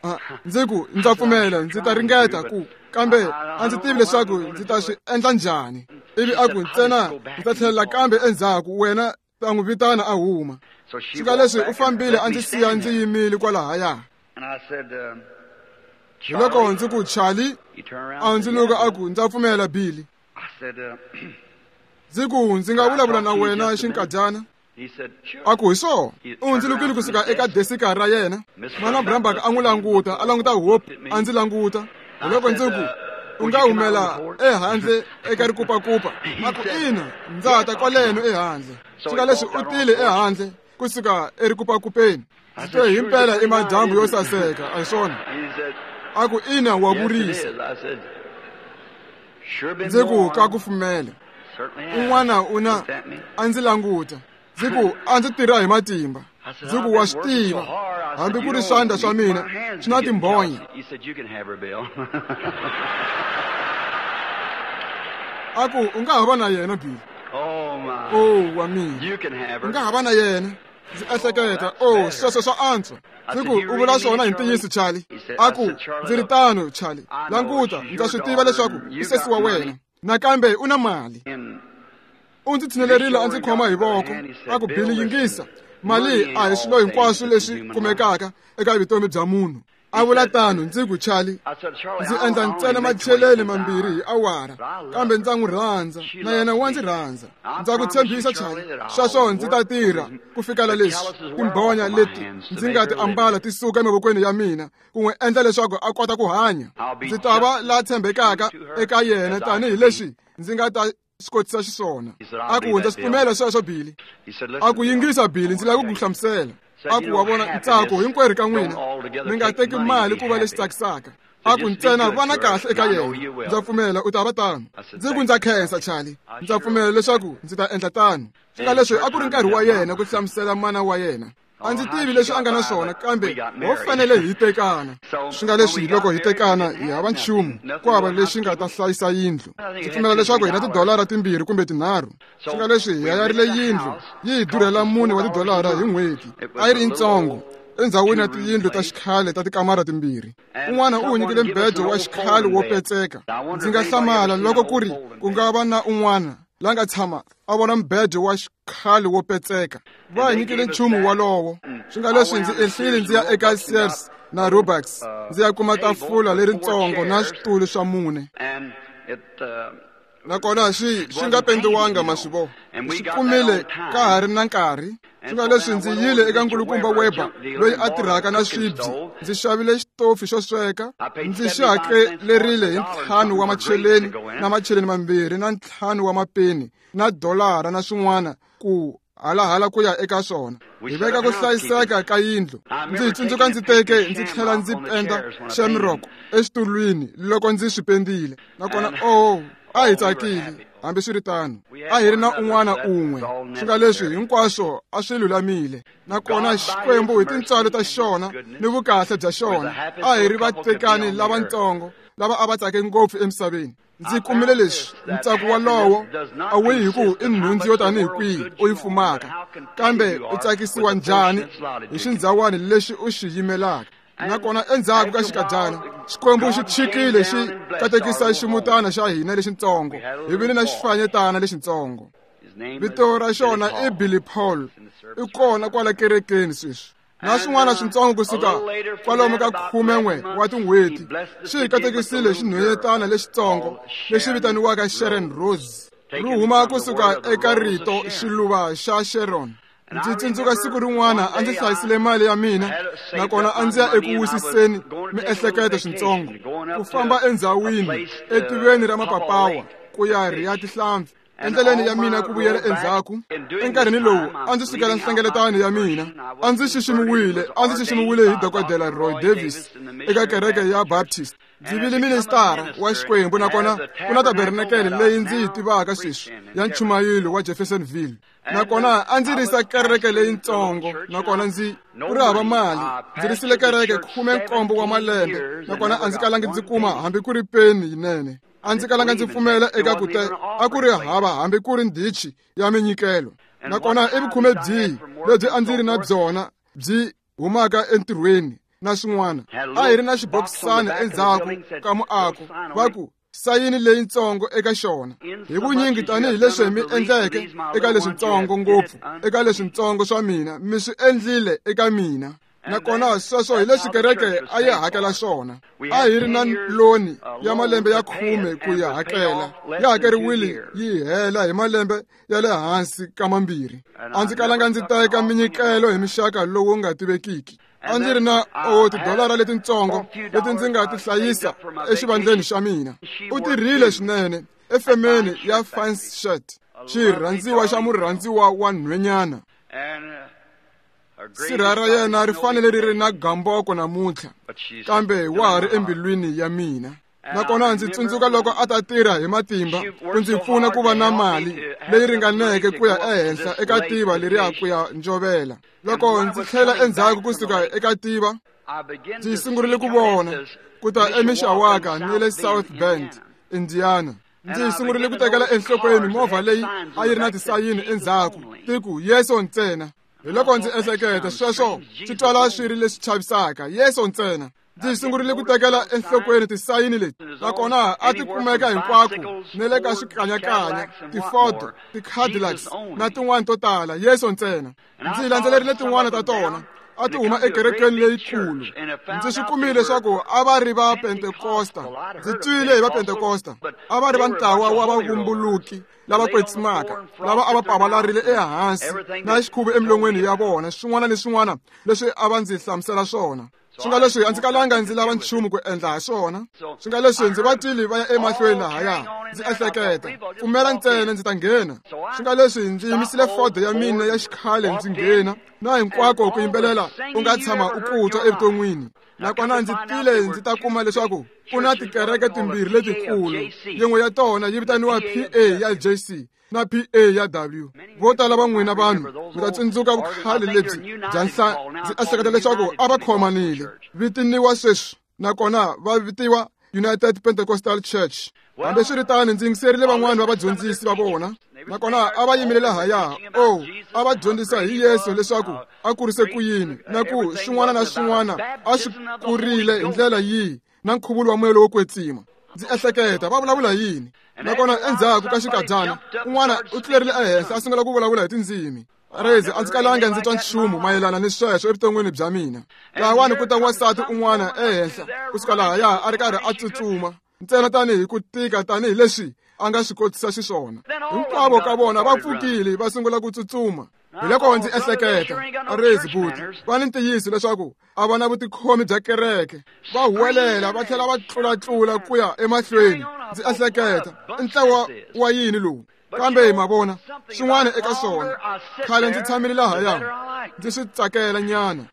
ndza pfumela ndzi ta ringeta ku kambe a ndzi tivi leswaku ndzi ta swi endla njhani ivi a ku ntsena ndzi ta tlhelela kambe endzhaku wena ta n'wi vitana a huma swi nga leswi u fambile a ndzi siya ndzi yimile kwalahaya hi loko ndzi ku Charlie a ndzi luka a ku ndza pfumela Billy ndzi ku ndzi nga vulavula na wena xinkadyana a ku hi swona u ndzi lukile kusuka eka desika ra yena mana Brambak a n'wi languta a languta Hope a ndzi languta hi loko ndzi ku u nga humela ehandle eka rikupakupa a ku ina ndza ta kwaleno ehandle swi nga leswi u tile ehandle kusuka erikupakupeni ndzi twe himpela i madyambu yo saseka a hi swona a ku ina wa vurisa ndzi ku ka kufumela un'wana u na a ndzi languta ndzi ku a ndzi tirha hi matimba ndzi ku wa swi tiva hambi ku ri swandla swa mina swi na timbhonya a ku u nga ha va na yena Billy wa mina u nga ha va na yena ndzi ehleketa sweswo swa antswa ndzi ku u vula swona hi ntiyiso Charlie a ku ndzi ri tano Charlie languta ndza swi tiva leswaku i sesi wa wena nakambe u na mali u ndzi tshinelerile a ndzi khoma hi voko a ku Billy yingisa mali a hi swilo hinkwaswo leswi kumekaka eka vutomi bya munhu a vula tano ndzi ku Charlie ndzi endla ntsena macheleni mambirhi hi awara kambe ndza n'wi rhandza na yena wa ndzi rhandza ndza ku tshembisa Charlie sweswo ndzi ta tirha ku fikela leswi timbhonya leti ndzi nga ti ambala ti suka emavokweni ya mina ku n'wi endla leswaku a kota ku hanya ndzi ta va la tshembekaka eka yena tanihileswi ndzi nga ta swi kotisa xiswona a ku ndza swi pfumela sweswo Billy a ku yingisa Billy ndzi lava ku ku hlamusela a ku wa vona ntsako hinkwerhu ka n'wina mi nga teki mali ku va lexi tsakisaka a ku ntsena vana kahle eka yena ndza pfumela u ta va tano ndzi ku ndza khensa Charlie ndza pfumela leswaku ndzi ta endla tano swi nga leswi a ku ri nkarhi wa yena ku hlamusela mana wa yena a ndzi tivi leswi a nga na swona kambe ho fanele hi tekana swi nga leswi loko hi tekana hi hava nchumu ku hava lexi nga ta hlayisa yindlu ndzi pfumela leswaku hi na tidolara 2 kumbe 3 swi nga leswi hi hayarile yindlu yi hi durhela $4 wa tidolara hi n'hweti a yi ri yitsongo endzhawini ya tiyindlu ta xikhale ta tikamara 2 un'wana u nyikile mbedo wa xikhale wo petseka ndzi nga hlamala loko ku ri ku nga va na un'wana la nga tshama a vona mbedo wa xikhale wo petseka va hi nyikile nchumu walowo swi nga leswi ndzi ehlile ndzi ya eka Sears na Roebucks ndzi ya kuma tafula leritsongo na switulu swa 4 nakona swi nga pendiwanga maswivo swi kumile ka ha ri na nkarhi swi nga leswi ndzi yile eka nkulukumba Weber loyi a tirhaka na swibyi ndzi xavile xitofi xo sweka ndzi xi hakelerile hi 5 wa macheleni na macheleni 2 na 5 wa mapeni na $1 na swin'wana ku halahala ku ya eka swona hi veka ku hlayiseka ka yindlu ndzi tsundzuka ndzi teke ndzi tlhela ndzi penda shamrock exitulwini loko ndzi swi pendile nakona a hi tsakile Hambiswiritano, a hi ri na un'wana un'we, swi nga leswi hinkwaswo a swi lulamile. Nakona Xikwembu hi tintswalo ta xona ni vukahle bya xona, a hi ri vatekani lavatsongo lava a va tsake ngopfu emisaveni. Ndzi kumile leswi, ntsako walowo a wu yi hi ku i nhundzu yo tanihi kwihi u yi fumaka, kambe u tsakisiwa njhani hi xindzhawani lexi u xi yimelaka. Nakona endzhaku ka xikadyana, Xikwembu xi chikile xi katekisa ximutana xa hina lexitsongo, hi vile na xifanyetana lexitsongo. Vito ra xona i Billy Paul, i kona kwala kerekeni sweswi. Na swin'wana switsongo kusuka kwalomu ka 11 wa tin'hweti, xi hi katekisile xinhwanyetana lexitsongo lexi vitaniwaka Sharon Rose, ri huma kusuka eka rito xiluva xa Sharon. Ndzi tsundzuka siku rin'wana a ndzi hlayisile mali ya mina, nakona a ndzi ya eku wisiseni miehleketo switsongo, ku famba endzhawini etiveni ra mapapawa ku ya rhiya tihlampfi. Endleleni ya mina ku vuyela endzhaku, enkarhini lowu a ndzi sukela nhlengeletano ya mina, a ndzi xiximiwile hi Dokodela Roy Davis eka kereke ya Baptist. Ndzi vile ministara wa Xikwembu, nakona ku na tabernakele leyi ndzi yi tivaka sweswi ya nchumayelo wa Jeffersonville. Nakona a ndzi risa kereke leyitsongo, nakona ndzi ku ri hava mali. Ndzi risile kereke 17 wa malembe, nakona a ndzi kalangi ndzi kuma hambi ku ri peni yinene. A ndzi kalanga ndzi pfumela eka ku te a ku ri hava hambi ku ri ndichi ya minyikelo. Nakona i vukhume byihi lebyi a ndzi ri na byona byi humaka entirhweni na swin'wana. A hi ri na xibokisana endzhaku ka muako, va ku sayini leyitsongo eka xona. Hi vunyingi tanihileswi mi endleke eka leswitsongo ngopfu, eka leswitsongo swa mina, mi swi endlile eka mina. Nakona sweswo hi leswi kereke a yi hakela swona. A hi ri na loni ya malembe ya 10 ku ya hakela, ya hakeriwile yi hela hi malembe ya le hansi ka 2. A ndzi kalanga ndzi teka minyikelo hi mixaka lowu nga tivekiki. A ndzi ri na tidolara letitsongo leti ndzi nga ti hlayisa exivandleni xa mina. U tirhile swinene efemeni ya Fancy Shirt, xirhandziwa xa murhandziwa wa nhwenyana. Sirha ra yena ri fanele ri ri na gamboko namuntlha, kambe wa ha ri embilwini ya mina. Nakona ndzi tsundzuka loko a ta tirha hi matimba ku ndzi pfuna ku va na mali leyi ringaneke ku ya ehenhla eka tiva leriya ku ya njovela. Loko ndzi tlhela endzhaku kusuka eka tiva, ndzi sungurile ku vona ku ta eMishawaka ni le South Bend, Indiana. Ndzi sungurile ku tekela enhlokweni movha leyi a yi ri na tisayini endzhaku ti ku Yesu ntsena. Hi loko ndzi ehleketa sweswo swi twala swi ri leswi chavisaka, Yesu ntsena. Ndzi sungurile ku tekela enhlokweni tisayini leti, nakona a ti kumeka hinkwako ni le ka swikanyakanya, ti-Ford, ti-Cadillacs na tin'wana to tala, Yesu ntsena. Ndzi landzelerile tin'wana ta tona, a ti huma ekerekeni leyikulu. Ndzi swi kumile leswaku a va ri va Pentekosta. Ndzi twile hi va Pentekosta, a va ri va ntlawa wa vavumbuluki lava kwetsimaka, lava a va pavalarile ehansi na xikhuvu emilon'weni ya vona, swin'wana ni swin'wana leswi a va ndzi hlamusela swona. Swi nga leswi a ndzi kalanga ndzi lava nchumu ku endla ha swona. Swi nga leswi ndzi va twile va ya emahlweni lahaya, ndzi ehleketa, pfumela ntsena ndzi ta nghena. Swi nga leswi ndzi yimisile Ford ya mina ya xikhale ndzi nghena, na hinkwako ku yimbelela u nga tshama u ku twa evuton'wini. Nakona ndzi tile ndzi ta kuma leswaku ku na tikereke timbirhi letikulu, yin'we ya tona yi vitaniwa PA ya JC na PA ya W. Vo tala va n'wina vanhu mi ta tsundzuka vukhale lebyi bya ndzi ehleketa leswaku a va khomanile, vitaniwa sweswi, nakona va vitiwa United Pentecostal Church. Hambiswiritano ndzi yingiserile van'wana va vadyondzisi va vona, nakona a va yimile lahaya. A va dyondzisa hi Yesu leswaku a kurise ku yini, na ku swin'wana na swin'wana a swi kurile hi ndlela yihi, na nkhuvulo wa moya lowo kwetsima. Ndzi ehleketa va vulavula yini. Nakona endzhaku ka xikadyana, un'wana u tlulerile ehenhla a sungula ku vulavula hi tindzimi. Rezi a ndzi kalanga ndzi twa nchumu mayelana ni sweswo evuton'wini bya mina. Lahawani ku ta wansati un'wana ehenhla kusuka lahaya a ri karhi a tsutsuma ntsena tanihi ku tika tanihileswi a nga swi kotisa xiswona. Hinkwavo ka vona va pfukile va sungula ku tsutsuma. Hi loko ndzi ehleketa, Rezi buti, va ni ntiyiso leswaku a va na vutikhomi bya kereke. Va huwelela va tlhela va tlulatlula ku ya emahlweni. Ndzi ehleketa, i ntlawa wa yini lowu? Kambe ma vona swin'wana eka swona, khale ndzi tshamile lahaya, ndzi swi tsakela nyana.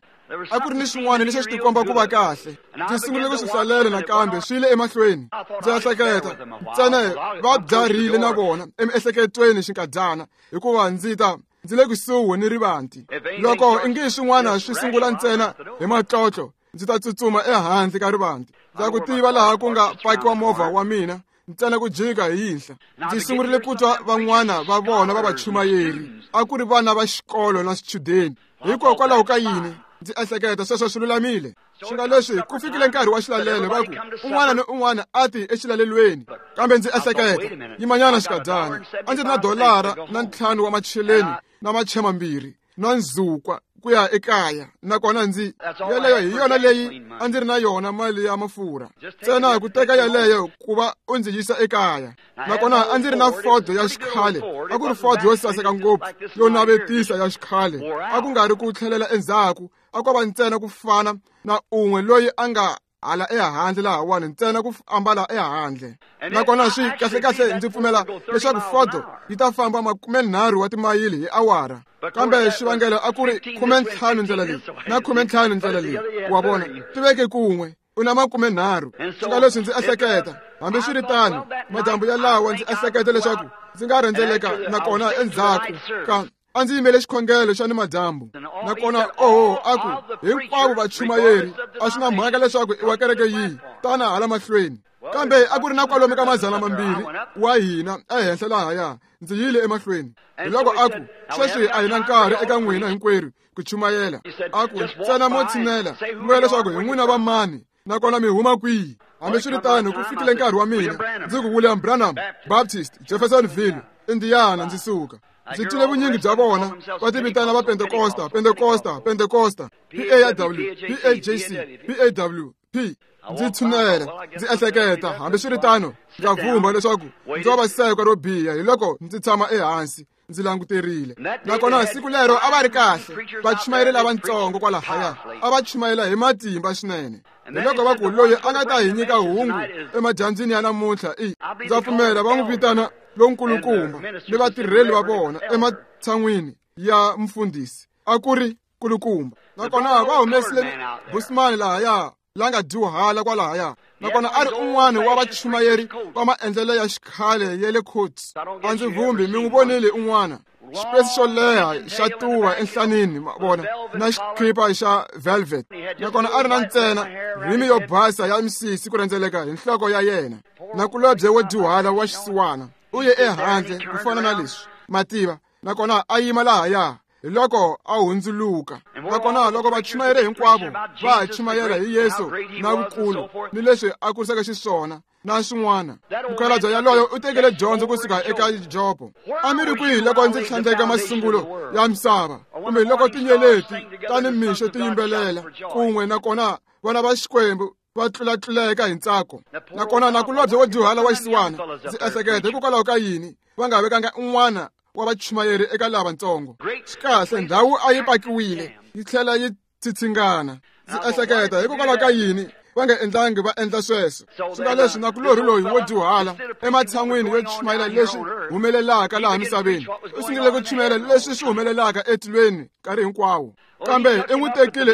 A ku ri ni xin'wana lexi a xi tikomba ku va kahle. Ndzi sungule ku swi hlalela nakambe swi yile emahlweni. Ndzi ehleketa ntsena va byarile na vona emiehleketweni xinkadyana, hikuva ndzi ta ndzi le kusuhi ni rivanti. Loko ingi swin'wana swi sungula ntsena hi matlotlo, ndzi ta tsutsuma ehandle ka rivanti. Ndza ku tiva laha ku nga pakiwa movha wa mina, ntsena ku jika hi yinhla. Ndzi sungurile ku twa van'wana va vona va vachumayeri, a ku ri vana va xikolo na swichudeni. Hikokwalaho ka yini ndzi ehleketa sweswo swi lulamile. Swi nga leswi ku fikile nkarhi wa xilalelo, va ku un'wana ni un'wana a ti exilalelweni. Kambe ndzi ehleketa, yimanyana xikadyana, a ndzi ri na $5 wa macheleni na machema 2 na ndzhukwa ku ya ekaya, nakona ndzi yeleyo hi yona leyi a ndzi ri na yona mali ya mafurha ntsena ku teka yeleyo ku va u ndzi yisa ekaya. Nakona a ndzi ri na Ford ya xikhale, a ku ri Ford yo saseka ngopfu yo navetisa ya xikhale, a ku nga ri ku tlhelela endzhaku, a ko va ntsena ku fana na un'we loyi a nga hala ehandle lahawani, ntsena ku ambala ehandle. Nakona swi kahlekahle ndzi pfumela leswaku Ford yi ta famba 30 wa timayili hi awara, kambe xivangelo a ku ri 15 ndlela leyi na 15 ndlela leyi, wa vona, ti veke kun'we u na 30. Swi nga leswi ndzi ehleketa, hambiswiritano madyambu yalawa ndzi ehleketa leswaku ndzi nga rhendzeleka nakona endzhaku ka a ndzi yimele xikhongelo xa nimadyambu. Nakona oho, a ku hinkwavo vachumayeri, a swi na mhaka leswaku i wa kereke yihi, tana hala mahlweni. Kambe a ku ri na kwalomu ka 200 wa hina ehenhla lahaya. Ndzi yile emahlweni. Hi loko a ku, sweswi a hi na nkarhi eka n'wina hinkwerhu ku chumayela. A ku ntsena mo tshinela, mi vula leswaku hi n'wina va mani, nakona mi huma kwihi. Hambiswiritano ku fikile nkarhi wa mina, ndzi ku William Branham, Baptist, Jeffersonville, Indiana, ndzi suka. Ndzi twile vunyingi bya vona va ti vitana va Pentecosta, Pentecosta, Pentecosta, PAW, PAJC, PAW, P. Ndzi tshunela, ndzi ehleketa, hambiswiritano ndza vhumba leswaku ndzi wa vasekwa ro biha. Hi loko ndzi tshama ehansi ndzi languterile. Nakona siku lero a va ri kahle vachumayeri lavatsongo kwalahaya, a va chumayela hi matimba swinene. Hi loko va ku loyi a nga ta hi nyika hungu emadyambyini ya namuntlha i, ndza pfumela va n'wi vitana lonkulukumba, ni vatirheli va vona ematshan'wini ya mfundhisi a ku ri kulukumba. Nakona va humesile Busman lahaya la nga dyuhala kwalahaya, nakona a ri un'wana wa vachumayeri va maendlelo ya xikhale ya le Coats. A ndzi vhumbi mi n'wi vonile un'wana, xipesi xo leha xa tuva enhlanini, vona, na xikhipa xa velvet. Nakona a ri na ntsena rhimi yo basa ya misisi ku rhendzeleka hi nhloko ya yena. Nakulobye wo dyuhala wa xisiwana u ye ehandle ku fana na leswi mativa, nakona a yima lahaya. Hi loko a hundzuluka. Nakona loko vachumayeri hinkwavo va ha chumayela hi Yesu na vukulu ni leswi a kurisaka xiswona na swin'wana, mukhalabye yaloyo u tekile dyondzo kusuka eka Jobo. A mi ri kwihi loko ndzi tlhandleka masungulo ya misava, kumbe loko tinyeleti ta nimixo ti yimbelela kun'we, nakona vana va Xikwembu va tlulatluleka hi ntsako. Nakona nakulobye wo dyuhala wa xisiwana, ndzi ehleketa hikokwalaho ka yini va nga vekanga un'wana wa vachumayeri eka lavatsongo. Xikahle ndhawu a yi pakiwile yi tlhela yi tsitsingana. Ndzi ehleketa hikokwalaho ka yini va nga endlangi va endla sweswo. Swi nga leswi nakulorhi loyi wo dyuhala ematshan'wini yo chumayela leswi humelelaka laha misaveni, u sungule ku chumayela leswi swi humelelaka etilweni nkarhi hinkwawo. Kambe i n'wi tekile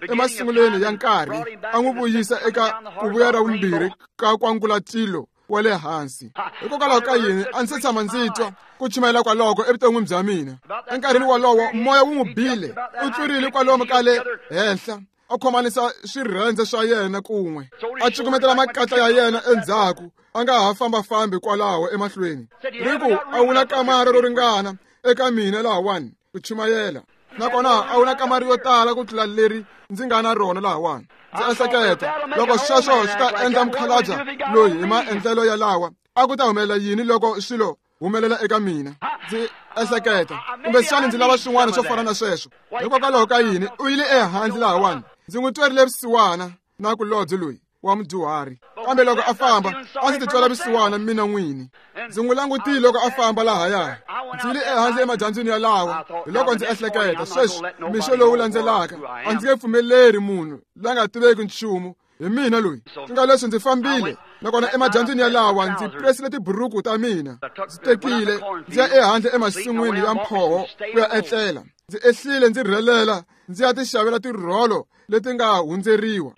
emasunguleni ya nkarhi, a n'wi vuyisa eka ku vuya ra vumbirhi ka kwangulatilo wa le hansi. Hikokwalaho ka yini a ndzi se tshama ndzi twa ku chumayela kwaloko evuton'wini bya mina. Enkarhini wolowo moya wu n'wi bile, u tlurile kwalomu ka le henhla, a khomanisa swirhendze swa yena kun'we, a cukumetela makatla ya yena endzhaku, a nga ha fambafambi kwalaho emahlweni. Ri ku a wu na kamara ro ringana eka mina lahawani ku chumayela, nakona a wu na kamara yo tala ku tlula leri ndzi nga na rona lahawani. Ndzi ehleketa loko sweswo swi ta endla mukhalabye loyi hi maendlelo yalawa, a ku ta humelela yini loko swilo humelela eka mina? Ndzi ehleketa kumbexana ndzi lava swin'wana swo fana na sweswo. Hikokwalaho ka yini u yile ehandle lahawani? Ndzi n'wi twerile vusiwana nakulobye loyi wa mudyuhari, kambe loko a famba a ndzi titwela vusiwana mina n'wini. Ndzi n'wi langutile loko a famba lahaya. Ndzi yile ehandle emadyambyini yalawa. Hi loko ndzi ehleketa, sweswi mixo lowu landzelaka a ndzi nge pfumeleri munhu la nga tiveki nchumu hi mina loyi. Swi nga leswi ndzi fambile, nakona emadyambyini yalawa ndzi presile tiburuku ta mina, ndzi tekile ndzi ya ehandle emasin'wini ya mphoho ku ya etlela. Ndzi ehlile ndzi rhelela ndzi ya ti xavela tirholo leti nga hundzeriwa.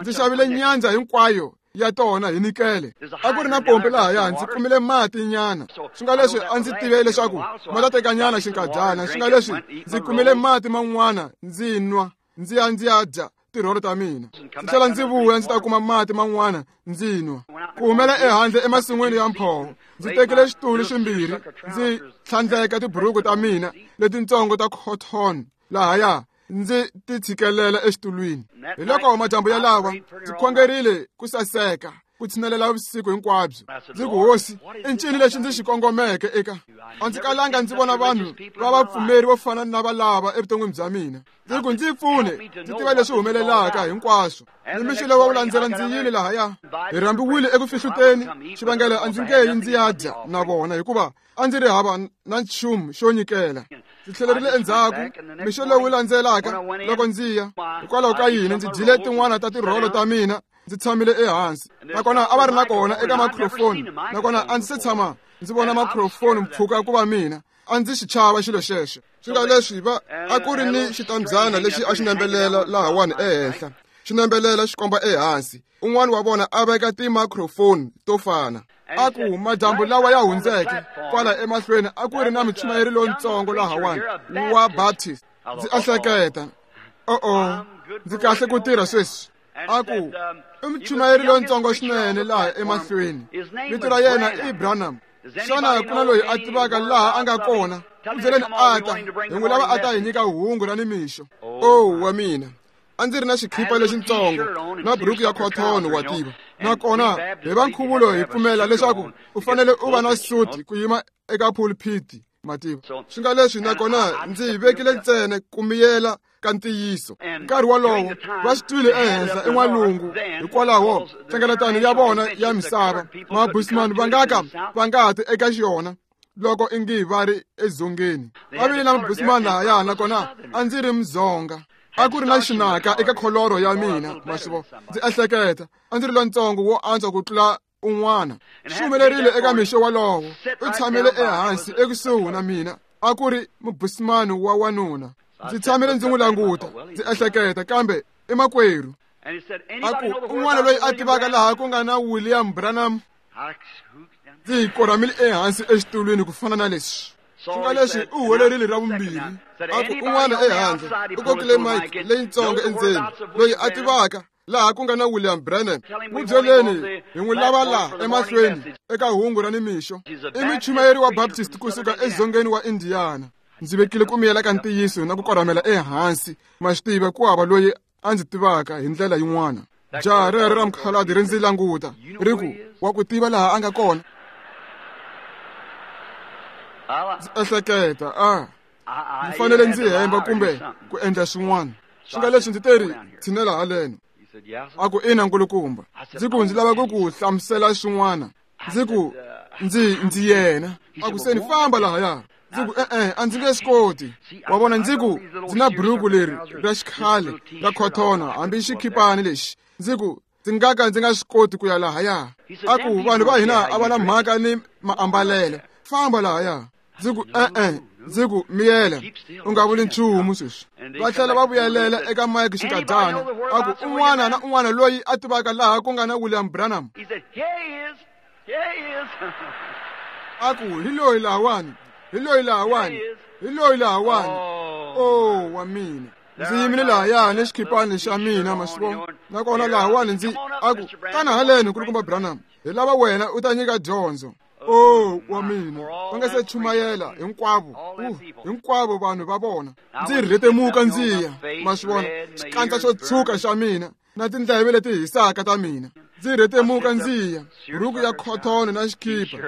Ndzi xavile nyandza hinkwayo ya tona hi nikele. A ku ri na pompi lahaya, ndzi kumile mati nyana. Swi nga leswi a ndzi tive leswaku ma ta teka nyana xinkadyana. Swi nga leswi ndzi kumile mati man'wana ndzi nwa, ndzi ya ndzi ya dya tirholo ta mina. Ndzi tlhela ndzi vuya ndzi ta kuma mati man'wana ndzi nwa. Ku humela ehandle emasin'wini ya mphoho, ndzi tekile xitulu ximbirhi, ndzi tlhandleka tiburuku ta mina letintsongo ta cotton lahaya, ndzi ti tshikelela exitulwini. Hi loko madyambu yalawa ndzi khongerile ku saseka ku tshinelela vusiku hinkwabyo. Ndzi ku, Hosi, i ncini lexi ndzi xi kongomeke eka? A ndzi kalanga ndzi vona vanhu va vapfumeri vo fana na valava evuton'wini bya mina. Ndzi ku, ndzi pfune ndzi tiva leswi humelelaka hinkwaswo. Ni mixo lowu wu landzela ndzi yile lahaya. Hi rhambiwile eku fihluteni, xivangelo a ndzi nge yi ndzi ya dya na vona hikuva a ndzi ri hava na nchumu xo nyikela. Ndzi tlhelerile endzhaku mixo lowu landzelaka loko ndzi ya. Hikwalaho ka yini ndzi dyile tin'wana ta tirholo ta mina, ndzi tshamile ehansi. Nakona a va ri na kona eka microphone, nakona a ndzi se tshama ndzi vona microphone mpfhuka ku va mina. A ndzi xi chava xilo xexo. Swi nga leswi va a ku ri ni xitambyana lexi a xi nembelela lahawani ehenhla, xi nembelela xi komba ehansi. Un'wana wa vona a veka ti-microphone to fana. A ku, madyambu lawa ya hundzeke kwala emahlweni a ku ri na muchumayeri lontsongo lahawani wa Baptist. Ndzi ehleketa, o-o, ndzi kahle ku tirha sweswi. A ku, i muchumayeri lontsongo swinene laha emahlweni. Vito ra yena i Branham. Xana ku na loyi a tivaka laha a nga kona? N'wi byeleni a ta, hi n'wi lava a ta hi nyika hungu ra nimixo. O wa mina, a ndzi ri na xikhipa lexintsongo na buruku ya cotton, wa tiva. Nakona hi va nkhuvulo hi pfumela leswaku u fanele u va na suti ku yima eka pulpit, ma tiva. Swi nga leswi, nakona ndzi yi vekile ntsena ku miyela ka ntiyiso. Nkarhi wolowo va swi twile ehenhla en'walungu, hikwalaho nhlengeletano ya vona ya misava mabusman va nga ka va nga ti eka xiyona loko ingi va ri edzongeni. Va vile na mabusman lahaya, nakona a ndzi ri Mudzonga. A ku ri na xinaka eka kholoro ya mina, ma swi vona. Ndzi ehleketa a ndzi ri lontsongo wo antswa ku tlula un'wana. Swi humelerile eka mixo wolowo, u tshamile ehansi ekusuhi na mina. A ku ri mubusmani wa wanuna. Ndzi tshamile ndzi n'wi languta, ndzi ehleketa, kambe i makwerhu. A ku, un'wana loyi a tivaka laha ku nga na William Branham? Ndzi korhamile ehansi exitulwini ku fana na leswi. Swi nga leswi u huwelerile ra vumbirhi. A ku, un'wana ehandle u kokile mic leyintsongo endzeni, loyi a tivaka laha ku nga na William Branham. N'wi byeleni hi n'wi lava laha emahlweni eka hungu ra nimixo. I muchumayeri wa Baptist kusuka edzongeni wa Indiana. Ndzi vekile ku miyela ka ntiyiso na ku korhamela ehansi. Ma swi tiva, ku hava loyi a ndzi tivaka hi ndlela yin'wana. Jaha rero ra mukhalabye ri ndzi languta, ri ku, wa ku tiva laha a nga kona? Ndzi ehleketa, a ndzi fanele ndzi hemba kumbe ku endla swin'wana. Swi nga leswi ndzi teri, tshinela haleno. A ku, ina nkulukumba. Ndzi ku, ndzi lava ku ku hlamusela swin'wana. Ndzi ku, ndzi yena. A ku, se ni famba lahaya. Ndzi ku, e-e, a ndzi nge swi koti. Wa vona, ndzi ku, ndzi na buruku leri ra xikhale ra khotona, hambi xikhipani lexi. Ndzi ku, ndzi nga ka ndzi nga swi koti ku ya lahaya. A ku, vanhu va hina a va na mhaka ni maambalelo. Famba lahaya. Ndzi ku, e-e. Ndzi ku, miyela, u nga vuli nchumu sweswi. Va tlhela va vuyelela eka Mike xinkadyana. A ku, un'wana na un'wana loyi a tivaka laha ku nga na William Branham. A ku, hi loyi lahawani, hi loyi lahawani, hi loyi lahawani. O wa mina. Ndzi yimile lahaya ni xikhipani xa mina, ma swi vona. Nakona lahawani ndzi a ku, tana haleni nkulukumba Branham, hi lava wena u ta nyika dyondzo. O wa mina, va nga se chumayela hinkwavo, hinkwavo vanhu va vona. Ndzi rhetemuka ndzi ya, ma swi vona, xikandza xo tshuka xa mina na tindleve leti hisaka ta mina. Ndzi rhetemuka ndzi ya, buruku ya cotton na xikhipa,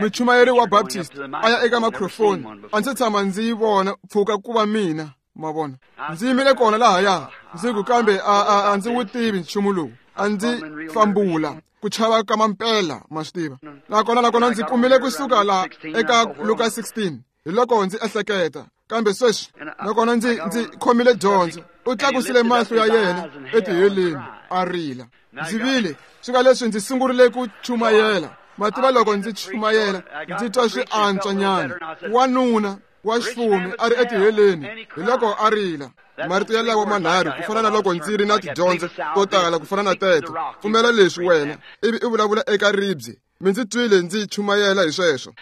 muchumayeri wa Baptist a ya eka microphone. A ndzi tshama ndzi yi vona pfuka ku va mina, ma vona. Ndzi yimile kona lahaya, ndzi ku, kambe a ndzi wu tivi nchumu lowu. A ndzi fambula ku chava ka mampela, ma swi tiva. Nakona ndzi kumile kusuka laha eka Luka 16. Hi loko ndzi ehleketa, kambe sweswi, nakona ndzi khomile dyondzo. U tlakusile mahlo ya yena etiheleni, a rila. Ndzi vile, swi nga leswi ndzi sungurile ku chumayela. Ma tiva loko ndzi chumayela, ndzi twa swi antswa nyana. Wanuna wa xifumi a ri etiheleni, hi loko a rila. Marito yalawo manharhu ku fana na loko ndzi ri na tidyondzo to tala ku fana na teto. Pfumela leswi wena, ivi u vulavula eka ribye. Mi ndzi twile ndzi chumayela hi sweswo.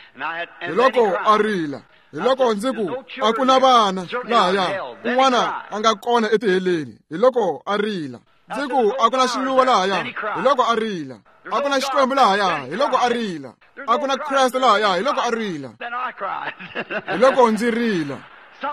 Hi loko a rila. Hi loko ndzi ku a ku na vana lahaya, un'wana a nga kona etiheleni. Hi loko a rila. Ndzi ku a ku na xiluva lahaya, hi loko a rila. A ku na Xikwembu lahaya, hi loko a rila. A ku na Kreste lahaya, hi loko a rila. Hi loko ndzi rila.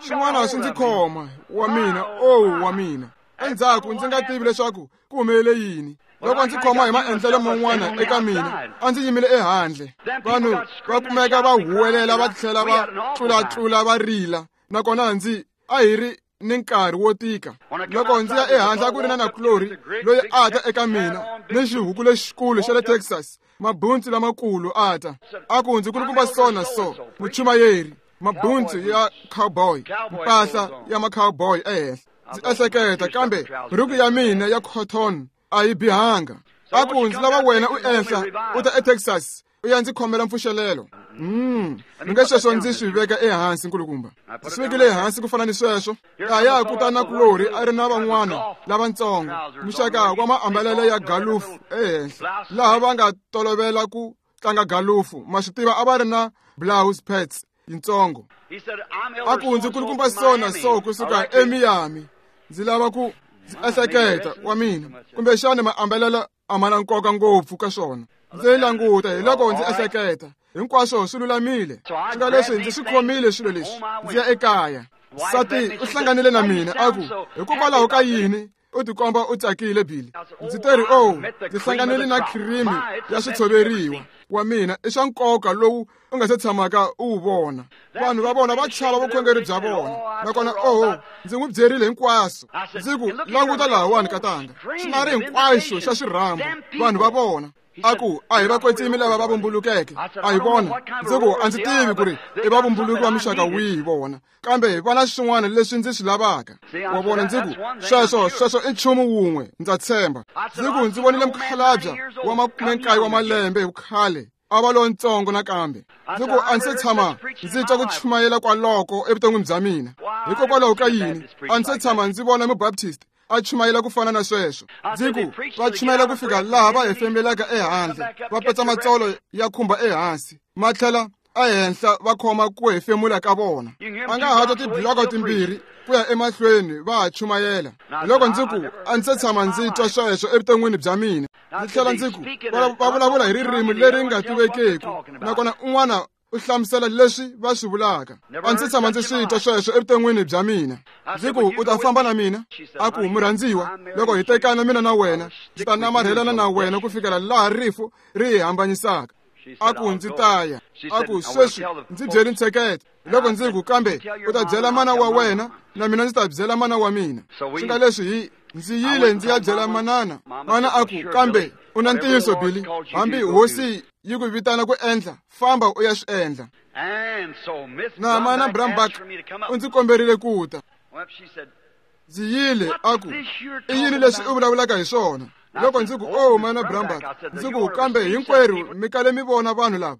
Xin'wana swi ndzi khoma, wa mina, oh wa mina. Endzhaku ndzi nga tivi leswaku ku humelele yini. Loko ndzi khoma hi maendlelo man'wana eka mina, a ndzi yimile ehandle. Vanhu va kumeka va huwelela va tlhela va tlulatlula va rila. Nakona ndzi a hi ri ni nkarhi wo tika. Loko ndzi ya ehandle a ku ri na nakulorhi loyi a ta eka mina ni xihuku lexikulu xa le Texas, mabuntsu lamakulu a ta. A ku ndzi kulukumba so na so, muchumayeri, mabuntsu ya cowboy, mpahla ya ma-cowboy ehenhla. Ndzi ehleketa, kambe buruku ya mina ya cotton a yi bihanga. A ku ndzi lava wena u ehla u ta eTexas u ya ndzi khomela mpfuxelelo. Mi nge sweswo ndzi swi veka ehansi nkulukumba. Ndzi swi vekile ehansi ku fana ni sweswo. Kaya ku ta nakulorhi a ri na van'wana lavatsongo, muxaka wa maambalelo ya galufu ehenhla, laha va nga tolovela ku tlanga galufu. Ma swi tiva a va ri na blouse pads yitsongo. A ku ndzi kulukumba so na so kusuka eMiami. Ndzi lava ku ndzi ehleketa wa mina, kumbexana maambalelo a ma na nkoka ngopfu ka swona. Ndzi languta, hi loko ndzi ehleketa, hinkwaswo swi lulamile. Swi nga leswi ndzi swi khomile swilo leswi, ndzi ya ekaya. Nsati u hlanganile na mina a ku, hikokwalaho ka yini u tikomba u tsakile Billy? Ndzi teri, oh, ndzi hlanganile na khirimi ya switshoveriwa wa mina, i swa nkoka lowu u nga se tshamaka u wu vona. Vanhu va vona va chava vukhongeri bya vona. Nakona oh, ndzi n'wi byerile hinkwaswo. Ndzi ku languta lahawani katanga, xinari hinkwaxo xa xirhambo, vanhu va vona. A ku a hi vakwetsimi lava va vumbulukeke, a hi vona. Ndzi ku a ndzi tivi ku ri i vavumbuluki va muxaka wihi vona, kambe va na swin'wana leswi ndzi swi lavaka. Wa vona, ndzi ku sweswo sweswo i nchumu wun'we, ndza tshemba. Ndzi ku ndzi vonile mukhalabya wa 19 wa malembe hi vukhale, a va lontsongo nakambe. Ndzi ku a ndzi se tshama ndzi twa ku chumayela kwaloko evuton'wini bya mina. Hikokwalaho ka yini a ndzi se tshama ndzi vona mubaptist a chumayela ku fana na sweswo? Ndzi ku va chumayela ku fika laha va hefemulelaka ehandle, va petsa matsolo ya khumba ehansi, ma tlhela ehenhla va khoma ku hefemula ka vona. A nga ha twa tibloko timbirhi ku ya emahlweni va ha chumayela. Loko ndzi ku a ndzi se tshama ndzi twa sweswo evuton'wini bya mina. Ndzi tlhela ndzi ku va vulavula hi ririmi leri nga tivekeku, nakona un'wana u hlamusela leswi va swi vulaka. A ndzi tshama ndzi swi twa sweswo evuton'wini bya mina. Ndzi ku u ta famba na mina? A ku murhandziwa, loko hi tekana mina na wena, ndzi ta namarhelana na wena ku fikela laha rifu ri hi hambanyisaka. A ku ndzi ta ya. A ku sweswi ndzi byeli ntsheketo. Loko ndzi ku kambe u ta byela mana wa wena, na mina ndzi ta byela mana wa mina. Swi nga leswi hi ndzi yile ndzi ya byela manana. Mana a ku kambe u na ntiyiso Billy, hambi hosi yi ku vitana ku endla, famba u ya swi endla. Na mana Brambach u ndzi komberile ku ta. Ndzi yile, a ku i yini leswi u vulavulaka hi swona? Loko ndzi ku oh mana Brambach, ndzi ku kambe hinkwerhu mi kale mi vona vanhu lava.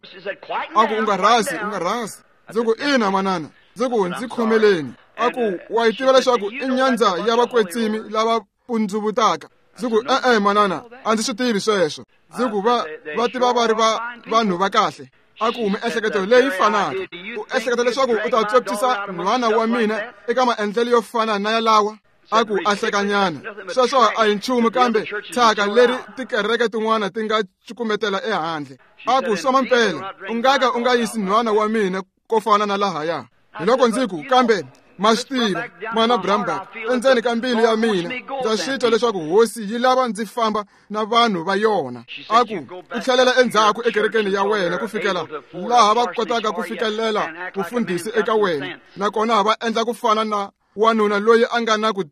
A ku u nga rhasi, u nga rhasi. Ndzi ku ina manana. Ndzi ku ndzi khomeleni. A ku wa yi tiva leswaku i nyandza ya vakwetsimi lava pundzuvutaka. Ndzi ku e-e manana, a ndzi swi tivi sweswo. Ndzi ku va va tiva va ri va vanhu va kahle. A ku miehleketo leyi fanaka, u ehleketa leswaku u ta tswepsisa nhwana wa mina eka maendlelo yo fana na yalawa? A ku a hlekanyana, sweswo a hi nchumu kambe thyaka leri tikereke tin'wana ti nga cukumetela ehandle. A ku swa mampela, u nga ka u nga yisi nhwana wa mina ko fana na lahaya. Hi loko ndzi ku kambe ma swi tiva mana Brambach, endzeni ka mbilu ya mina ndza swi twa leswaku hosi yi lava ndzi famba na vanhu va yona. A ku u tlhelela endzhaku ekerekeni ya wena ku fikela laha va kotaka ku fikelela vufundhisi eka wena, nakona va endla ku fana na wanuna loyi a nga na ku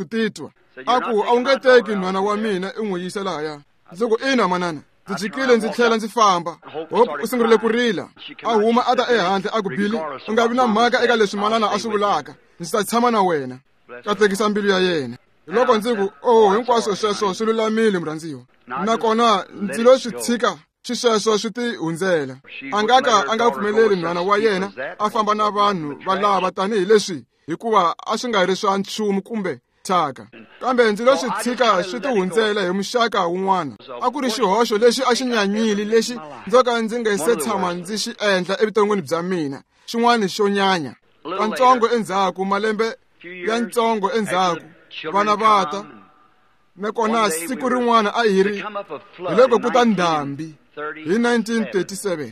titwa. A ku a wu nge teki nhwana wa mina i n'wi yisa lahaya. Ndzi ku ina manana. Ndzi jikile ndzi tlhela ndzi famba. Hope u sungurile ku rila. A huma a ta ehandle a ku Billy, u nga vi na mhaka eka leswi manana a swi vulaka, ndzi ta tshama na wena. Katekisa mbilu ya yena. Loko ndzi ku oh hinkwaswo sweswo swi lulamile murhandziwa, nakona ndzi lo swi tshika Xisweswo swi ti hundzela. A nga ka a nga pfumeleli nhwana wa yena a famba na vanhu va lava tanihileswi, hikuva a swi nga ri swa nchumu kumbe thyaka. Kambe ndzi lo swi tshika swi ti hundzela hi muxaka wun'wana. A ku ri xihoxo lexi a xi nyanyile lexi ndzo ka ndzi nga se tshama ndzi xi endla evuton'wini bya mina, xin'wana xo nyanya. Kantsongo endzhaku, malembe ya ntsongo endzhaku, vana va ta. Nakona siku rin'wana a hi ri hi loko ku ta ndhambi hi 1937,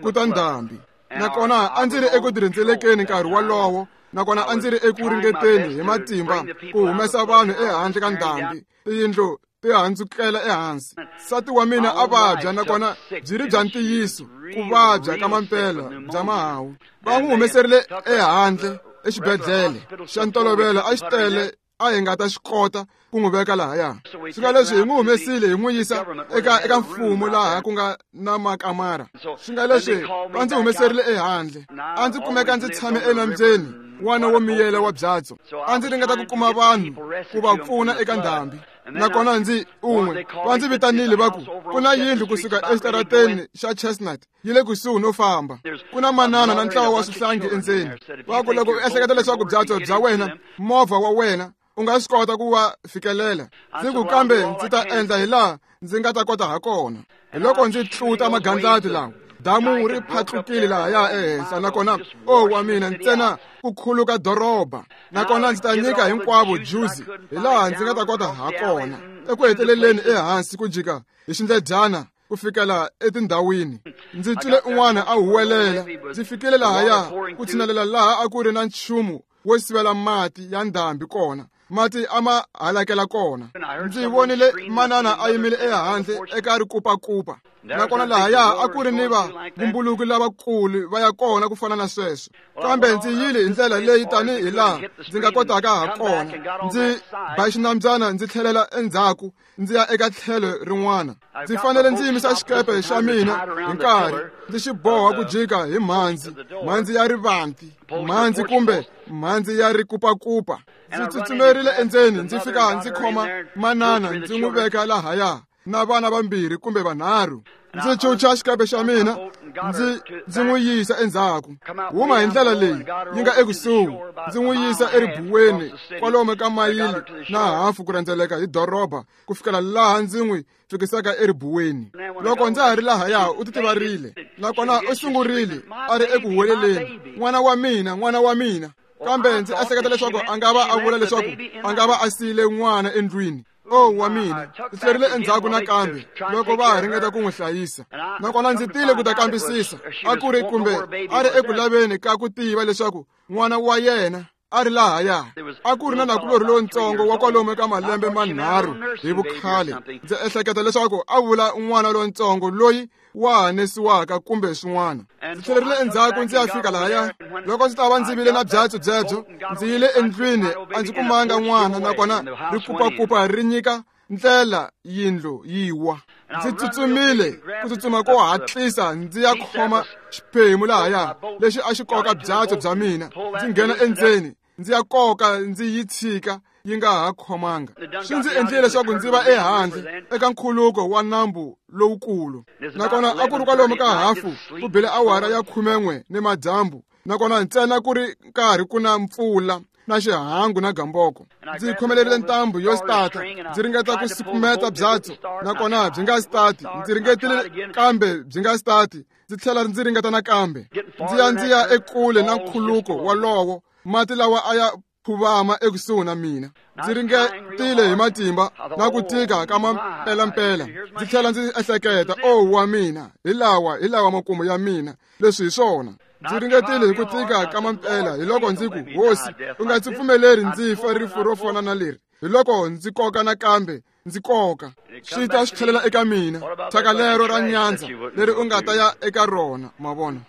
ku ta ndhambi. Nakona a ndzi ri eku tirhendzelekeni nkarhi wolowo, nakona a ndzi ri eku ringeteni hi matimba ku humesa vanhu ehandle ka ndhambi. Tiyindlu ti handzukela ehansi. Nsati wa mina a vabya, nakona byi ri bya ntiyiso ku vabya ka mampela bya mahawu. Va n'wi humeserile ehandle exibedhlele xa ntolovelo, a xi tele a hi nga ta xi kota ku n'wi veka lahaya. Swi nga leswi hi n'wi humesile hi n'wi yisa eka mfumo laha ku nga na makamara. Swi nga leswi va ndzi humeserile ehandle. A ndzi kumeka ndzi tshame enambyeni n'wana wo miyela wa byatso. A ndzi ringeta ku kuma vanhu ku va pfuna eka ndhambi. Nakona ndzi un'we va ndzi vitanile va ku ku na yindlu kusuka exitarateni xa Chestnut yi le kusuhi no famba. Ku na manana na ntlawa wa swihlangi endzeni. Va ku loko u ehleketa leswaku byatso bya wena, movha wa wena, u nga swi kota ku va fikelela. Ndzi ku kambe ndzi ta endla hi laha ndzi nga ta kota ha kona. Hi loko ndzi tluta magandlati lawa, damu ri phatlukile lahaya ehenhla, nakona o wa mina ntsena ku khuluka doroba. Nakona ndzi ta nyika hinkwavo juzi hi laha ndzi nga ta kota ha kona. Eku heteleleni ehansi ku jika hi xindledyana ku fikela etindhawini. Ndzi twile un'wana a huwelela. Ndzi fikile lahaya ku tshinelela laha a ku ri na nchumu wo sivela mati ya ndhambi kona. Mati a ma halakela kona. Ndzi vonile manana a yimile ehandle eka rikupakupa. Nakona lahaya a ku ri ni vavumbuluki lavakulu va ya kona ku fana na sweswo. Kambe ndzi yile hi ndlela leyi tanihi laha ndzi nga kotaka ha kona. Ndzi ba xinambyana ndzi tlhelela endzhaku ndzi ya eka tlhelo rin'wana. Ndzi fanele ndzi yimisa xikepe xa mina hi nkarhi, ndzi xi boha ku jika hi mhandzi, mhandzi ya rivanti, mhandzi kumbe mhandzi ya rikupakupa. Ndzi tsutsumerile endzeni, ndzi fika ndzi khoma manana ndzi n'wi veka lahaya na vana vambirhi kumbe vanharhu. Ndzi chucha xikepe xa mina ndzi n'wi yisa endzhaku. Huma hi ndlela leyi yi nga ekusuhi, ndzi n'wi yisa eribuweni kwalomu ka mayili na hafu ku rhendzeleka hi doroba ku fikela laha ndzi n'wi fikisaka eribuweni. Loko ndza ha ri lahaya u titivarile, nakona u sungurile a ri eku huweleleni, n'wana wa mina, n'wana wa mina. Kambe ndzi ehleketa leswaku a nga va a vula leswaku a nga va a siyile n'wana endlwini. O wa mina, ndzi tlherile endzhaku nakambe loko va ha ringeta ku n'wi hlayisa. Nakona ndzi tile ku ta kambisisa a ku ri kumbe a ri eku laveni ka ku tiva leswaku n'wana wa yena a ri lahaya. A ku ri na nakulorhi lontsongo wa kwalomu ka malembe manharhu hi vukhale. Ndzi ehleketa leswaku a vula n'wana lontsongo loyi wa hanesiwaka kumbe swin'wana. Ndzi tlhelerile endzhaku ndzi ya fika lahaya. Loko ndzi ta va ndzi vile na byatso byebyo, ndzi yile endlwini, a ndzi kumanga n'wana, nakona rikupakupa ri nyika ndlela yindlu yi wa. Ndzi tsutsumile ku tsutsuma ko hatlisa ndzi ya khoma xiphemu lahaya lexi a xi koka byatso bya mina. Ndzi nghena endzeni, ndzi ya koka ndzi yi tshika yi nga ha khomanga. Swi ndzi endlile leswaku ndzi va ehandle eka nkhuluko wa nambu lowukulu. Nakona a ku ri kwalomu ka hafu ku bile awara ya 11 ni madyambu, nakona ntsena ku ri nkarhi ku na mpfula na xihangu na gamboko. Ndzi khomelerile ntambu yo stata, ndzi ringeta ku sukumeta byatso, nakona byi nga stati. Ndzi ringetile kambe byi nga stati. Ndzi tlhela ndzi ringeta nakambe. Ndzi ya ekule na nkhuluko wolowo, mati lawa a ya phuvama ekusuhi na mina. Ndzi ringetile hi matimba na ku tika ka mampelampela. Ndzi tlhela ndzi ehleketa, o wa mina, hi lawa makumu ya mina, leswi hi swona. Ndzi ringetile hi ku tika ka mampela. Hi loko ndzi ku, Hosi, u nga ndzi pfumeleri ndzi fa rifu ro fana na leri. Hi loko ndzi koka nakambe, ndzi koka. Swi ta swi tlhelela eka mina, thyaka lero ra nyandza leri u nga ta ya eka rona. Ma vona?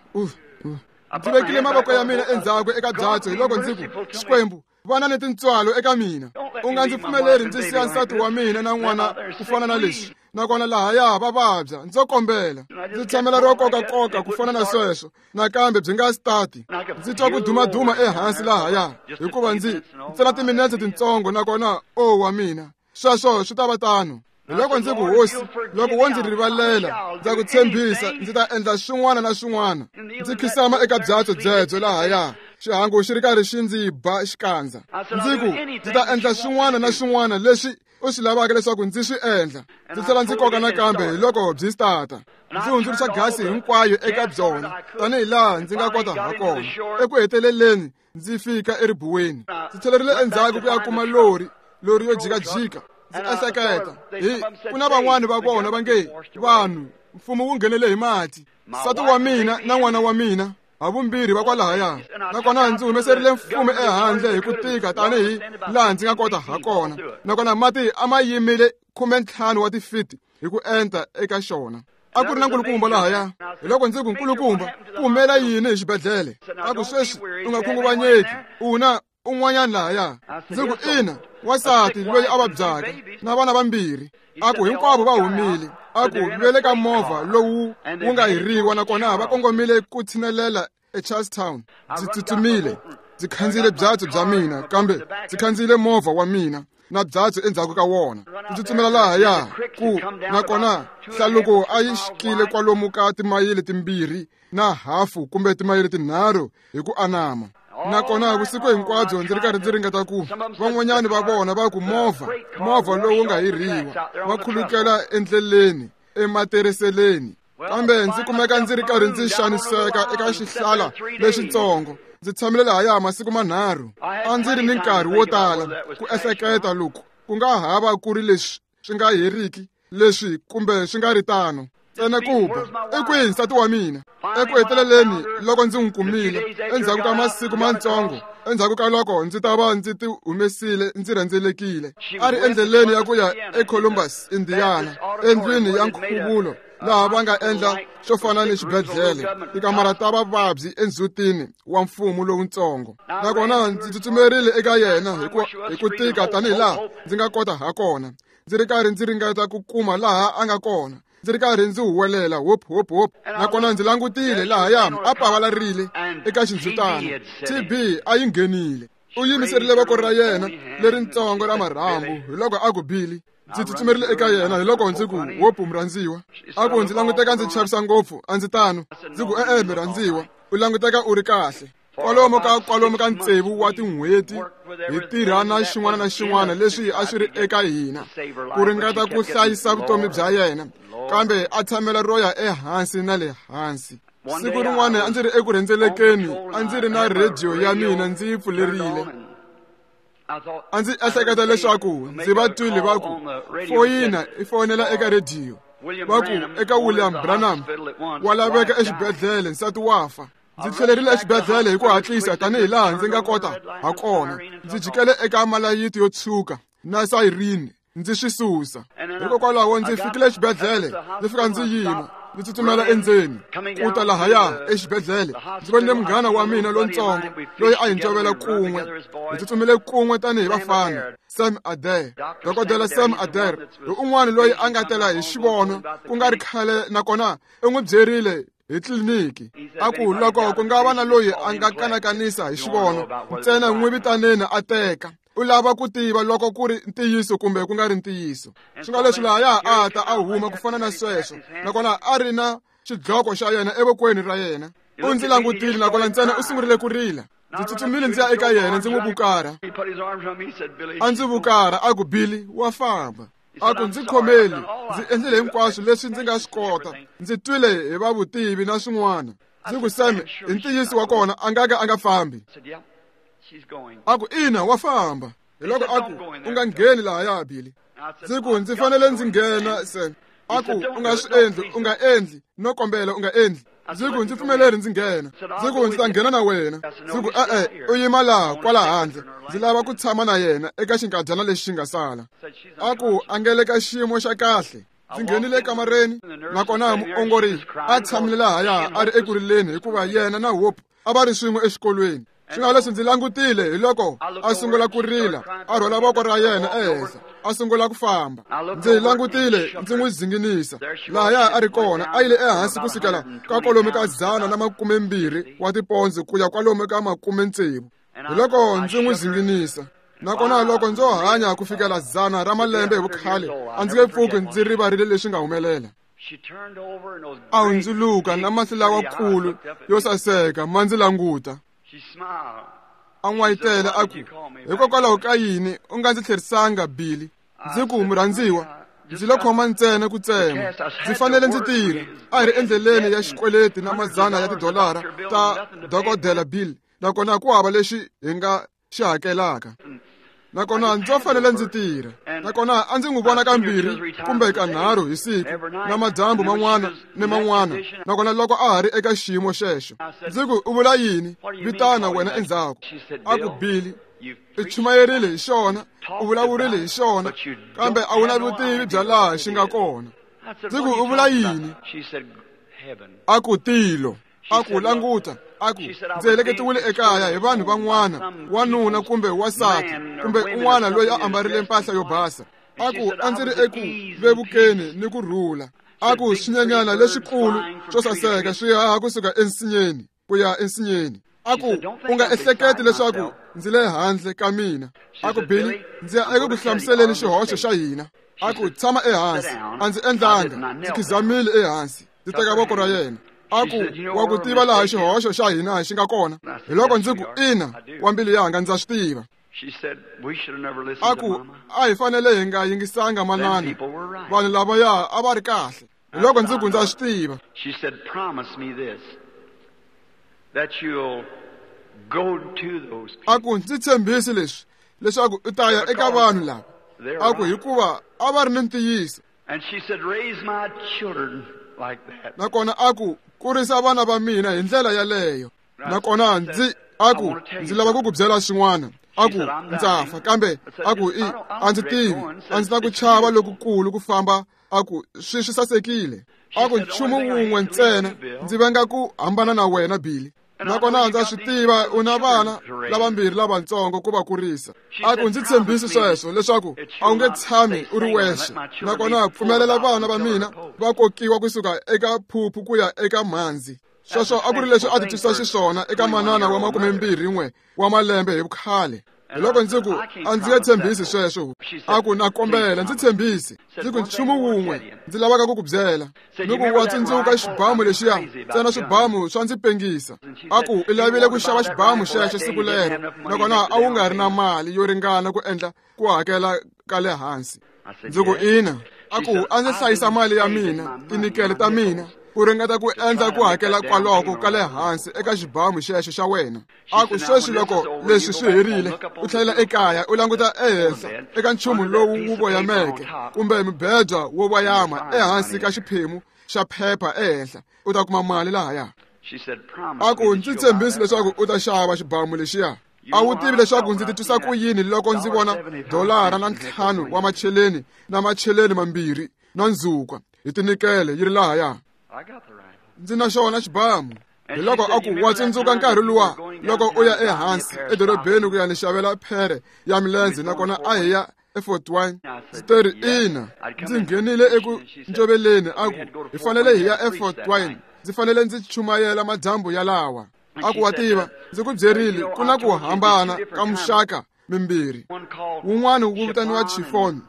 Ndzi vekile mavoko ya mina endzhaku eka byatso. Hi loko ndzi ku, Xikwembu, vana ni tintswalo eka mina. U nga ndzi pfumeleri ndzi siya nsati wa mina na n'wana ku fana na leswi. Nakona lahaya va vabya, ndzo kombela. Ndzi tshamela ro kokakoka ku fana na sweswo, nakambe byi nga stati. Ndzi twa ku dumaduma ehansi lahaya, hikuva ndzi ntsena timinetse tintsongo, nakona o wa mina, sweswo swi ta va tano. Hi loko ndzi ku, Hosi, loko wo ndzi rivalela, ndza ku tshembisa ndzi ta endla swin'wana na swin'wana. Ndzi khisama eka byatso byebyo lahaya, xihangu xi ri karhi xi ndzi ba xikandza. Ndzi ku, ndzi ta endla swin'wana na swin'wana leswi u swi lavaka leswaku ndzi swi endla. Ndzi tlhela ndzi koka nakambe hi loko byi stata. Ndzi hundzuluxa gasi hinkwayo eka byona tanihi laha ndzi nga kota ha kona. Eku heteleleni ndzi fika eribuweni. Ndzi tlhelerile endzhaku ku ya kuma lori yo jikajika. Ndzi ehleketa hi ku na van'wani va vona va nge vanhu mfumo wu nghenele hi mati. Nsati wa mina na n'wana wa mina havumbirhi va kwalahaya, nakona ndzi humeserile mfumo ehandle hi ku tika tanihi laha ndzi nga kota ha kona. Nakona mati a ma yimile 15 wa tifiti hi ku enta eka xona. A ku ri na nkulukumba lahaya. Hi loko ndzi ku, nkulukumba, ku humela yini hi xibedhlele? A ku, sweswi u nga khunguvanyeki, u na un'wanyana lahaya. Ndzi ku, ina, wansati loyi a vabyaka na vana vambirhi. A ku hinkwavo va humile. A ku ve le ka movha lowu wu nga hiriwa, nakona va kongomile ku tshinelela eCharlestown. Ndzi tsutsumile, ndzi khandziyile byatso bya mina, kambe ndzi khandziyile movha wa mina na byatso endzhaku ka wona. Ndzi tsutsumela lahaya ku nakona hlaluko a yi xikile kwalomu ka timayili 2.5 kumbe timayili 3 hi ku anama. Nakona vusiku hinkwabyo ndzi ri karhi ndzi ringeta ku van'wanyani va vona va ku movha lowu nga hiriwa va khulukela endleleni ematereseleni. Kambe ndzi kumeka ndzi ri karhi ndzi xaniseka eka xihlala lexitsongo. Ndzi tshamile lahaya masiku 3. A ndzi ri ni nkarhi wo tala ku ehleketa loko ku nga hava ku ri leswi swi nga heriki leswi kumbe swi nga ri tano. Ntsena ku ba i kwihi nsati wa mina? Eku heteleleni loko ndzi n'wi kumile endzhaku ka masiku matsongo, endzhaku ka loko ndzi ta va ndzi ti humesile ndzi rhendzelekile, a ri endleleni ya ku ya eColumbus, Indiana, endlwini ya nkhuvulo laha va nga endla xo fana ni xibedhlele, tikamara ta vavabyi endzhutini wa mfumo lowutsongo. Nakona ndzi tsutsumerile eka yena hi ku tika tanihi laha ndzi nga kota ha kona, ndzi ri karhi ndzi ringeta ku kuma laha a nga kona. Ndzi ri karhi ndzi huwelela hop hop hop. Nakona ndzi langutile lahaya a pavalarile eka xindzhutana. TB a yi nghenile. U yimiserile voko ra yena leritsongo ra marhambu hi loko a ku, Billy. Ndzi tsutsumerile eka yena hi loko ndzi ku, Hope murhandziwa. A ku, ndzi languteka ndzi chavisa ngopfu, a ndzi tano. Ndzi ku, e-e murhandziwa, u languteka u ri kahle. Kwalomu ka 6 wa tin'hweti hi tirha na xin'wana na xin'wana leswi a swi ri eka hina ku ringeta ku hlayisa vutomi bya yena, kambe a tshamela ro ya ehansi na le hansi. Siku rin'wana a ndzi ri eku rhendzelekeni, a ndzi ri na rhediyo ya mina ndzi yi pfulerile. A ndzi ehleketa leswaku ndzi va twile va ku foyina i fonela eka rhediyo, va ku eka William Branham wa laveka exibedhlele, nsati wa fa. Ndzi tlhelerile exibedhlele hi ku hatlisa tanihi laha ndzi nga kota ha kona. Ndzi jikele eka malayiti yo tshuka na sayirini ndzi swi susa. Hikokwalaho ndzi fikile exibedhlele, ndzi fika ndzi yima, ndzi tsutsumela endzeni ku ta lahaya exibedhlele. Ndzi vonile munghana wa mina lontsongo loyi a hi ncovela kun'we. Hi tsutsumile kun'we tanihi vafana. Sam Adair, Dokodela Sam Adair, hi un'wana loyi a nga tela hi xivono ku nga ri khale, nakona u n'wi byerile hi tliliniki. A ku loko ku nga va na loyi a nga kanakanisa hi xivono, ntsena n'wi vitaneni a teka. U lava ku tiva loko ku ri ntiyiso kumbe ku nga ri ntiyiso. Swi nga leswi lahaya a ta a huma ku fana na sweswo, nakona a ri na xidloko xa yena evokweni ra yena. U ndzi langutile nakona ntsena u sungurile ku rila. Ndzi tsutsumile ndzi ya eka yena ndzi n'wi vukara. A ndzi vukara a ku, Billy, wa famba. A ku, ndzi khomeli, ndzi endlile hinkwaswo leswi ndzi nga swi kota. Ndzi twile hi va vutivi na swin'wana. Ndzi ku, Sam, hi ntiyiso wa kona a nga ka a nga fambi. A ku, ina, wa famba. Hi loko a ku, u nga ngheni lahaya, Billy. Ndzi ku, ndzi fanele ndzi nghena, Sam. A ku, u nga swi endli, u nga endli, no kombela u nga endli. Ndzi ku, ndzi pfumeleri ndzi nghena. Ndzi ku, ndzi ta nghena na wena. Ndzi ku, e-e, u yima laha kwala handle. Ndzi lava ku tshama na yena eka xinkadyana lexi xi nga sala. A ku, a nga le ka xiyimo xa kahle. Ndzi nghenile ekamareni, nakona muongori a tshamile lahaya a ri eku rileni hikuva yena na Hope a va ri swin'we exikolweni. Swi nga leswi ndzi langutile hi loko a sungula ku rila, a rhwala voko ra yena ehenhla, a sungula ku famba. Ndzi langutile ndzi n'wi zinginisa. Lahaya a ri kona, a yile ehansi ku sukela ka kwalomu ka 120 wa tipondzi ku ya kwalomu ka 60. Hi loko ndzi n'wi zinginisa. Nakona loko ndzo hanya ku fikela 100 ra malembe hi vukhale, a ndzi nge pfuki ndzi rivarile leswi nga humelela. A hundzuluka na mahlo lawakulu yo saseka ma ndzi languta. A n'wayitela a ku, hikokwalaho ka yini u nga ndzi tlherisanga, Billy? Ndzi ku, murhandziwa, ndzi lo khoma ntsena ku tsema. Ndzi fanele ndzi tirha. A hi ri endleleni ya xikweleti na madzana ya tidolara ta dokodela Bill, nakona ku hava lexi hi nga xi hakelaka. Nakona ndzo fanele ndzi tirha. Nakona a ndzi n'wi vona kambirhi kumbe kanharhu hi siku, na madyambu man'wana ni man'wana. Nakona loko a ha ri eka xiyimo xexo, ndzi ku, u vula yini? Vitana wena endzhaku. A ku, Billy, i chumayerile hi xona, u vulavurile hi xona, kambe a wu na vutivi bya laha xi nga kona. Ndzi ku, u vula yini? A ku, tilo. A ku, languta. A ku, ndzi heleketiwile ekaya hi vanhu van'wana, wanuna kumbe wansati, kumbe un'wana loyi a ambarile mpahla yo basa. A ku, a ndzi ri eku vevukeni ni ku rhula. A ku, swinyenyana leswikulu swo saseka swi haha kusuka ensinyeni ku ya ensinyeni. A ku, u nga ehleketi leswaku ndzi le handle ka mina. A ku, Billy, ndzi ya eku ku hlamuseleni xihoxo xa hina. A ku, tshama ehansi. A ndzi endlanga, ndzi khizamile ehansi, ndzi teka voko ra yena. A ku, wa ku tiva laha xihoxo xa hina xi nga kona? Hi loko ndzi ku, ina, wa mbilu yanga, ndza swi tiva. A ku, a hi fanele hi nga yingisanga manana. Vanhu lavaya a va ri kahle. Hi loko ndzi ku, ndza swi tiva. A ku, ndzi tshembisi leswi, leswaku u ta ya eka vanhu lava. A ku, hikuva a va ri ni ntiyiso. Nakona a ku, kurisa vana va mina hi ndlela yaleyo. Nakona ndzi a ku, ndzi lava ku ku byela swin'wana. A ku, ndza fa, kambe a ku, i a ndzi tivi, a ndzi na ku chava lokukulu ku famba. A ku, swi sasekile. A ku, nchumu wun'we ntsena, ndzi venga ku hambana na wena, Billy. Nakona ndza swi tiva u na vana lavambirhi lavatsongo ku va kurisa. A ku, ndzi tshembisi sweswo leswaku a wu nge tshami u ri wexe. Nakona pfumelela vana va mina va kokiwa kusuka eka phuphu ku ya eka mhandzi. Sweswo a ku ri leswi a titwisa xiswona eka manana wa 21 wa malembe hi vukhale. Hi loko ndzi ku, a ndzi nge tshembisi sweswo. A ku, na kombela, ndzi tshembisi. Ndzi ku, nchumu wun'we ndzi lavaka ku ku byela. Ni ku, wa tsundzuka xibamu lexiya? Ntsena swibamu swa ndzi pengisa. A ku, i lavile ku xava xibamu xexo siku lero, nakona a wu nga ri na mali yo ringana ku endla ku hakela ka le hansi. Ndzi ku, ina. A ku, a ndzi hlayisa mali ya mina, tinikele ta mina, ku ringeta ku endla ku hakela kwaloko ka le hansi eka xibamu xexo xa wena. A ku, sweswi loko leswi swi herile, u tlhelela ekaya, u languta ehenhla eka nchumu lowu wu voyameke kumbe mibedwa wo voyama ehansi ka xiphemu xa phepha ehenhla, u ta kuma mali lahaya. A ku, ndzi tshembisi leswaku u ta xava xibamu lexiya. A wu tivi leswaku ndzi titwisa ku yini loko ndzi vona $5 wa macheleni na macheleni mambirhi na ndzhukwa hi tinikele yi ri lahaya. Ndzi na xona xibamu. Hi loko a ku, wa tsundzuka nkarhi luwa loko u ya ehansi edorobeni ku ya ni xavela phere ya milenze, nakona a hi ya eFort Wayne? Ndzi teri, ina. Ndzi nghenile eku ncoveleni. A ku, hi fanele hi ya eFort Wayne. Ndzi fanele ndzi chumayela madyambu yalawa. A ku, wa tiva, ndzi ku byerile, ku na ku hambana ka muxaka mimbirhi. Wun'wana wu vitaniwa chiffon,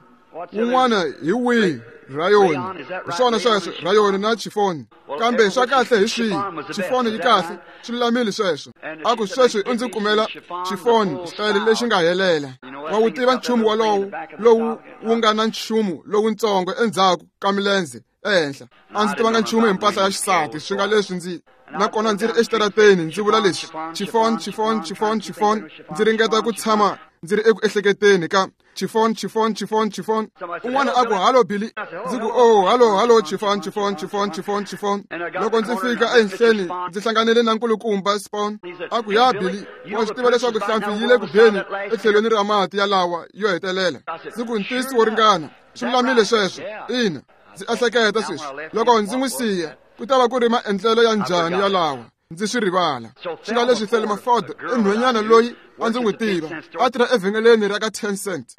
wun'wana hi wihi? Rayoni. Hi swona sweswo, rayoni na chiffon. Kambe swa kahle hi swihi? Chiffon yi kahle, swi lulamile sweswo. A ku, sweswi u ndzi kumela chiffon xitayele lexi nga helela. Wa wu tiva nchumu wolowo lowu wu nga na nchumu lowuntsongo endzhaku ka milenze ehenhla. A ndzi tivanga nchumu hi mpahla ya xisati, swi nga leswi ndzi nakona ndzi ri exitarateni ndzi vula leswi, chiffon, chiffon, chiffon, chiffon. Ndzi ringeta ku tshama ndzi ri eku ehleketeni ka chiffon, chiffon, chiffon, chiffon. Un'wana a ku, halo Billy. Ndzi ku, oh, halo, halo, chiffon, chiffon, chiffon, chiffon, chiffon. Loko ndzi fika ehenhleni, ndzi hlanganile na nkulukumba Spawn. A ku, ya Billy, wa swi tiva leswaku hlampfi yi le ku beni etlhelweni ra mati yalawa yo hetelela. Ndzi ku, ntiyiso wo ringana, swi lulamile sweswo. Ina, ndzi ehleketa sweswi, loko ndzi n'wi siya, ku ta va ku ri maendlelo ya njhani yalawa? Ndzi swi rivala. Swi nga leswi Thelma Ford i nhwenyana loyi a ndzi n'wi tiva, a tirha evhengeleni ra ka 10 cent.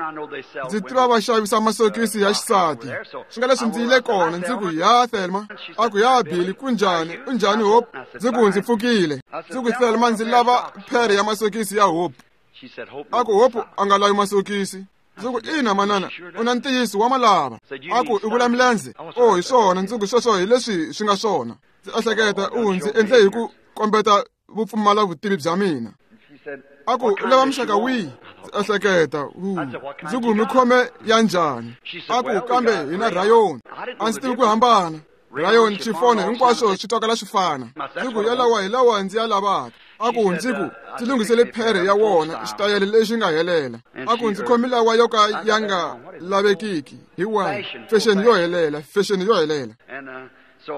Ndzi tiva va xavisa masokisi ya xisati. Swi nga leswi ndzi yile kona, ndzi ku, ya Thelma. A ku, ya Billy, ku njhani? U njhani Hope? Ndzi ku, ndzi pfukile. Ndzi ku, Thelma, ndzi lava phere ya masokisi ya Hope. A ku Hope a nga lavi masokisi. Ndzi ku ina manana, u na ntiyiso wa malava. A ku i vula milenze. Oh, hi swona, ndzi ku sweswo hi leswi swi nga swona. Ndzi ehleketa u ndzi endle hi ku kombeta vupfumala vutivi bya mina. A ku u lava muxaka wihi? Ndzi ehleketa ndzi ku mi khome ya njhani? A ku kambe hi na rayoni. A ndzi tivi ku hambana. Rayon, chifone, hinkwaswo swi twakala swi fana. Ndzi ku yalawa hi lawa ndzi ya lavaka. A ku ndzi ku ndzi lunghisele phere ya wona xitayele lexi nga helela. A ku ndzi khomi lawa yo ka ya nga lavekiki hi wahi fashion yo helela, fashion yo helela.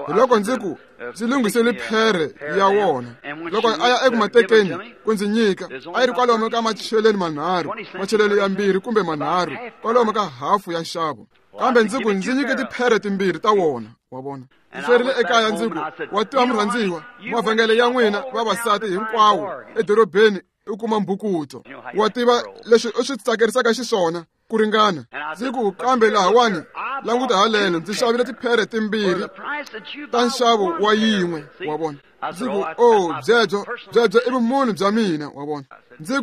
Hi loko ndzi ku ndzi lunghisele phere ya wona. Loko a ya eku matekeni ku ndzi nyika, a yi ri kwalomu ka macheleni manharhu, macheleni ya 2 kumbe 3, kwalomu ka hafu ya nxavo. Kambe ndzi ku ndzi nyike tiphere timbirhi ta wona, wa vona. Ndzi tlherile ekaya ndzi ku wa tiva murhandziwa, mavhengele ya n'wina vavasati hinkwawo edorobeni u kuma mbhukuto. Wa tiva leswi u swi tsakerisaka xiswona ku ringana. Ndzi ku kambe lahawani languta haleno, ndzi xavile tiphere timbirhi ta nxavo wa yin'we, wa vona. Ndzi ku oh, byebyo byebyo i vumunhu bya mina, wa vona. Ndzi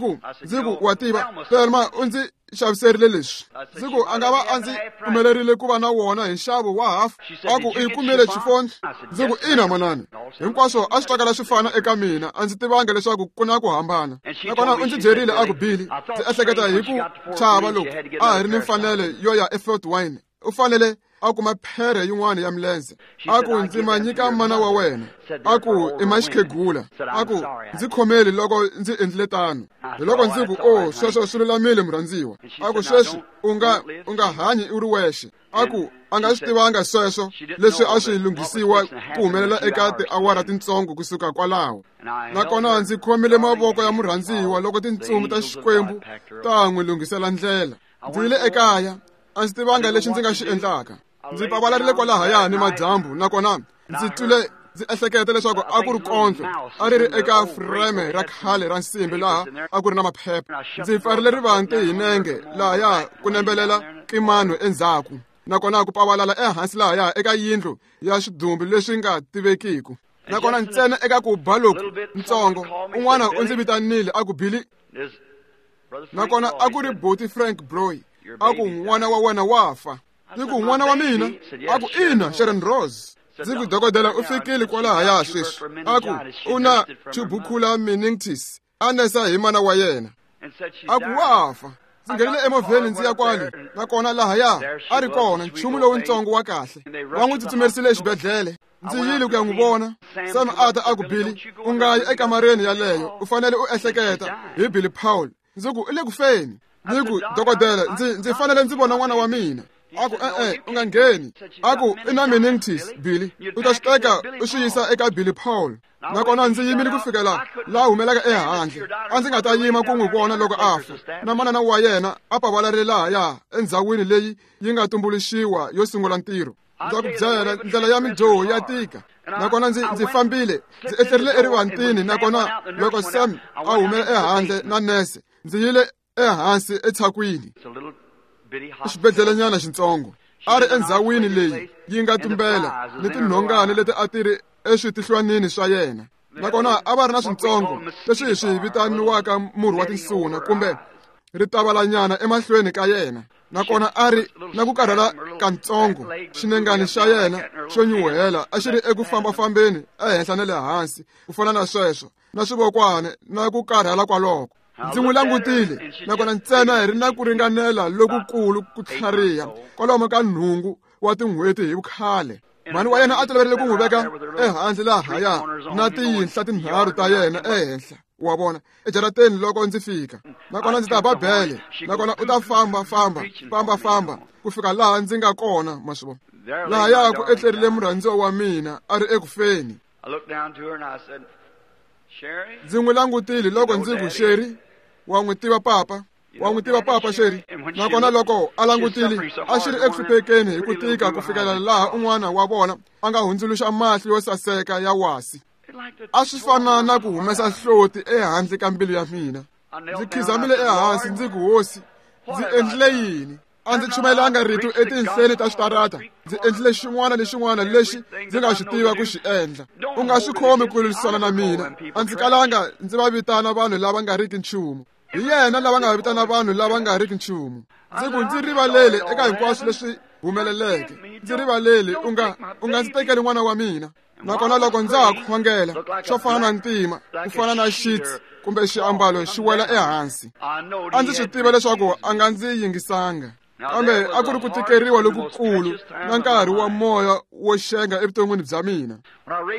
ku wa tiva Thelma u ndzi xaviserile leswi. Ndzi ku a nga va a ndzi pfumelerile ku va na wona hi nxavo wa hafu. A ku i kumile chifoni. Ndzi ku ina manana, hinkwaswo a swi twakala swi fana eka mina, a ndzi tivanga leswaku ku na ku hambana. Nakona u ndzi byerile a ku Billy, ndzi ehleketa hi ku chava loko a hi ri ni mfanelo yo ya eFort Wayne, u fanele a kuma phere yin'wana ya milenze. A ku ndzi ma nyika mana wa wena. A ku i ma xikhegula. A ku ndzi khomeli loko ndzi endlile tano. Hi loko ndzi ku oh, sweswo swi lulamile murhandziwa. A ku sweswi u nga hanyi u ri wexe. A ku a nga swi tivanga sweswo leswi a swi lunghisiwa ku humelela eka tiawara tintsongo kusuka kwalaho. Nakona ndzi khomile mavoko ya murhandziwa loko tintsumi ta Xikwembu ta n'wi lunghisela ndlela. Ndzi yile ekaya, a ndzi tivanga lexi ndzi nga xi endlaka. Ndzi pavalarile kwalahaya ni madyambu, nakona ndzi twile ndzi ehleketa leswaku a ku ri kondlo a ri ri eka freme ra khale ra nsimbi laha a ku ri na maphepha. Ndzi pfarile rivanti hi nenge lahaya ku nembelela kimano endzhaku, nakona ku pavalala ehansi lahaya eka yindlu ya swidumbu leswi nga tivekiku. Nakona ntsena eka ku ba loku ntsongo, un'wana u ndzi vitanile a ku Billy. Nakona a ku ri Boti Frank Broy. A ku n'wana wa wena wa fa. Ndzi ku n'wana wa mina? A ku ina, Sharon Rose. Ndzi ku dokodela u fikile kwalahaya sweswi. A ku u na tubercular meningitis, a nesa hi mana wa yena. A ku wa fa. Ndzi nghenile emovheni ndzi ya kwale, nakona lahaya a ri kona nchumu lowuntsongo wa kahle. Va n'wi tsutsumerisile exibedhlele. Ndzi yile ku ya n'wi vona. Sam a ta a ku Billy, u nga yi ekamareni yaleyo, u fanele u ehleketa hi Billy Paul. Ndzi ku i le ku feni. Ndzi ku dokodela, ndzi fanele ndzi vona n'wana wa mina. A ku e-e, u nga ngheni. A ku i na meningitis, Billy, u ta swi teka u swi yisa eka Billy Paul. Nakona ndzi yimile ku fikela laha humelaka ehandle. A ndzi nga ta yima ku n'wi vona loko a fa. Na manana wa yena a pavalarile lahaya endzhawini leyi yi nga tumbuluxiwa yo sungula ntirho. Ndza ku byela, ndlela ya midyoho ya tika. Nakona ndzi fambile, ndzi etlerile erivantini. Nakona loko Sam a humela ehandle na nese, ndzi yile ehansi etshakwini, xibedhlelenyana xintsongo. A ri endzhawini leyi yi nga tumbela ni tinhongani leti a ti ri eswitihlwanini swa yena. Nakona a va ri na swintsongo leswi hi swi vitaniwaka murhi wa tinsuna kumbe ritavalanyana emahlweni ka yena. Nakona a ri na ku karhala kantsongo, xinengani xa yena xo nyuhela a xi ri eku fambafambeni ehenhla na le hansi ku fana na sweswo, na swivokwana na ku karhala kwaloko. Ndzi n'wi langutile, nakona ntsena hi ri na ku ringanela lokukulu ku tlhariha kwalomu ka 8 wa tin'hweti hi vukhale. Mhani wa yena a toloverile ku n'wi veka ehandle lahaya na tiyinhla tinharhu ta yena ehenhla, wa vona, ejarateni loko ndzi fika. Nakona ndzi ta ba bele, nakona u ta famba famba famba famba ku fika laha ndzi nga kona, ma swi vona. Lahaya ku etlerile murhandziwa wa mina a ri ekufeni. Ndzi n'wi langutile loko ndzi ku Sherry, wa n'wi tiva papa? Wa n'wi tiva papa Sherry? Nakona loko a langutile, a xi ri eku hluphekeni hi ku tika ku fikela laha un'wana wa vona a nga hundzuluxa mahlo yo saseka ya wasi. A swi fana na ku humesa hloti ehandle ka mbilu ya mina. Ndzi khizamile ehansi ndzi ku hosi, ndzi endlile yini? A ndzi chumayelanga rito etinhleni ta switarata. Ndzi endlile xin'wana ni xin'wana lexi ndzi nga xi tiva ku xi endla. U nga swi khomi ku lwisana na mina. A ndzi kalanga ndzi va vitana vanhu lava nga riki nchumu. Hi yena lava nga vitana vanhu lava nga riki nchumu. Ndzi ku ndzi rivalele eka hinkwaswo leswi humeleleke. Ndzi rivalele u nga ndzi tekeli n'wana wa mina. Nakona loko ndza ha khongela xo fana na ntima, ku fana na sheets kumbe xiambalo xi wela ehansi. A ndzi swi tiva leswaku a nga ndzi yingisanga. Kambe a ku ri ku tikeriwa lokukulu na nkarhi wa moya wo xenga evuton'wini bya mina.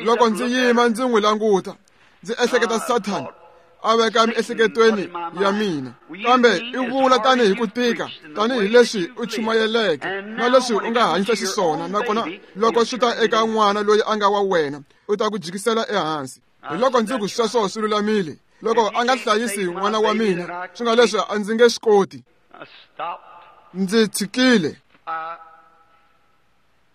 Loko ndzi yima ndzi n'wi languta, ndzi ehleketa Sathana a veka miehleketweni ya mina. Kambe i vula tanihi ku tika, tanihi leswi u chumayeleke na leswi u nga hanyisa xiswona, nakona loko swi ta eka n'wana loyi a nga wa wena, u ta ku jikisela ehansi. Hi loko ndzi ku sweswo swi lulamile. Loko a nga hlayisi n'wana wa mina, swi nga leswi a ndzi nge swi koti. Ndzi tshikile.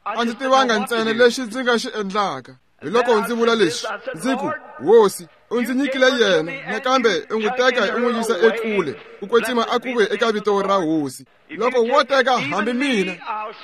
A ndzi tivanga ntsena lexi ndzi nga xi endlaka. Hi loko ndzi vula leswi, ndzi ku, Hosi, u ndzi nyikile yena, nakambe u n'wi teka u n'wi yisa ekule, ku kwetsima a ku ve eka vito ra Hosi. Loko wo teka hambi mina,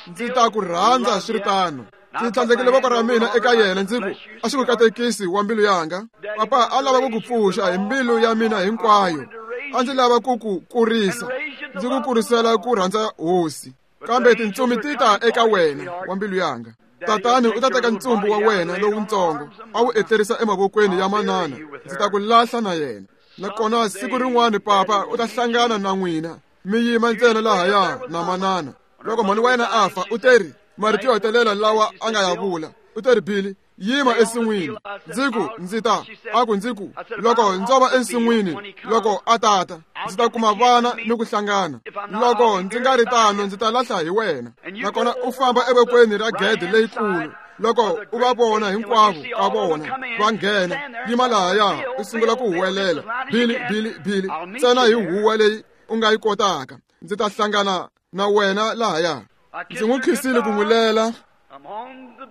ndzi ta ku rhandza swi ri tano. Ndzi tlhandlekile voko ra mina eka yena, ndzi ku, a swi ku katekisi wa mbilu yanga. Papa a lava ku ku pfuxa hi mbilu ya mina hinkwayo. A ndzi lava ku ku kurisa, ndzi ku kurisela ku rhandza Hosi. Kambe tintsumi ti ta eka wena wa mbilu yanga. Tatani u ta teka ntsumbu wa wena lowutsongo a wu etlerisa emavokweni ya manana, ndzi ta ku lahla na yena. Nakona siku rin'wana papa u ta hlangana na n'wina, mi yima ntsena lahaya na manana. Loko mhani wa yena a fa, u teri marito yo hetelela lawa a nga ya vula, u teri, Billy, yima ensin'wini. Ndzi ku ndzi ta, a ku ndzi ku loko ndzo va ensin'wini, loko a tata, ndzi ta kuma vana ni ku hlangana. Loko ndzi nga ri tano, ndzi ta lahla hi wena. Nakona u famba evokweni ra gede leyikulu. Loko u va vona hinkwavo ka vona va nghena, yima lahaya u sungula ku huwelela, Billy, Billy, Billy, ntsena hi huwa leyi u nga yi kotaka. Ndzi ta hlangana na wena lahaya. Ndzi n'wi khisile ku n'wi lela.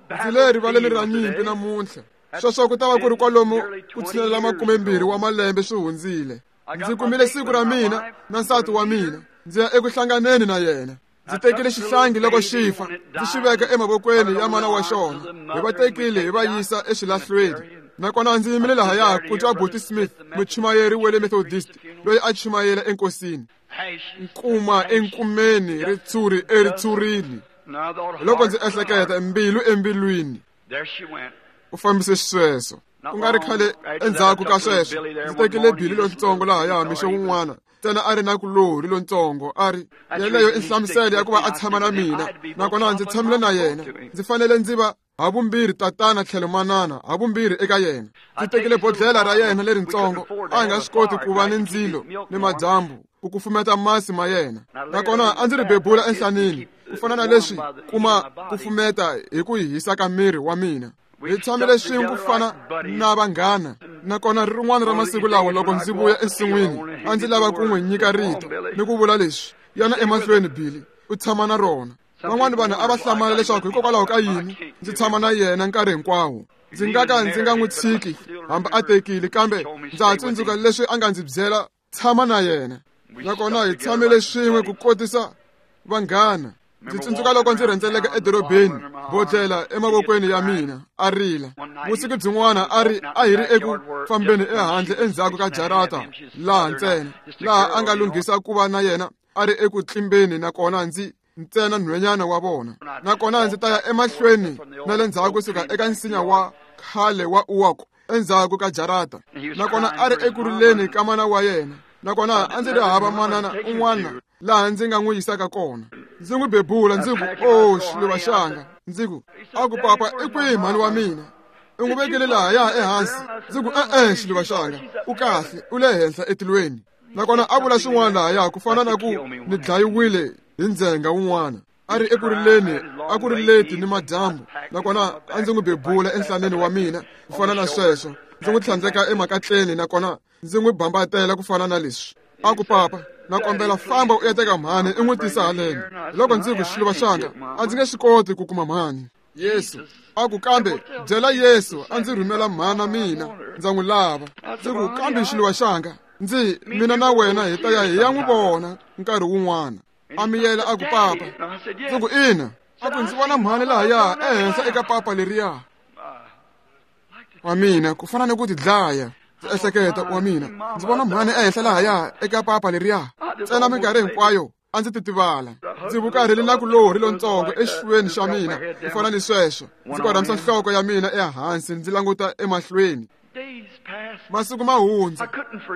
Ndzi le rivaleni ra nyimpi namuntlha. Sweswo ku ta va ku ri kwalomu ku tshinelela 20 wa malembe swi hundzile. Ndzi kumile siku ra mina na nsati wa mina, ndzi ya eku hlanganeni na yena. Ndzi tekile xihlangi loko xi fa, ndzi xi veka emavokweni ya mana wa xona. Hi va tekile hi va yisa exilahlweni. Nakona ndzi yimile lahaya ku twa Buti Smith, muchumayeri wa le Methodist, loyi a chumayela enkosini. Nkuma enkumeni, ritshuri eritshurini. Loko ndzi ehleketa mbilu embilwini, u fambise xisweswo. Ku nga ri khale endzhaku ka sweswo, ndzi tekile Billy lontsongo lahaya mixo wun'wana, ntsena a ri na kulorhi lontsongo. A ri yeleyo i nhlamuselo ya ku va a tshama na mina, nakona ndzi tshamile na yena. Ndzi fanele ndzi va havumbirhi tatana tlhelo manana, havumbirhi eka yena. Ndzi tekile bodlhela ra yena leritsongo, a hi nga swi koti ku va ni ndzilo ni madyambu ku kufumeta masi ma yena. Nakona a ndzi ri bebula enhlanini, ku fana na leswi kuma kufumeta hi ku hisa ka miri wa mina. Hi tshamile swin'we ku fana na vanghana. Nakona rin'wana ra masiku lawa loko ndzi vuya ensin'wini, a ndzi lava ku n'wi nyika rito ni ku vula leswi, yana emahlweni Billy, u tshama na rona. Van'wana vanhu a va hlamala leswaku hikokwalaho ka yini ndzi tshama na yena nkarhi hinkwawo. Ndzi nga ka ndzi nga n'wi tshiki hambi a tekile, kambe ndza ha tsundzuka leswi a nga ndzi byela, tshama na yena. Nakona hi tshamile swin'we ku kotisa vanghana. Ndzi tsundzuka loko ndzi rhendzeleka edorobeni, bodlhela emavokweni ya mina, a rila. Vusiku byin'wana a ri a hi ri eku fambeni ehandle endzhaku ka jarata laha ntsena, laha a nga lunghisa ku va na yena a ri eku tlimbeni, nakona ndzi ntsena nhwenyana wa vona. Nakona ndzi ta ya emahlweni na le ndzhaku kusuka eka nsinya wa khale wa uwako endzhaku ka jarata. Nakona a ri eku rileni ka mana wa yena. Nakona a ndzi ri hava manana un'wana laha ndzi nga n'wi yisaka kona. Ndzi n'wi bebula ndzi ku, "Oh, xiluva xanga." Ndzi ku, a ku, "Papa, i kwihi mhani wa mina? U n'wi vekile lahaya ehansi." Ndzi ku, "E-e, xiluva xanga, u kahle, u le henhla etilweni." Nakona a vula swin'wana lahaya ku fana na ku ni dlayiwile hi ndzhenga wun'wana. A ri eku rileni, a ku ri leti ni madyambu. Nakona a ndzi n'wi bebula enhlaneni wa mina ku fana na sweswo. Ndzi n'wi tlhandleka emakatleni, nakona ndzi n'wi bambatela ku fana na leswi. A ku, "Papa, na kombela famba u ya teka mhani u n'wi tisa haleni." Loko ndzi ku, xiluva xanga, a ndzi nge swi koti ku kuma mhani. Yesu a ku, "Kambe byela Yesu a ndzi rhumela mhana mina, ndza n'wi lava." Ndzi ku, "Kambe xiluva xanga, ndzi mina na wena hi ta ya hi ya n'wi vona nkarhi wun'wana." A miyela a ku, "Papa." Ndzi ku, "Ina." A ku, "Ndzi vona mhani lahaya ehenhla eka papa leriya." Wa mina ku fana ni ku tidlaya. Ndzi ehleketa wa mina, ndzi vona mhani ehenhla lahaya eka papa leriya. Ntsena minkarhi hinkwayo a ndzi titivala. Ndzi vukarhile na ku lorhi lontsongo exifuveni xa mina ku fana ni sweswo. Ndzi korhamisa nhloko ya mina ehansi ndzi languta emahlweni. Masiku ma hundza,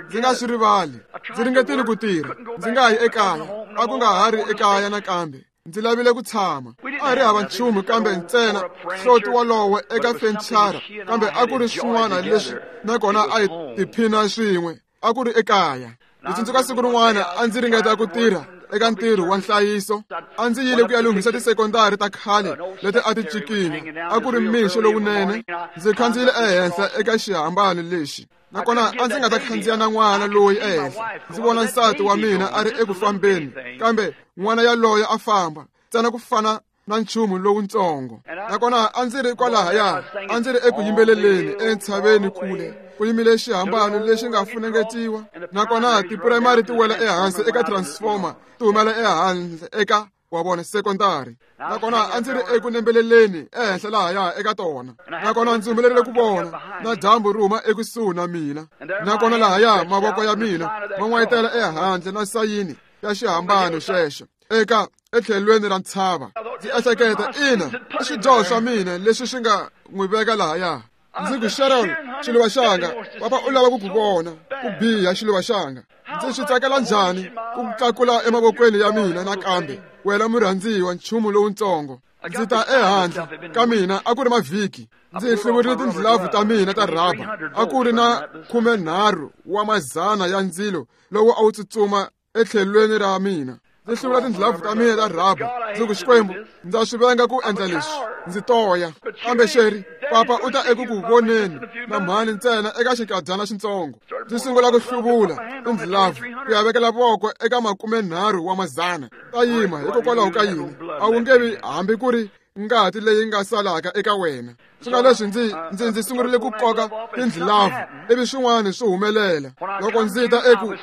ndzi nga swi rivali. Ndzi ringetile ku tirha, ndzi nga yi ekaya. A ku nga ha ri ekaya nakambe. Ndzi lavile ku tshama. A hi ri hava nchumu kambe ntsena hloti wolowo eka fenichara, kambe a ku ri swin'wana leswi nakona a hi tiphina swin'we. A ku ri ekaya. Ndzi tsundzuka siku rin'wana a ndzi ringeta ku tirha eka ntirho wa nhlayiso. A ndzi yile ku ya lunghisa tisekondari ta khale leti a ti cikinya. A ku ri mixo lowunene. Ndzi khandziyile ehenhla eka xihambano lexi, nakona a ndzi nga ta khandziya na n'wana loyi ehenhla. Ndzi vona nsati wa mina a ri eku fambeni, kambe n'wana yaloye a famba ntsena ku fana na nchumu lowuntsongo. Nakona a ndzi ri kwalahaya, a ndzi ri eku yimbeleleni entshaveni kule, ku yimile xihambano lexi nga funengetiwa, nakona tipurayimari ti wela ehansi eka transformer, ti humela ehandle eka wa vona sekondari. Nakona a ndzi ri eku nembeleleni ehenhla lahaya eka tona, nakona ndzi humelerile ku vona na dyambu ri huma ekusuhi na mina. Nakona lahaya mavoko ya mina ma n'wayitela ehandle na sayini ya xihambano xexo eka etlhelweni ra ntshava. Ndzi ehleketa, ina, i swidyoho swa mina leswi swi nga n'wi veka lahaya. Ndzi ku, Sharon, xiluva xanga, papa u lava ku ku vona ku biha xiluva xanga. Ndzi swi tsakela njhani ku tlakula emavokweni ya mina nakambe, wena murhandziwa, nchumu lowuntsongo. Ndzi ta ehandle ka mina, a ku ri mavhiki. Ndzi hluvurile tindlilavu ta mina ta rhaba. A ku ri na 13 wa mazana ya ndzilo lowu a wu tsutsuma etlhelweni ra mina. Ndzi hluvula tindlilavu ta mina ta rhaba. Ndzi ku, Xikwembu, ndza swi venga ku endla leswi. Ndzi toya. Kambe Sheri, papa u ta eku ku voneni na mhani ntsena eka xinkadyana xintsongo. Ndzi sungula ku hluvula tindlilavu ku ya vekela voko eka 30 wa mazana. Ta yima hikokwalaho ka yini? A wu nge vi hambi ku ri ngati leyi nga salaka eka wena. Swi nga leswi ndzi sungurile ku koka tindlilavu, ivi swin'wana swi humelela. Loko ndzi ta eku,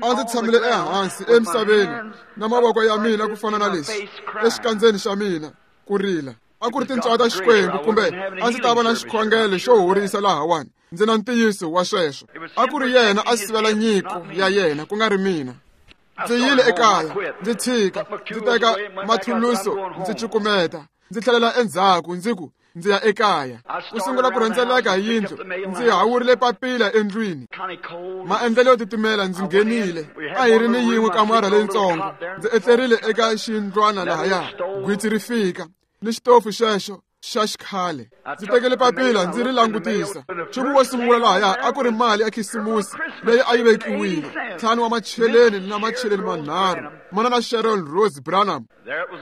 a ndzi tshamile ehansi emisaveni na mavoko ya mina ku fana na leswi exikandzeni xa mina ku rila. A ku ri tintswalo ta Xikwembu, kumbe a ndzi ta va na xikhongelo xo horisa lahawani. Ndzi na ntiyiso wa sweswo. A ku ri yena a sivela nyiko ya yena, ku nga ri mina. Ndzi yile ekaya, ndzi tshika, ndzi teka mathuluso, ndzi cukumeta, ndzi tlhelela endzhaku, ndzi ku, ndzi ya ekaya. Ku sungula ku rhendzeleka hi yindlu, ndzi hawurile papila endlwini. Maendlelo yo titimela, ndzi nghenile. A hi ri ni yin'we kamara leyintsongo. Ndzi etlerile eka xindlwana lahaya. Gwitsi ri fika ni xitofu xexo xa xikhale. Ndzi tekele papila ndzi ri langutisa. Nchumu wo sungula lahaya a ku ri mali ya khisimusi leyi a yi vekiwile, 5 wa macheleni na macheleni manharhu, mana na Sharon Rose Branham.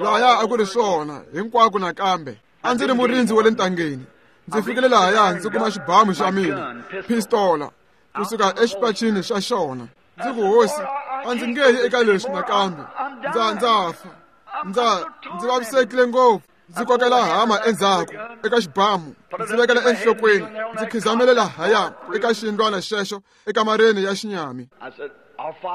Lahaya a ku ri swona hinkwako nakambe. A ndzi ri murindzi wa le ntangeni. Ndzi fikile lahaya ndzi kuma xibamu xa mina, pistola, kusuka exipacini xa xona. Ndzi ku, Hosi, a ndzi nge yi eka leswi nakambe. Ndza fa. Ndzi vavisekile ngopfu. Ndzi kokela hama endzhaku eka xibamu, ndzi vekela enhlokweni, ndzi khizamele lahaya eka xindlwana xexo ekamareni ya xinyami.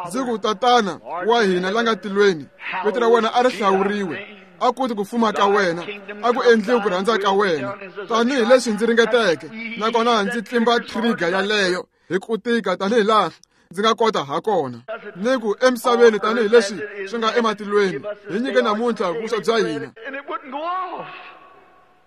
Ndzi ku, Tatana wa hina la nga tilweni, vito ra wena a ri hlawuriwe, a ku ti ku fuma ka wena, a ku endliwi ku rhandza ka wena, tanihi leswi ndzi ringeteke, nakona ndzi tlimba trigger yaleyo hi ku tika tanihi laha ndzi nga kota ha kona. Ni ku, emisaveni tanihi leswi swi nga ematilweni, hi nyike namuntlha vuswa bya hina.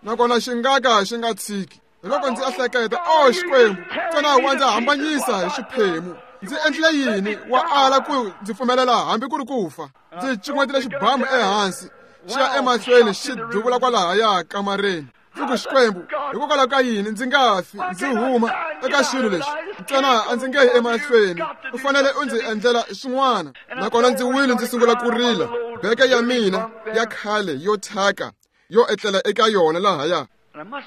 Nakona xi nga ka xi nga tshiki. Hi loko ndzi ehleketa, o Xikwembu, ntsena wa ndzi hambanyisa hi swiphemu. Ndzi endlile yini? Wa ala ku ndzi pfumelela hambi ku ri ku fa. Ndzi cukumetile xibamu ehansi, xi ya emahlweni xi duvula kwalahaya kamareni. Ndzi ku, Xikwembu, hikokwalaho ka yini ndzi nga fi ndzi huma eka xilo lexi? Ntsena a ndzi nge yi emahlweni. U fanele u ndzi endlela swin'wana. Nakona ndzi wile ndzi sungula ku rila. Beke ya mina ya khale yo thyaka yo etlela eka yona lahaya.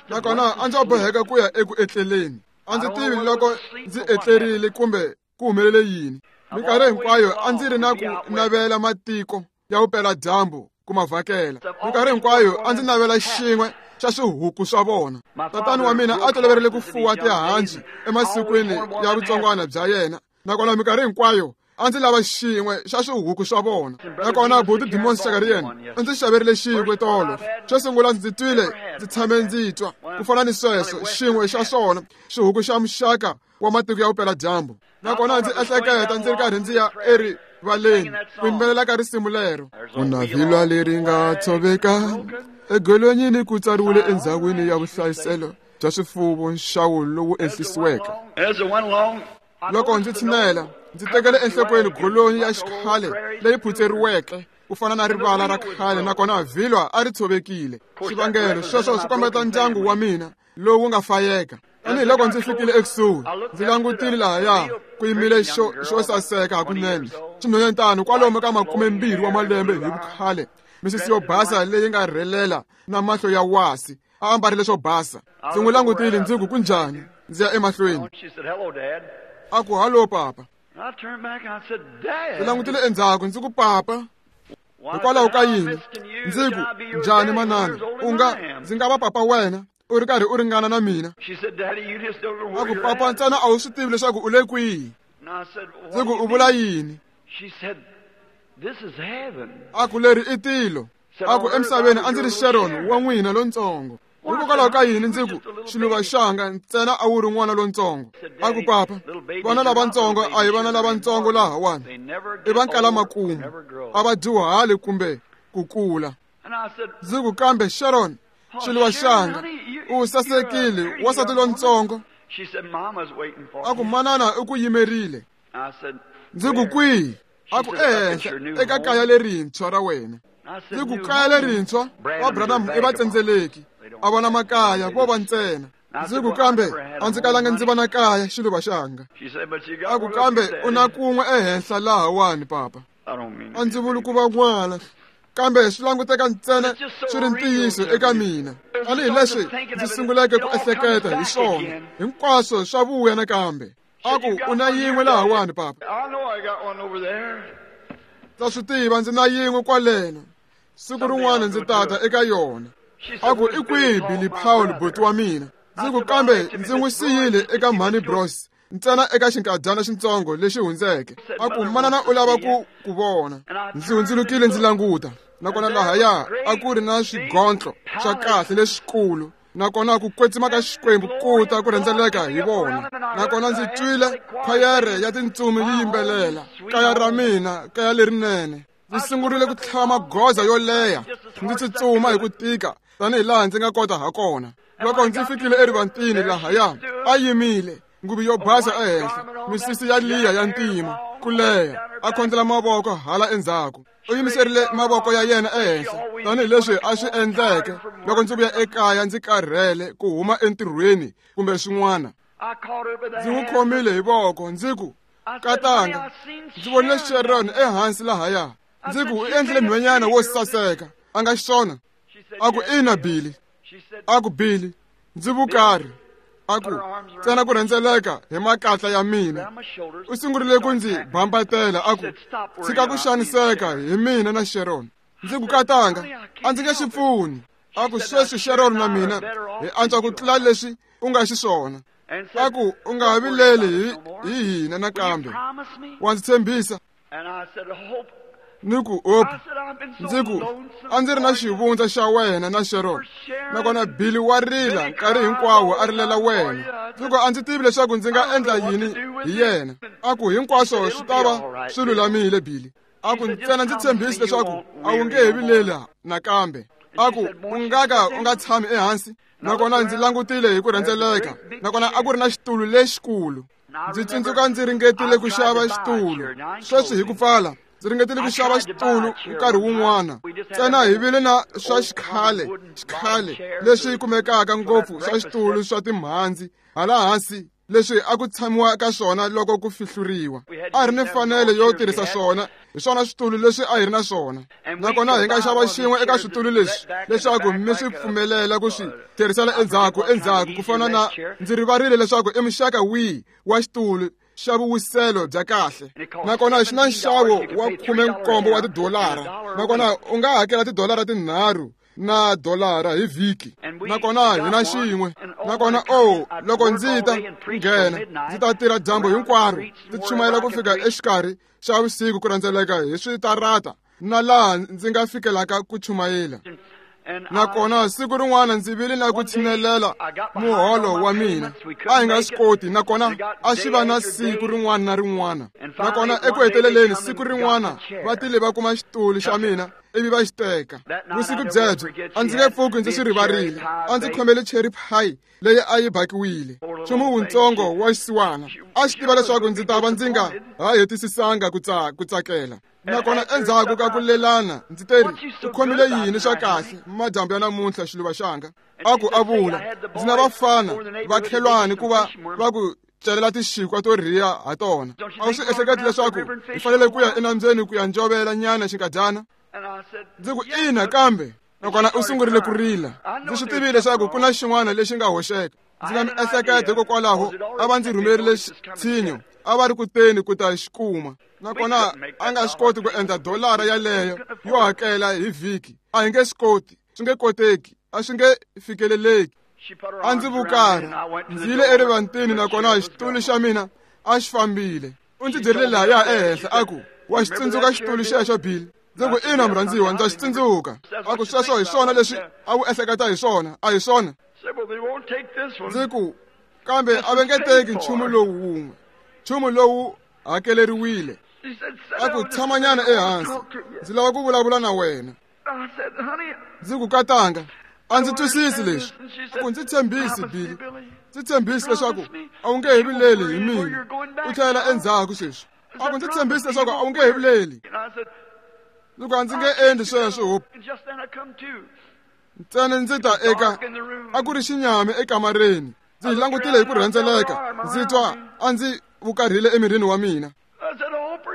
Nakona a ndzi boheka ku ya eku etleleni. A ndzi tivi loko ndzi etlerile kumbe ku humelele yini. Minkarhi hinkwayo a ndzi ri na ku navela matiko ya vupeladyambu ku ma vhakela. Minkarhi hinkwayo a ndzi navela xin'we xa swihuku swa vona. Tatana wa mina a toloverile ku fuwa tihanci emasikwini ya vutsongwana bya yena, nakona minkarhi hinkwayo a ndzi lava xin'we xa swihuku swa vona. Nakona buti Dimon Shakarian u ndzi xaverile xin'we tolo. Xo sungula ndzi twile, ndzi tshame ndzi twa ku fana ni sweswo, xin'we xa swona xihuku xa muxaka wa matiko ya vupeladyambu. Nakona ndzi ehleketa ndzi ri karhi ndzi ya erivaleni ku yimbelela ka risimu lero. Ku na vhilwa leri nga tshoveka egolonyini ku tsariwile endzhawini ya vuhlayiselo bya swifuwo nxawo lowu ehlisiweke. Loko ndzi tshinela, ndzi tekele enhlokweni golonyi ya xikhale leyi phutseriweke ku fana na rivala ra khale, nakona vhilwa a ri tshovekile. Xivangelo sweswo swi kombeta ndyangu wa mina lowu nga fayeka. Tanihiloko ndzi fikile ekusuhi, ndzi langutile lahaya ku yimile xo saseka hakunene, xinhwanyetana kwalomu ka 20 wa malembe hi vukhale, misisi yo basa leyi nga rhelela na mahlo ya wasi, a ambarile swo basa. Ndzi n'wi langutile ndzi ku, kunjhani? Ndzi ya emahlweni. A ku, hallo papa. Ndzi langutile endzhaku ndzi ku, papa, hikwalaho ka yini? Ndzi ku, njhani manana? U nga ndzi nga va papa wena u ri karhi u ringana na mina? A ku, papa, ntsena a wu swi tivi leswaku u le kwihi. Ndzi ku, u vula yini? A ku, leri i tilo. A ku, emisaveni a ndzi ri Sharon wa n'wina lontsongo. Hikokwalaho ka yini? Ndzi ku, xiluva xanga ntsena a wu ri n'wana lontsongo. A ku, papa, vana lavatsongo a hi vana lavatsongo lahawani, i va nkala makumu, a va dyuhali kumbe ku kula. Ndzi ku, kambe Sharon, xiluva xanga, u sasekile, wansati lontsongo. A ku, manana u ku yimerile. Ndzi ku, kwihi? A ku, ehenhla eka kaya lerintshwa ra wena. Ndzi ku, kaya lerintshwa? Va Branham i vatsendzeleki, a vona makaya vo va ntsena. Ndzi ku, kambe a ndzi kalanga ndzi va na kaya, xiluva xanga. A ku, kambe u na kun'we ehenhla lahawani, papa. A ndzi vuli ku va n'wana, kambe swi languteka ntsena swi ri ntiyiso eka mina. Tanihileswi ndzi sunguleke ku ehleketa hi swona, hinkwaswo swa vuya nakambe. A ku, u na yin'we lahawani, papa. Ndza swi tiva ndzi na yin'we kwaleno. Siku rin'wana ndzi tata eka yona. A ku, i kwihi Billy Paul, buti wa mina? Ndzi ku, kambe ndzi n'wi siyile eka Mhani Bros ntsena eka xinkadyana xintsongo lexi hundzeke. A ku, manana u lava ku ku vona. Ndzi hundzulukile ndzi languta, nakona lahaya a ku ri na swigontlo swa kahle leswikulu, nakona ku kwetsima ka Xikwembu ku ta ku rhendzeleka hi vona. Nakona ndzi twile khwayere ya tintsumi yi yimbelela, kaya ra mina, kaya lerinene. Ndzi sungurile ku tlhava magoza yo leha, ndzi tsutsuma hi ku tika tanihilaha ndzi nga kota ha kona. Loko ndzi fikile erivantini lahaya, a yimile, nguvu yo basa ehenhla, misisi ya liya ya ntima ku leha, a khondlela mavoko hala endzhaku. U yimiserile mavoko ya yena ehenhla tanihileswi a swi endleke loko ndzi vuya ekaya ndzi karhele ku huma entirhweni kumbe swin'wana. Ndzi n'wi khomile hi voko ndzi ku, katanga, ndzi vonile Sharon ehansi lahaya. Ndzi ku, u endlile nhwanyana wo saseka, a nga xiswona? A ku, ina Billy. A ku, Billy, ndzi vukarhi. A ku, ntsena ku rhendzeleka hi makatla ya mina. U sungurile ku ndzi bambatela, a ku, tshika ku xaniseka hi mina na Sharon. Ndzi ku, katanga, a ndzi nge swi pfuni. A ku, sweswi Sharon na mina hi antswa ku tlula leswi u nga xiswona. A ku, u nga vileli hi hina nakambe. Wa ndzi tshembisa? Ni ku, Hope, ndzi ku, a ndzi ri na xivundza xa wena na Sharon, nakona Billy wa rila nkarhi hinkwawo a rilela wena. Ndzi ku, a ndzi tivi leswaku ndzi nga endla yini hi yena. A ku, hinkwaswo swi ta va swi lulamile, Billy. A ku, ntsena ndzi tshembisi leswaku a wu nge he vileli nakambe. A ku, u nga ka u nga tshami ehansi. Nakona ndzi langutile hi ku rhendzeleka, nakona a ku ri na xitulu lexikulu. Ndzi tsundzuka ndzi ringetile ku xava xitulu. Sweswi hi ku pfala, ndzi ringetile ku xava xitulu nkarhi wun'wana. Ntsena hi vile na swa xikhale, xikhale leswi kumekaka ngopfu swa xitulu swa timhandzi hala hansi leswi a ku tshamiwa ka swona loko ku fihluriwa. A hi ri ni mfanelo yo tirhisa swona, hi swona switulu leswi a hi ri na swona. Nakona hi nga xava xin'we eka switulu leswi leswaku mi swi pfumelela ku swi tirhisela endzhaku endzhaku ku fana na ndzi rivarile leswaku i muxaka wihi wa xitulu xa vuwiselo bya kahle. Nakona xi na nxavo wa 17 wa tidolara, nakona u nga hakela tidolara 3 na dolara hi vhiki. Nakona hi na xin'we. Nakona o, loko ndzi ta nghena, ndzi ta tirha dyambu hinkwaro, ndzi chumayela ku fika exikarhi xa vusiku ku rhendzeleka hi switarata na laha ndzi nga fikelaka ku chumayela. Nakona siku rin'wana ndzi vile na ku tshinelela muholo wa mina, a hi nga swi koti, nakona a xi va na siku rin'wana na rin'wana. Nakona eku heteleleni siku rin'wana va tile va kuma xitulu xa mina ivi va xi teka. Vusiku byebyo a ndzi nge pfuki ndzi swi rivarile. A ndzi khomele cherry pie leyi a yi bakiwile, nchumu wutsongo wa xisiwana. A xi tiva leswaku ndzi ta va ndzi nga ha hetisisanga ku tsakela. Nakona endzhaku ka ku lelana ndzi teri, u khomile yini swa kahle madyambu ya namuntlha xiluva xanga? A ku a vula, ndzi na vafana vakhelwani ku va va ku celela tixikwa to rhiya ha tona. A wu swi ehleketi leswaku hi fanele ku ya enambyeni ku ya njovela nyana xinkadyana? Ndzi ku ina, kambe nakona u sungurile ku rila. Ndzi swi tivile leswaku ku na xin'wana lexi nga hoxeka. Ndzi na miehleketo hikokwalaho a va ndzi rhumerile tshinyo, a va ri ku teni ku ta xi kuma. Nakona a nga swi koti ku endla dolara yaleyo yo hakela hi vhiki. A hi nge swi koti, swi nge koteki, a swi nge fikeleleki. A ndzi vukarha, ndzi yile erivantini, nakona xitulu xa mina a xi fambile. U ndzi byerile lahaya ehenhla a ku, wa xi tsundzuka xitulu xexo, Bill? Ndzi ku ina, murhandziwa, ndza xi tsundzuka. A ku sweswo hi swona leswi a wu ehleketa hi swona, a hi swona? Ndzi ku kambe a va nge teki nchumu lowu wun'we, nchumu lowu hakeleriwile. A ku tshamanyana ehansi, ndzi lava ku vulavula na wena. Ndzi ku katanga, a ndzi twisisi leswi. A ku ndzi tshembisi, Billy, ndzi tshembisi leswaku a wu nge he vileli hi mina, u tlhela endzhaku sweswi. A ku ndzi tshembisi leswaku a wu nge he vileli. Ndzi ku a ndzi nge endli sweswo, Hope. Ntsena ndzi ta eka, a ku ri xinyami ekamareni. Ndzi langutile hi ku rhendzeleka, ndzi twa a ndzi vukarhile emirini wa mina.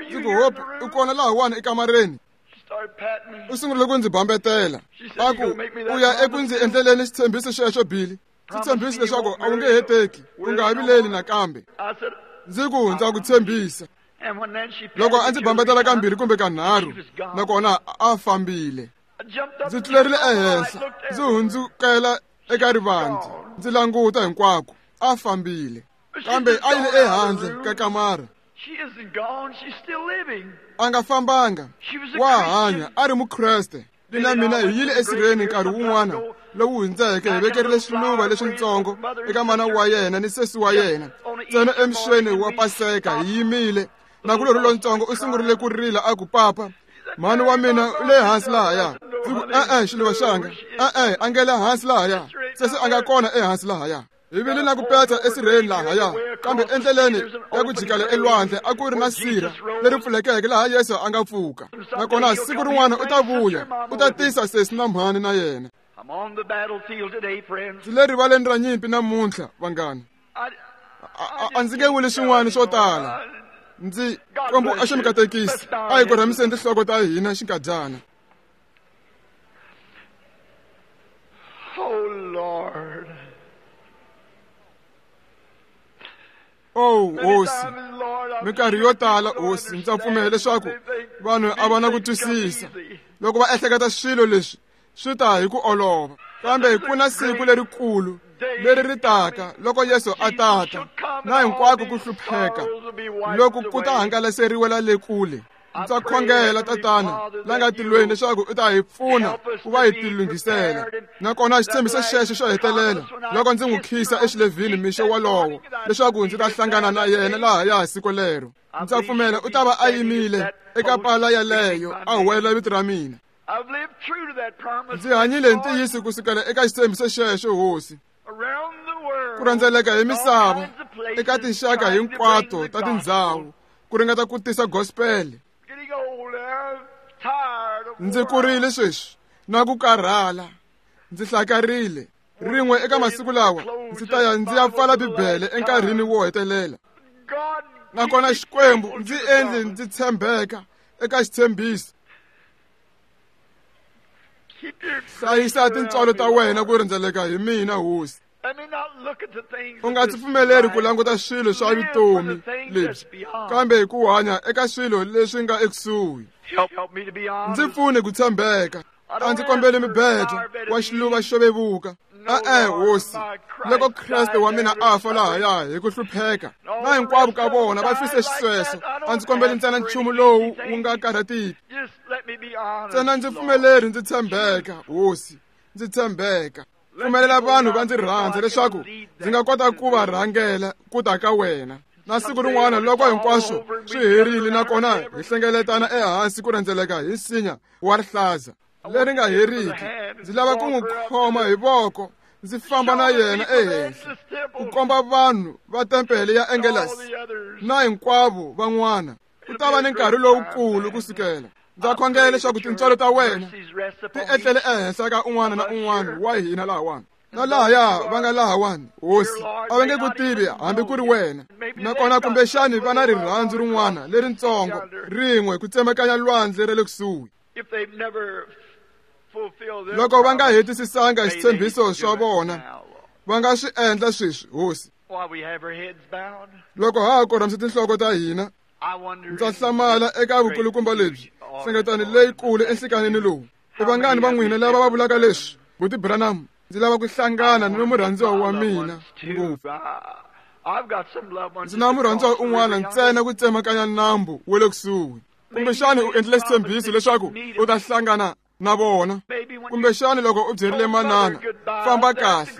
Ndzi ku Hope, u kona lahawani ekamareni? U sungurile ku ndzi bambetela. A ku u ya eku ndzi endleleni xitshembiso xexo, Billy. Ndzi tshembisi leswaku a wu nge he teki, u nga ha vileli nakambe. Ndzi ku ndza ku tshembisa. Loko a ndzi bambetela kambirhi kumbe kanharhu, nakona a fambile. Ndzi tlulerile ehenhla, ndzi hundzukela eka rivanti, ndzi languta hinkwako, a fambile. Kambe a yile ehandle ka kamara. A nga fambanga, wa hanya, a ri Mukreste. Na mina hi yile esirheni nkarhi wun'wana lowu hundzeke, hi vekerile swiluva leswitsongo eka mana wa yena ni sesi wa yena. Ntsena emixweni wa Paseka hi yimile, nakulorhi lontsongo u sungurile ku rila a ku, papa, mhani wa mina u le hansi lahaya. Ndzi ku e-e, xiluva xanga, e-e, a nge le hansi lahaya, sesi a nga kona ehansi lahaya. Hi vile na ku petsa esirheni lahaya, kambe endleleni ya ku jikela elwandle a ku ri na sirha leri pfulekeke laha Yesu a nga pfuka. Nakona siku rin'wana u ta vuya, u ta tisa sesi na mhani na yena. Ndzi le rivaleni ra nyimpi namuntlha, vanghana. A ndzi nge vuli swin'wana swo tala. Ndzi Xikwembu a xi mi katekisi. A hi korhamiseni tinhloko ta hina xinkadyana. Oh Lord. Oh Hosi, minkarhi yo tala Hosi, ndza pfumela leswaku vanhu a va na ku twisisa loko va ehleketa swilo leswi swi ta hi ku olova, kambe ku na siku lerikulu leri ri taka loko Yesu a tata, na hinkwako ku hlupheka loko ku ta hangalaseriwela le kule. Ndza khongela, Tatana la nga tilweni, leswaku u ta hi pfuna ku va hi tilunghisela. Nakona xitshembiso xexo xo hetelela, loko ndzi n'wi khisa exilevhini mixo wolowo, leswaku ndzi ta hlangana na yena lahaya siku lero. Ndza pfumela u ta va a yimile eka pala yaleyo a huwelela vito ra mina. Ndzi hanyile hi ntiyiso kusukela eka xitshembiso xexo, Hosi. Ku rhendzeleka hi misava eka tinxaka hinkwato ta tindhawu ku ringeta ku tisa gospel. Ndzi kurile sweswi na ku karhala, ndzi hlakarile. Rin'we eka masiku lawa ndzi ta ya ndzi ya pfala Bibele enkarhini wo hetelela. Nakona Xikwembu ndzi endli ndzi tshembeka eka xitshembiso. Hlayisa tintswalo ta wena ku rhendzeleka hi mina, Hosi. U nga ndzi pfumeleri ku languta swilo swa vutomi lebyi, kambe ku hanya eka swilo leswi nga ekusuhi. Ndzi pfune ku tshembeka. A ndzi kombeli mibedo wa xiluva xo vevuka. E-e, Hosi, loko Kreste wa mina a fa lahaya hi ku hlupheka, na hinkwavo ka vona va fise xisweswo, a ndzi kombeli ntsena nchumu lowu wu nga karhatiki. Ntsena ndzi pfumeleri ndzi tshembeka, Hosi. ndzi tshembeka. Pfumelela vanhu va ndzi rhandza leswaku ndzi nga kota ku va rhangela ku ta ka wena. Na siku rin'wana loko hinkwaswo swi herile nakona hi hlengeletana ehansi ku rhendzeleka hi nsinya wa rihlaza leri nga heriki, ndzi lava ku n'wi khoma hi voko ndzi famba na yena ehenhla ku komba vanhu va tempele ya Angelus na hinkwavo van'wana. Ku ta va ni nkarhi lowukulu kusukela. Ndza khongela leswaku tintswalo ta wena ti etlele ehenhla ka un'wana na un'wana wa hina lahawani na lahaya va nga lahawani. Hosi, a va nge ku tivi hambi ku ri wena, nakona kumbexani va na rirhandzu rin'wana leritsongo rin'we ku tsemakanya lwandle ra le kusuhi. Loko va nga hetisisanga xitshembiso swa vona, va nga swi endla sweswi, Hosi. Loko ha ha korhamisa tinhloko ta hina, ndza hlamala eka vukulukumba lebyi hlengeletano leyikulu enhlikanini lowu. I vangani va n'wina lava va vulaka leswi, Buti Branham, ndzi lava ku hlangana ni murhandziwa wa mina ngopfu. Ndzi na murhandziwa un'wana ntsena ku tsemakanya nambu wa le kusuhi. Kumbexani u endlile xitshembiso leswaku u ta hlangana na vona. Kumbexani loko u byerile manana, famba kahle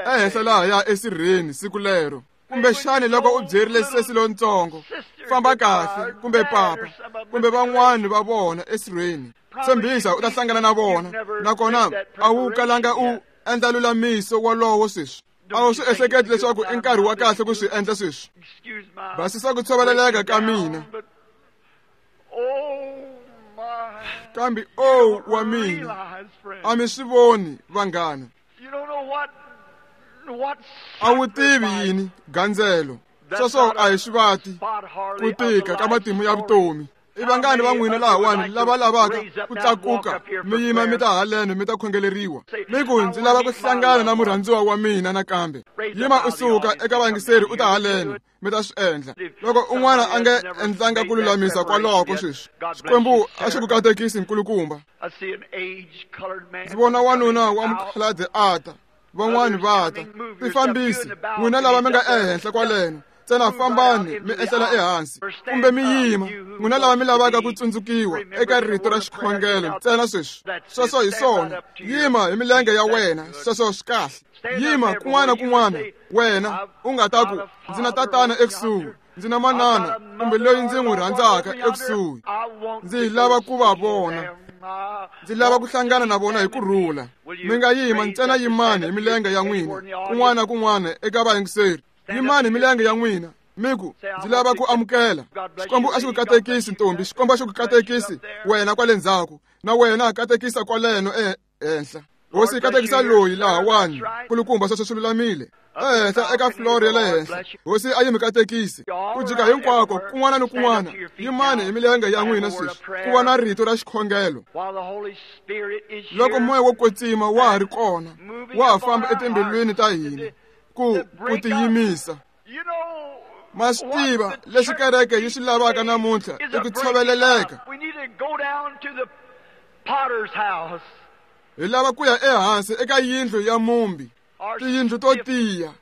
ehenhla lahaya esirheni siku lero. Kumbexani loko u byerile sesi lontsongo, famba kahle, kumbe papa, kumbe van'wani va vona esirheni, tshembisa u ta hlangana na vona, nakona a wu kalanga u endla lulamiso wolowo sweswi. A wu swi ehleketi leswaku i nkarhi wa kahle ku swi endla sweswi. Basisa ku tshoveleleka ka mina. Kambe o wa mina, a mi swi voni vanghana. A wu tivi yini gandzelo. Sweswo a hi swivati ku tika ka matimu ya vutomi. I vangani va n'wina lahawani lava lavaka ku tlakuka mi yima mi ta haleno mi ta khongeleriwa, mi ku ndzi lava ku hlangana na murhandziwa wa mina nakambe. Yima u suka eka vayingiseri u ta haleno mi ta swi endla. Loko un'wana a nga endlanga ku lulamisa kwaloko sweswi, Xikwembu a xi ku katekisi nkulukumba. Ndzi vona wanuna wa mukhalabye a ta, van'wani va ta. Tifambisi n'wina lava mi nga ehenhla kwaleno, ntsena fambani mi ehlela ehansi kumbe mi yima. N'wina lava mi lavaka ku tsundzukiwa eka rito ra xikhongelo ntsena sweswi, sweswo hi swona. Yima hi milenge ya wena, sweswo swi kahle. Yima kun'wana kun'wana wena u nga ta ku, ndzi na tatana ekusuhi, ndzi na manana kumbe loyi ndzi n'wi rhandzaka ekusuhi, ndzi lava ku va vona, ndzi lava ku hlangana na vona hi ku rhula. Mi nga yima ntsena, yimani hi milenge ya n'wina kun'wana kun'wana eka vayingiseri. Yimani hi milenge ya n'wina mi ku, ndzi lava ku amukela. Xikwembu a xi ku katekisi ntombi, Xikwembu a xi ku katekisi wena kwale ndzhaku, na wena katekisa kwaleno ehenhla. Hosi, katekisa loyi lahawani kulukumba, sweswo swi lulamile. Ehenhla eka floor ya le henhla, Hosi a yi mi katekisi ku jika hinkwako kun'wana ni kun'wana. Yimani hi milenge ya n'wina sweswi ku va na rito ra xikhongelo. Loko moya wo kwetsima wa ha ri kona, wa ha famba etimbilwini ta hina ku tiyimisa. Ma swi tiva leswi kereke yi swi lavaka namuntlha i ku tshoveleleka. Hi lava ku ya ehansi eka yindlu ya mumbi, tiyindlu to tiya.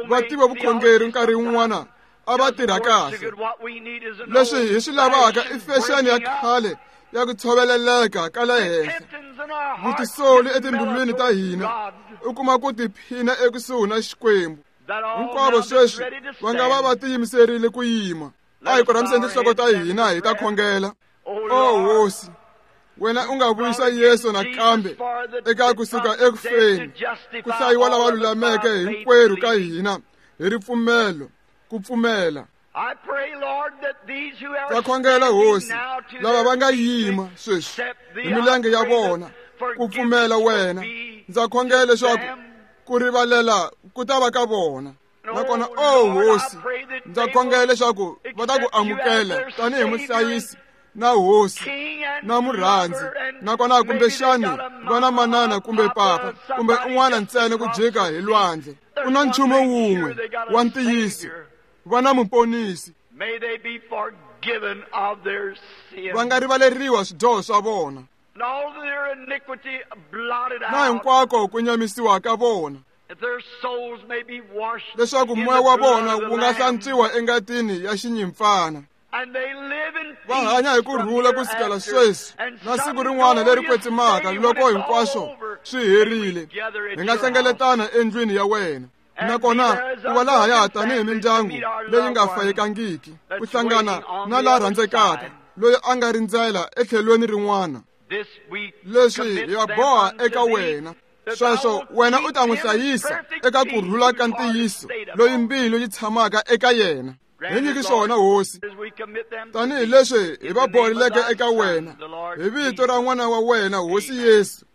Va tiva vukhongeri nkarhi wun'wana a va tirha kahle. Leswi hi swi lavaka i fexeni ya khale ya ku tshoveleleka ka le henhla, vutisoli etimbilwini ta hina, u kuma ku tiphina ekusuhi na Xikwembu. Hinkwavo sweswi va nga va va tiyimiserile ku yima. A hi korhamiseni tinhloko ta hina hi ta khongela. O Hosi, wena u nga vuyisa Yesu nakambe eka kusuka ekufeni, ku hlayiwa lava lulameke hinkwerhu ka hina hi ripfumelo ku pfumela. Ndza khongela Hosi, lava va nga yima sweswi hi milenge ya vona ku pfumela wena, ndza khongela leswaku ku rivalela ku ta va ka vona. Nakona o Hosi, ndza khongela leswaku va ta ku amukela tanihi muhlayisi na Hosi na murhandzi, nakona kumbexani va na manana kumbe papa kumbe un'wana ntsena ku jika hi lwandle. Ku na nchumu wun'we wa ntiyiso, va na muponisi. Va nga rivaleriwa swidyoho swa vona na hinkwako ku nyamisiwa ka vona, leswaku moya wa vona wu nga hlantswiwa engatini ya xinyimpfana. Va hanya hi ku rhula ku sukela sweswi na siku rin'wana leri kwetsimaka loko hinkwaswo swi herile, hi nga hlengeletana endlwini ya wena. Nakona ku va lahaya tanihi mindyangu leyi nga fayekangiki, ku hlangana na la rhandzekaka loyi a nga rindzela etlhelweni rin'wana. Leswi hi va boha eka wena. Sweswo wena u ta n'wi hlayisa eka ku rhula ka ntiyiso loyi mbilu yi tshamaka eka yena. Hi nyiki swona, Hosi, tanihi leswi hi va boheleke eka wena hi vito ra n'wana wa wena, Hosi Yesu.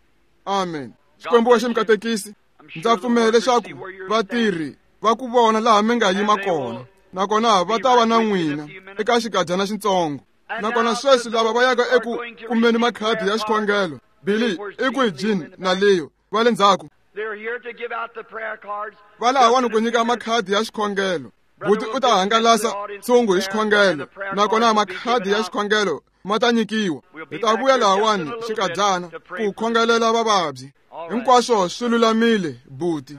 Amen. Xikwembu wa xi mi katekisi. Ndza pfumela leswaku vatirhi va ku vona laha mi nga yima kona, nakona va ta va na n'wina eka xikadyana xitsongo. Nakona sweswi lava va yaka eku kumeni makhadi ya xikhongelo, Billy i kwihi, Jean na Leo va le ndzhaku? Va lahawani ku nyika makhadi ya xikhongelo. Buti u ta hangalasa ntshungu hi xikhongelo, nakona makhadi ya xikhongelo ma ta nyikiwa. Hi ta vuya lahawani xikadyana ku khongelela vavabyi. Hinkwaswo swi lulamile, buti.